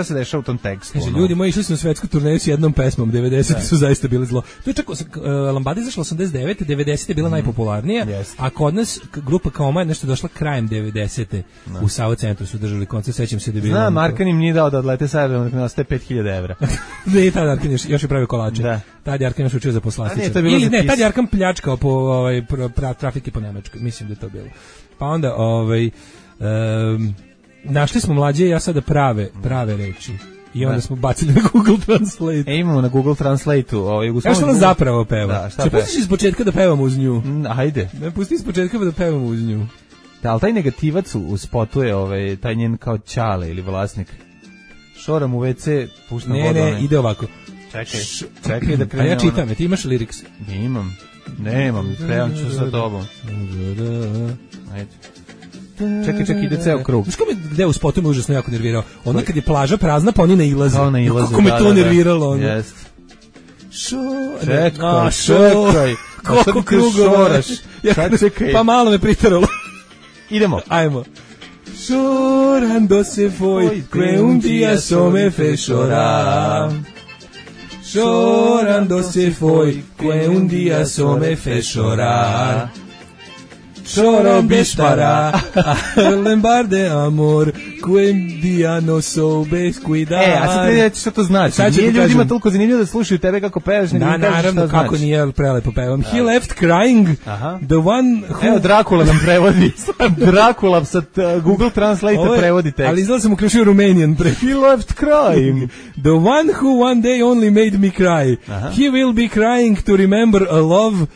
se dešava u tom tekstu. Kaže, ljudi moji, išli smo na svetsku turneju s jednom pesmom, 90 su zaista bili zlo. To je čak, Lambada izašla 89, 90 je bila najpopularnija, a kod nas grupa Kaoma je nešto došla krajem 90. U Sava centru su držali koncert, sećam se da je bilo... Znam, Arkan im nije dao da odlete sa aerodroma, da nastaje 5000 evra. Ne, tad Arkan još je pravio kolače. Tad je Arkan još učio za poslastice. Ili ne, tad je Arkan pljačkao po trafike po Nemačkoj, mislim da je to bilo. Pa onda našli smo Mlađe i ja sada prave reči. I onda smo bacili na Google Translate. Imamo na Google Translate-u. Ja što ona zapravo peva? Da, šta peva? Pustiš iz početka da pevamo uz nju. Ajde. Ne, pusti iz početka da pevamo uz nju. Da, ali taj negativac u spotu je taj njen kao ćale ili vlasnik. Šoram u WC, puštam vodu. Ne, ide ovako. Čekaj da krenem. A ja čitam, ti imaš lyrics? Nemam, prevam ću sa tobom. Ajde. Čekaj, ide ceo krug. Znaš ko me gde u spotu me užasno jako nervirao? Onda kad je plaža prazna, pa oni nailaze. Kako me to nerviralo. Jest. Čekaj. Koliko krugova. Čekaj. Pa malo me pritaralo. Idemo. Ajmo. Llorando se foi, que un día so me fez llorar. Llorando se foi, que un día so me fez llorar. Choro bispara, lembrar de amor, que un día no soubes cuidar. A sad reći što to znači. Nije ljudima toliko zanimljivo da slušaju tebe kako pevaš, nego da, naravno, kako nije prelepo pevam. He left crying, the one who... Evo, Drakula nam prevodi. Drakula sa Google Translate prevodi tekst. Ali izgleda sam uključio Romanian pre. He left crying. The one who one day only made me cry. He will be crying to remember a love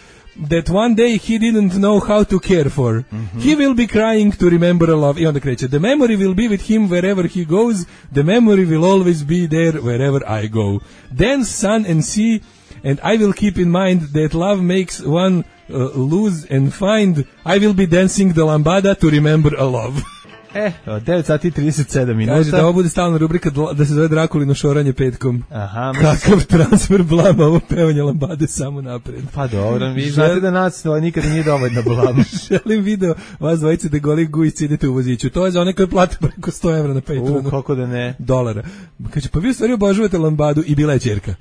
that one day he didn't know how to care for. He will be crying to remember a love. I onda kreće. The memory will be with him wherever he goes. The memory will always be there wherever I go. Dance, sun and sea, and I will keep in mind that love makes one lose and find. I will be dancing the lambada to remember a love. 9 sati 37 minuta. Kaže da ovo bude stalna rubrika da se zove Drakulino šoranje petkom. Aha. Kakav transfer blama, ovo pevanje lambade samo napred. Pa dobro, vi znate da nas nikada nije dovoljno blama. Želim video vas dvojice da goli gujici idete u voziću. To je za one koje plate preko 100 evra na Patreonu. Kako da ne? $. Kaže, pa vi u stvari obožavate lambadu i bila je ćerka.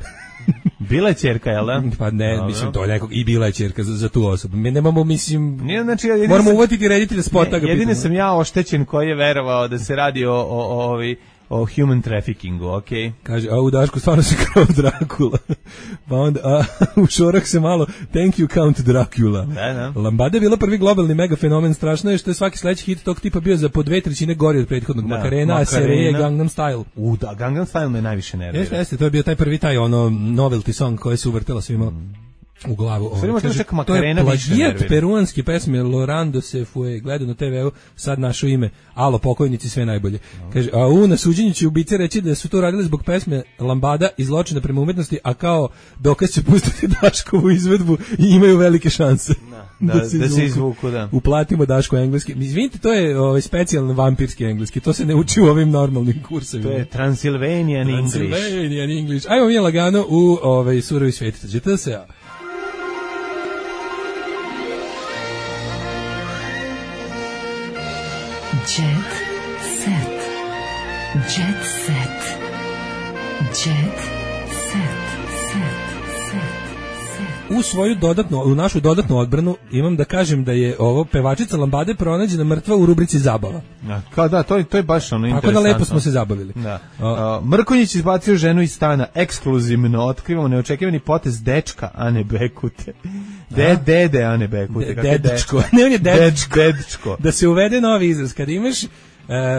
Bila je ćerka, jel da? Pa ne, mislim, to je nekog, i bila je ćerka za tu osobu. Mi nemamo, mislim, nije, znači, moramo uvatiti reditelja spota. Jedine sam ja oštećen koji je verovao da se radi o human traffickingu, okej? Kaže, a u Dašku stvarno se kao Drakula. Pa onda, u Šorah se malo, thank you Count Dracula. Da. Lambada je bila prvi globalni mega fenomen, strašno je što je svaki sledeći hit tog tipa bio za po 2/3 gori od prethodnog. Macarena, Sereje, Gangnam Style. Da, Gangnam Style me najviše nervira. Jeste, to je bio taj prvi novelty song koji se uvrtela svima u glavu. To je plagijat peruanske pesme Llorando se fue, gledao na TV-u, sad našo ime, alo pokojnici, sve najbolje. Kaže, a na suđenju će ubice reći da su to radili zbog pesme Lambada i zločina prema umetnosti, a kao dokaz će pustiti Daškovu izvedbu i imaju velike šanse. Da se izvuku, da. Uplatimo Daško engleski. Izvinite, to je specijalno vampirski engleski, to se ne uči u ovim normalnim kursevima. To je Transylvanian English. Ajmo mi lagano u surovi sveti. Žete se... Jet set. Jet set. Jet set. U našu dodatnu odbranu imam da kažem da je ovo pevačica Lambade pronađena mrtva u rubrici zabava. Da, to je baš ono interesantno. Tako da lepo smo se zabavili. Da. Mrkonjić izbacio ženu iz stana, ekskluzivno otkrivamo neočekivani potez dečka Ane Bekute. Dede Ane Bekute. Dedičko. Ne, on je dedičko. Da se uvede novi izraz. Kad imaš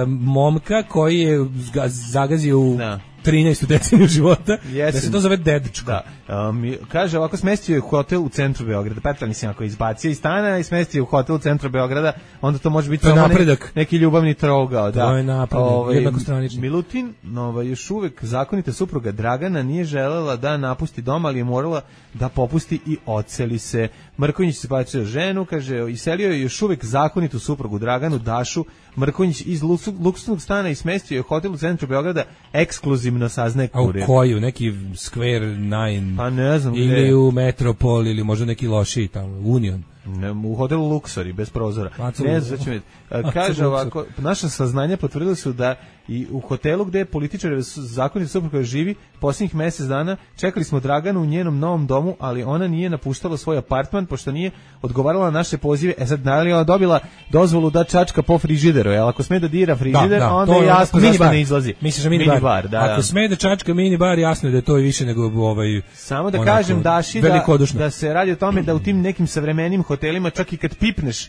momka koji je zagazio u 13. deceniju života, da se to zove dedičko. Da. Kaže, ovako smestio je hotel u centru Beograda. Petar, mislim, ako je izbacio iz stana i smestio u hotel u centru Beograda, onda to može biti samo neki ljubavni trougao. To je napredak, jednakostranični. Milutin, još uvek zakonita supruga Dragana, nije želela da napusti dom, ali je morala da popusti i odseli se. Mrkonjić se izbacio ženu, kaže, iselio je još uvek zakonitu suprugu Draganu, Dašu. Mrkonjić iz luksuznog stana i smestio je hotel u centru Beograda, ekskluzivno saznaje kurir. A u koju? Neki Square 9? Pa ne znam. Ili u Metropol, ili možda neki lošiji tamo, Union. U hotelu Luxori, bez prozora. Ne znam, kaže ovako, naša saznanja potvrdili su da i u hotelu gde je političar zakonita supruga živi posljednjih mjesec dana, čekali smo Draganu u njenom novom domu, ali ona nije napuštala svoj apartman, pošto nije odgovarala na naše pozive. Sad, da li ona dobila dozvolu da čačka po frižideru, jer ako sme da dira frižider, onda je jasno zašto ne izlazi. Misliš da minibar? Ako sme da čačka minibar, jasno je da je to i više nego Samo da kažem Daši da se radi o tome da u tim nekim savremenim hotelima hotelima, čak i kad pipneš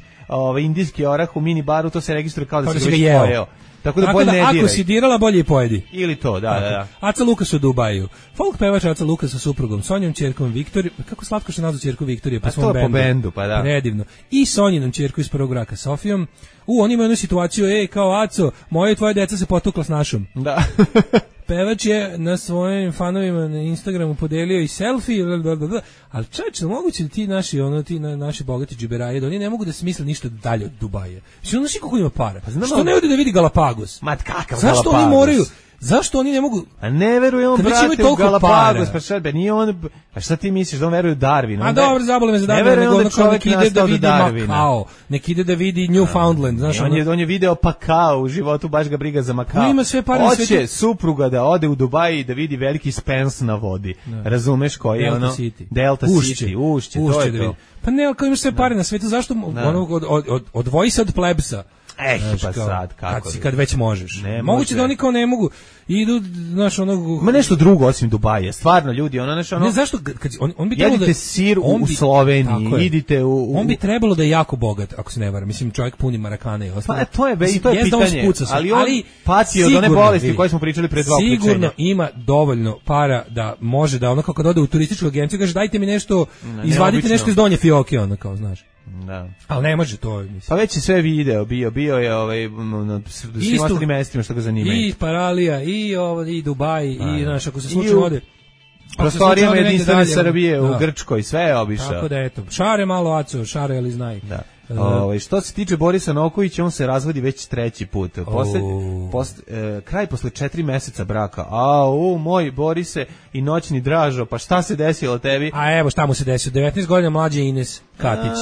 indijski orah u mini baru, to se registruje kao da si ga već pojeo. Tako da bolje ne diraj. Ako si dirala, bolje i pojedi. Ili to, da. Aca Lukas u Dubaju. Folk pevač Aca Lukas sa suprugom Sonjom ćerkom Viktorije. Kako slatko što nazvu ćerku Viktorije po svom bendu. A to je po bendu, pa da. Predivno. I Sonjinom ćerku iz prvog braka Sofijom. Oni imaju jednu situaciju, kao Aco, moje i tvoje deca se potukla s našom. Da. Pevač je na svojim fanovima na Instagramu podelio i selfie, ali čovječe, moguće da ti naši bogati džiberaje, da oni ne mogu da smisle ništa dalje od Dubaja. Što znaš kako ima para? Pa što ne ode da vidi Galapagos? Ma kakav Zašto Galapagos? Oni moraju? Zašto oni ne mogu? A ne veruje on, brate, u Galapagos, pa šta, nije on, a šta ti misliš, da on veruje u Darwina? A dobro, zabole me za Darwina, nego ono kao nek ide da vidi Makao, nek ide da vidi Newfoundland, znaš. On je video Pakao u životu, baš ga briga za Makao. Ima sve pare na svetu. Hoće supruga da ode u Dubai i da vidi veliki Spence na vodi. Razumeš koji je ono? Delta City, ušće, to je to. Pa ne, ako imaš sve pare na svetu, zašto odvoji se od plebsa? Pa sad, kako? Kad već možeš. Moguće da oni kao ne mogu. Idu, znaš, Ma nešto drugo osim Dubaja. Stvarno, ljudi, Ne, zašto? On bi jedite da, sir u Sloveniji, idite On bi trebalo da je jako bogat, ako se ne varam. Mislim, čovjek puni marakane i ostalo. Pa to je pitanje. Ali on pati od one bolesti koje smo pričali pre 2 uključenja. Sigurno ima dovoljno para da može da ono kao kad ode u turističku agenciju, kaže dajte mi nešto, izvadite nešto iz donje fioke, ono kao, znaš. Da. Ali ne može to, mislim. Pa već je sve video bio je na svim ostalim mestima što ga zanimaju. I Paralija, i Dubaj, i znaš, ako se slučajno ode. Prostorijama jedinstvene Srbije u Grčkoj, sve je obišao. Tako da eto, šare malo Aco, šare ali znaj. Da. Što se tiče Borisa Nokovića, on se razvodi već 3. put. Kraj posle 4 meseca braka. Moj Borise i noćni Dražo, pa šta se desilo tebi? A evo šta mu se desilo, 19 godina mlađe Ines Katić.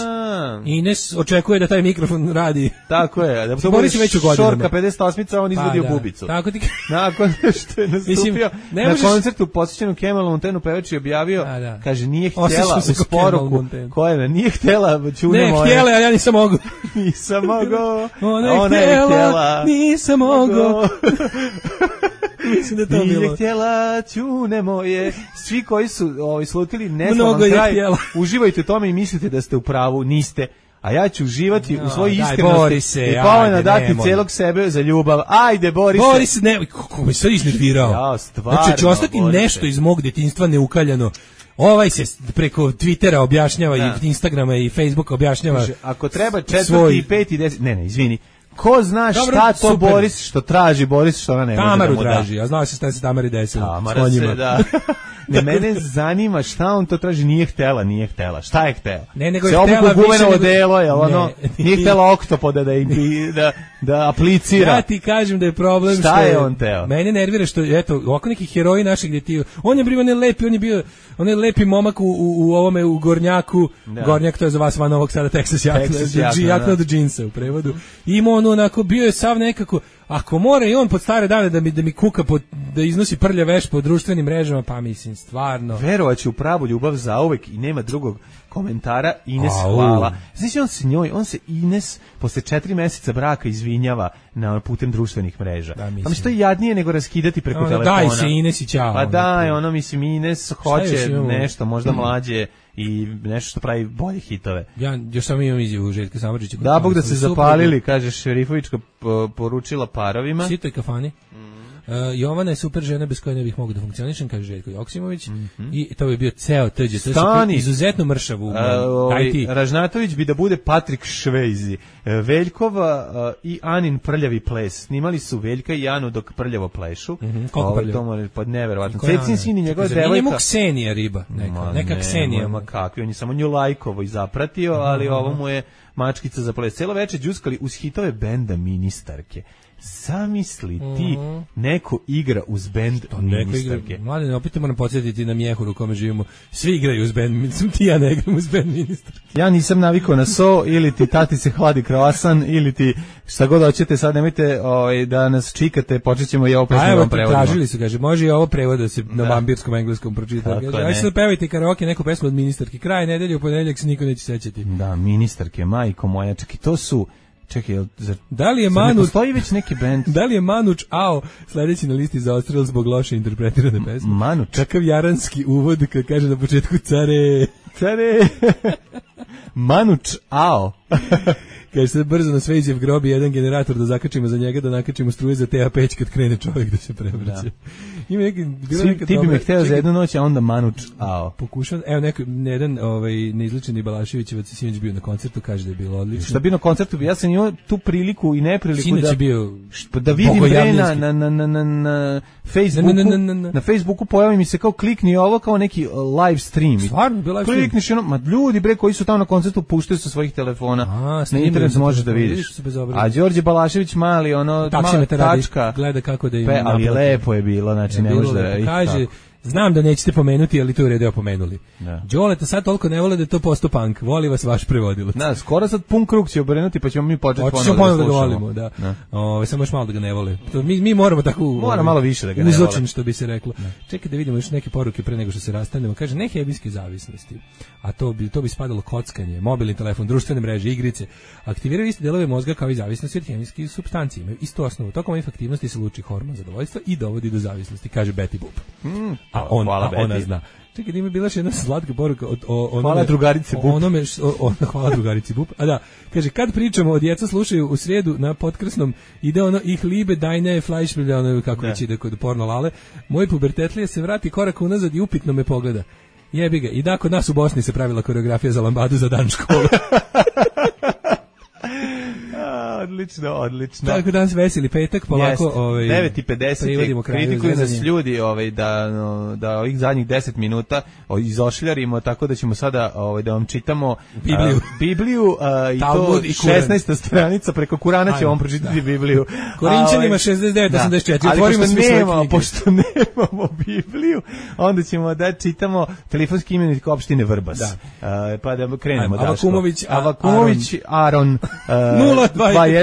Ines očekuje da taj mikrofon radi. Tako je. Da Boris je već u godinama. Šorka 58-ica, on izvadio bubicu. Tako ti... Nakon što je nastupio na koncertu posvećenom Kemalu Montenu, pevač je objavio, kaže, nije htjela u sporuku, nije htjela čune moje. Ne, htjela, a ja nisam mogu. Nisam mogo. Ona je htjela, nisam mogo. Mislim da to bilo. Nije htjela, čune moje. Svi koji su slutili neslavan kraj, uživajte u tome i mislite da ste u pravu, niste. A ja ću uživati u svojoj iskrenosti i povoljno dati celog sebe za ljubav. Ajde, Borise. Boris, ne, kako mi se iznervirao. Ja, stvarno. Znači, će ostati nešto iz mog djetinjstva neukaljano. Ovaj se preko Twittera objašnjava i Instagrama i Facebooka objašnjava. Ako treba 4. i 5. i 10. Ne, izvini. Ko zna šta to super. Boris što traži, Boris što ona ne može da mu da. Tamaru traži, a znao se šta se Tamari desilo. Tamara se, da. Ne, mene zanima šta on to traži, nije htela. Šta je htela? Ne, nego je htela više nego... odelo, je ono, nije htela oktopoda da aplicira. Ja ti kažem da je problem šta je on teo? Mene nervira što, eto, ovako neki heroji naših gdje ti, on je bio on je lepi momak u ovome, u Gornjaku, da. Gornjak to je za vas van Novog Sada, Texas jakna od džinsa u prevodu. Ima on onako, bio je sav nekako, ako mora i on pod stare dane da mi kuka, da iznosi prlja veš po društvenim mrežama, pa mislim, stvarno. Verovaće u pravu ljubav zauvek i nema drugog komentara. Ines, hvala. Znači on se Ines posle 4 meseca braka izvinjava na putem društvenih mreža. Da, mislim. Što je jadnije nego raskidati preko telefona. Daj se Ines i ćao. Pa daj, mislim, Ines hoće nešto, možda mlađe i nešto što pravi bolje hitove. Ja još samo imam izjavu Željka Samardžića. Da, Bog da se zapalili, kaže Šerifovićka poručila parovima. Sitoj kafani. Jovana je super žena bez koje ne bih mogao da funkcionišem, kaže Željko Joksimović. I to bi bio ceo tđe. Stani. Izuzetno mršav u Ražnatović bi da bude Patrik Švejzi. Veljkova i Anin prljavi ples. Snimali su Veljka i Anu dok prljavo plešu. Koliko prljavo? To mora pod neverovatno. Cecin sin i njegova devojka. Nije mu Ksenija riba. Neka Ksenija. Ma kakvi, on je samo nju lajkovo i zapratio, ali ovo mu je mačkica za ples. Celo večer džuskali uz hitove benda Ministarke. Zamisli ti, neko igra uz bend Ministarke. Mladine, opet moram podsjetiti na Mjehuru u kome živimo. Svi igraju uz bend, mislim ti ja ne igram uz bend Ministarke. Ja nisam navikao na so, ili ti tati se hladi kroasan, ili ti šta god hoćete, sad nemojte da nas čikate, počet ćemo i ovo pesmu vam prevodimo. Tražili su, kaže, može i ovo prevod da se na vampirskom engleskom pročita. Aj se pevajte karaoke neku pesmu od Ministarke. Kraj nedelje, u ponedeljak se niko neće sećati. Da, Ministarke, majko moja, čekaj, to su... Čekaj, da li je Manuč, postoji već neki bend? Da li je Manuč sledeći na listi za odstrel zbog loše interpretirane pesme? Manuč. Kakav jaranski uvod kad kaže na početku care. Manuč Ao. Kaže se brzo na Svejđev grob i jedan generator da zakačimo za njega, da nakačimo struje za TA5 kad krene čovjek da se prevrće. Ima neki ti bi me hteo za jednu noć, a onda Manuč Ao. Pokušam, evo jedan neizličeni Balaševićevac sinoć bio na koncertu, kaže da je bilo odlično. Šta bi na koncertu? Ja sam imao tu priliku i nepriliku sinoć da vidim na Facebooku. Na Facebooku pojavi mi se kao klikni ovo kao neki live stream. Stvarno, bio live stream. Klikniš ono, ljudi bre koji su tamo na koncertu puštaju sa svojih telefona. Na internetu možeš da vidiš. A Đorđe Balašević mali ono tačka gleda kako da im ali je lepo je bilo, znači ne može da kaže. Znam da nećete pomenuti, ali to je redeo pomenuli. Đoleta sad toliko ne vole da je to posto punk. Voli vas vaš prevodilac. Da, skoro sad pun krug će obrnuti, pa ćemo mi početi ponovno da ga volimo. Da. Samo još malo da ga ne vole. Mi moramo tako... Mora malo više da ga ne vole. Uzočen, što bi se reklo. Čekaj da vidimo još neke poruke pre nego što se rastanemo. Kaže, ne hemijske zavisnosti, a to bi spadalo kockanje, mobilni telefon, društvene mreže, igrice. Aktiviraju iste delove mozga kao i zavisnosti od hemijskih supstanci. Imaju istu osnovu. Tokom ovih aktivnosti se luči hormon zadovoljstva i dovodi do zavisnosti, kaže Betty Boop. Ona zna. Čekaj, da ima bila jedna slatka poruka hvala drugarice Bup. Hvala drugarici Bup. A da, kaže, kad pričamo o djeca slušaju u srijedu na Potkrsnom, ide ono ih liebe deine Fleischbilder, kako već ide kod porno lale, moj pubertetlije se vrati korak unazad i upitno me pogleda. Jebi ga. I da, kod nas u Bosni se pravila koreografija za lambadu za dan škole. Odlično. Tako danas veseli petak, polako 9:50 kritikuju nas ljudi da ovih zadnjih 10 minuta izošljarimo, tako da ćemo sada da vam čitamo Bibliju i to 16. stranica, preko Kurana ćemo vam pročitati Bibliju. Korinćanima 69:84. Otvorimo svi svoje knjige. Pošto nemamo Bibliju, onda ćemo da čitamo telefonski imenik opštine Vrbas. Pa da krenemo. Avakumović Aron 021.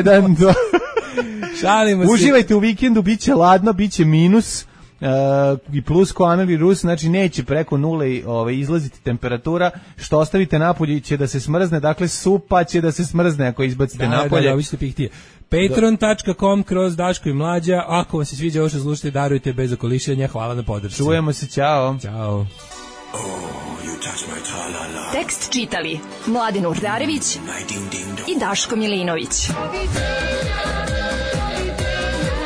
Šalimo se. Uživajte u vikendu, biće ladno, biće minus i plus ko Ameli Rus, znači neće preko nule izlaziti temperatura, što ostavite napolje će da se smrzne, dakle supa će da se smrzne ako izbacite napolje. Da, vi ćete pihtije. Patreon.com/Daško i Mlađa. Ako vam se sviđa ovo što slušate, darujte bez okolišenja. Hvala na podršci. Čujemo se, ćao. Ćao. Tekst čitali Mladin Urdarević i Daško Milinović.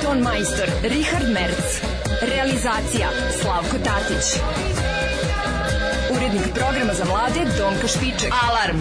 Ton majstor Richard Merc. Realizacija Slavko Tatić. Urednik programa za mlade Donka Špiček. Alarm!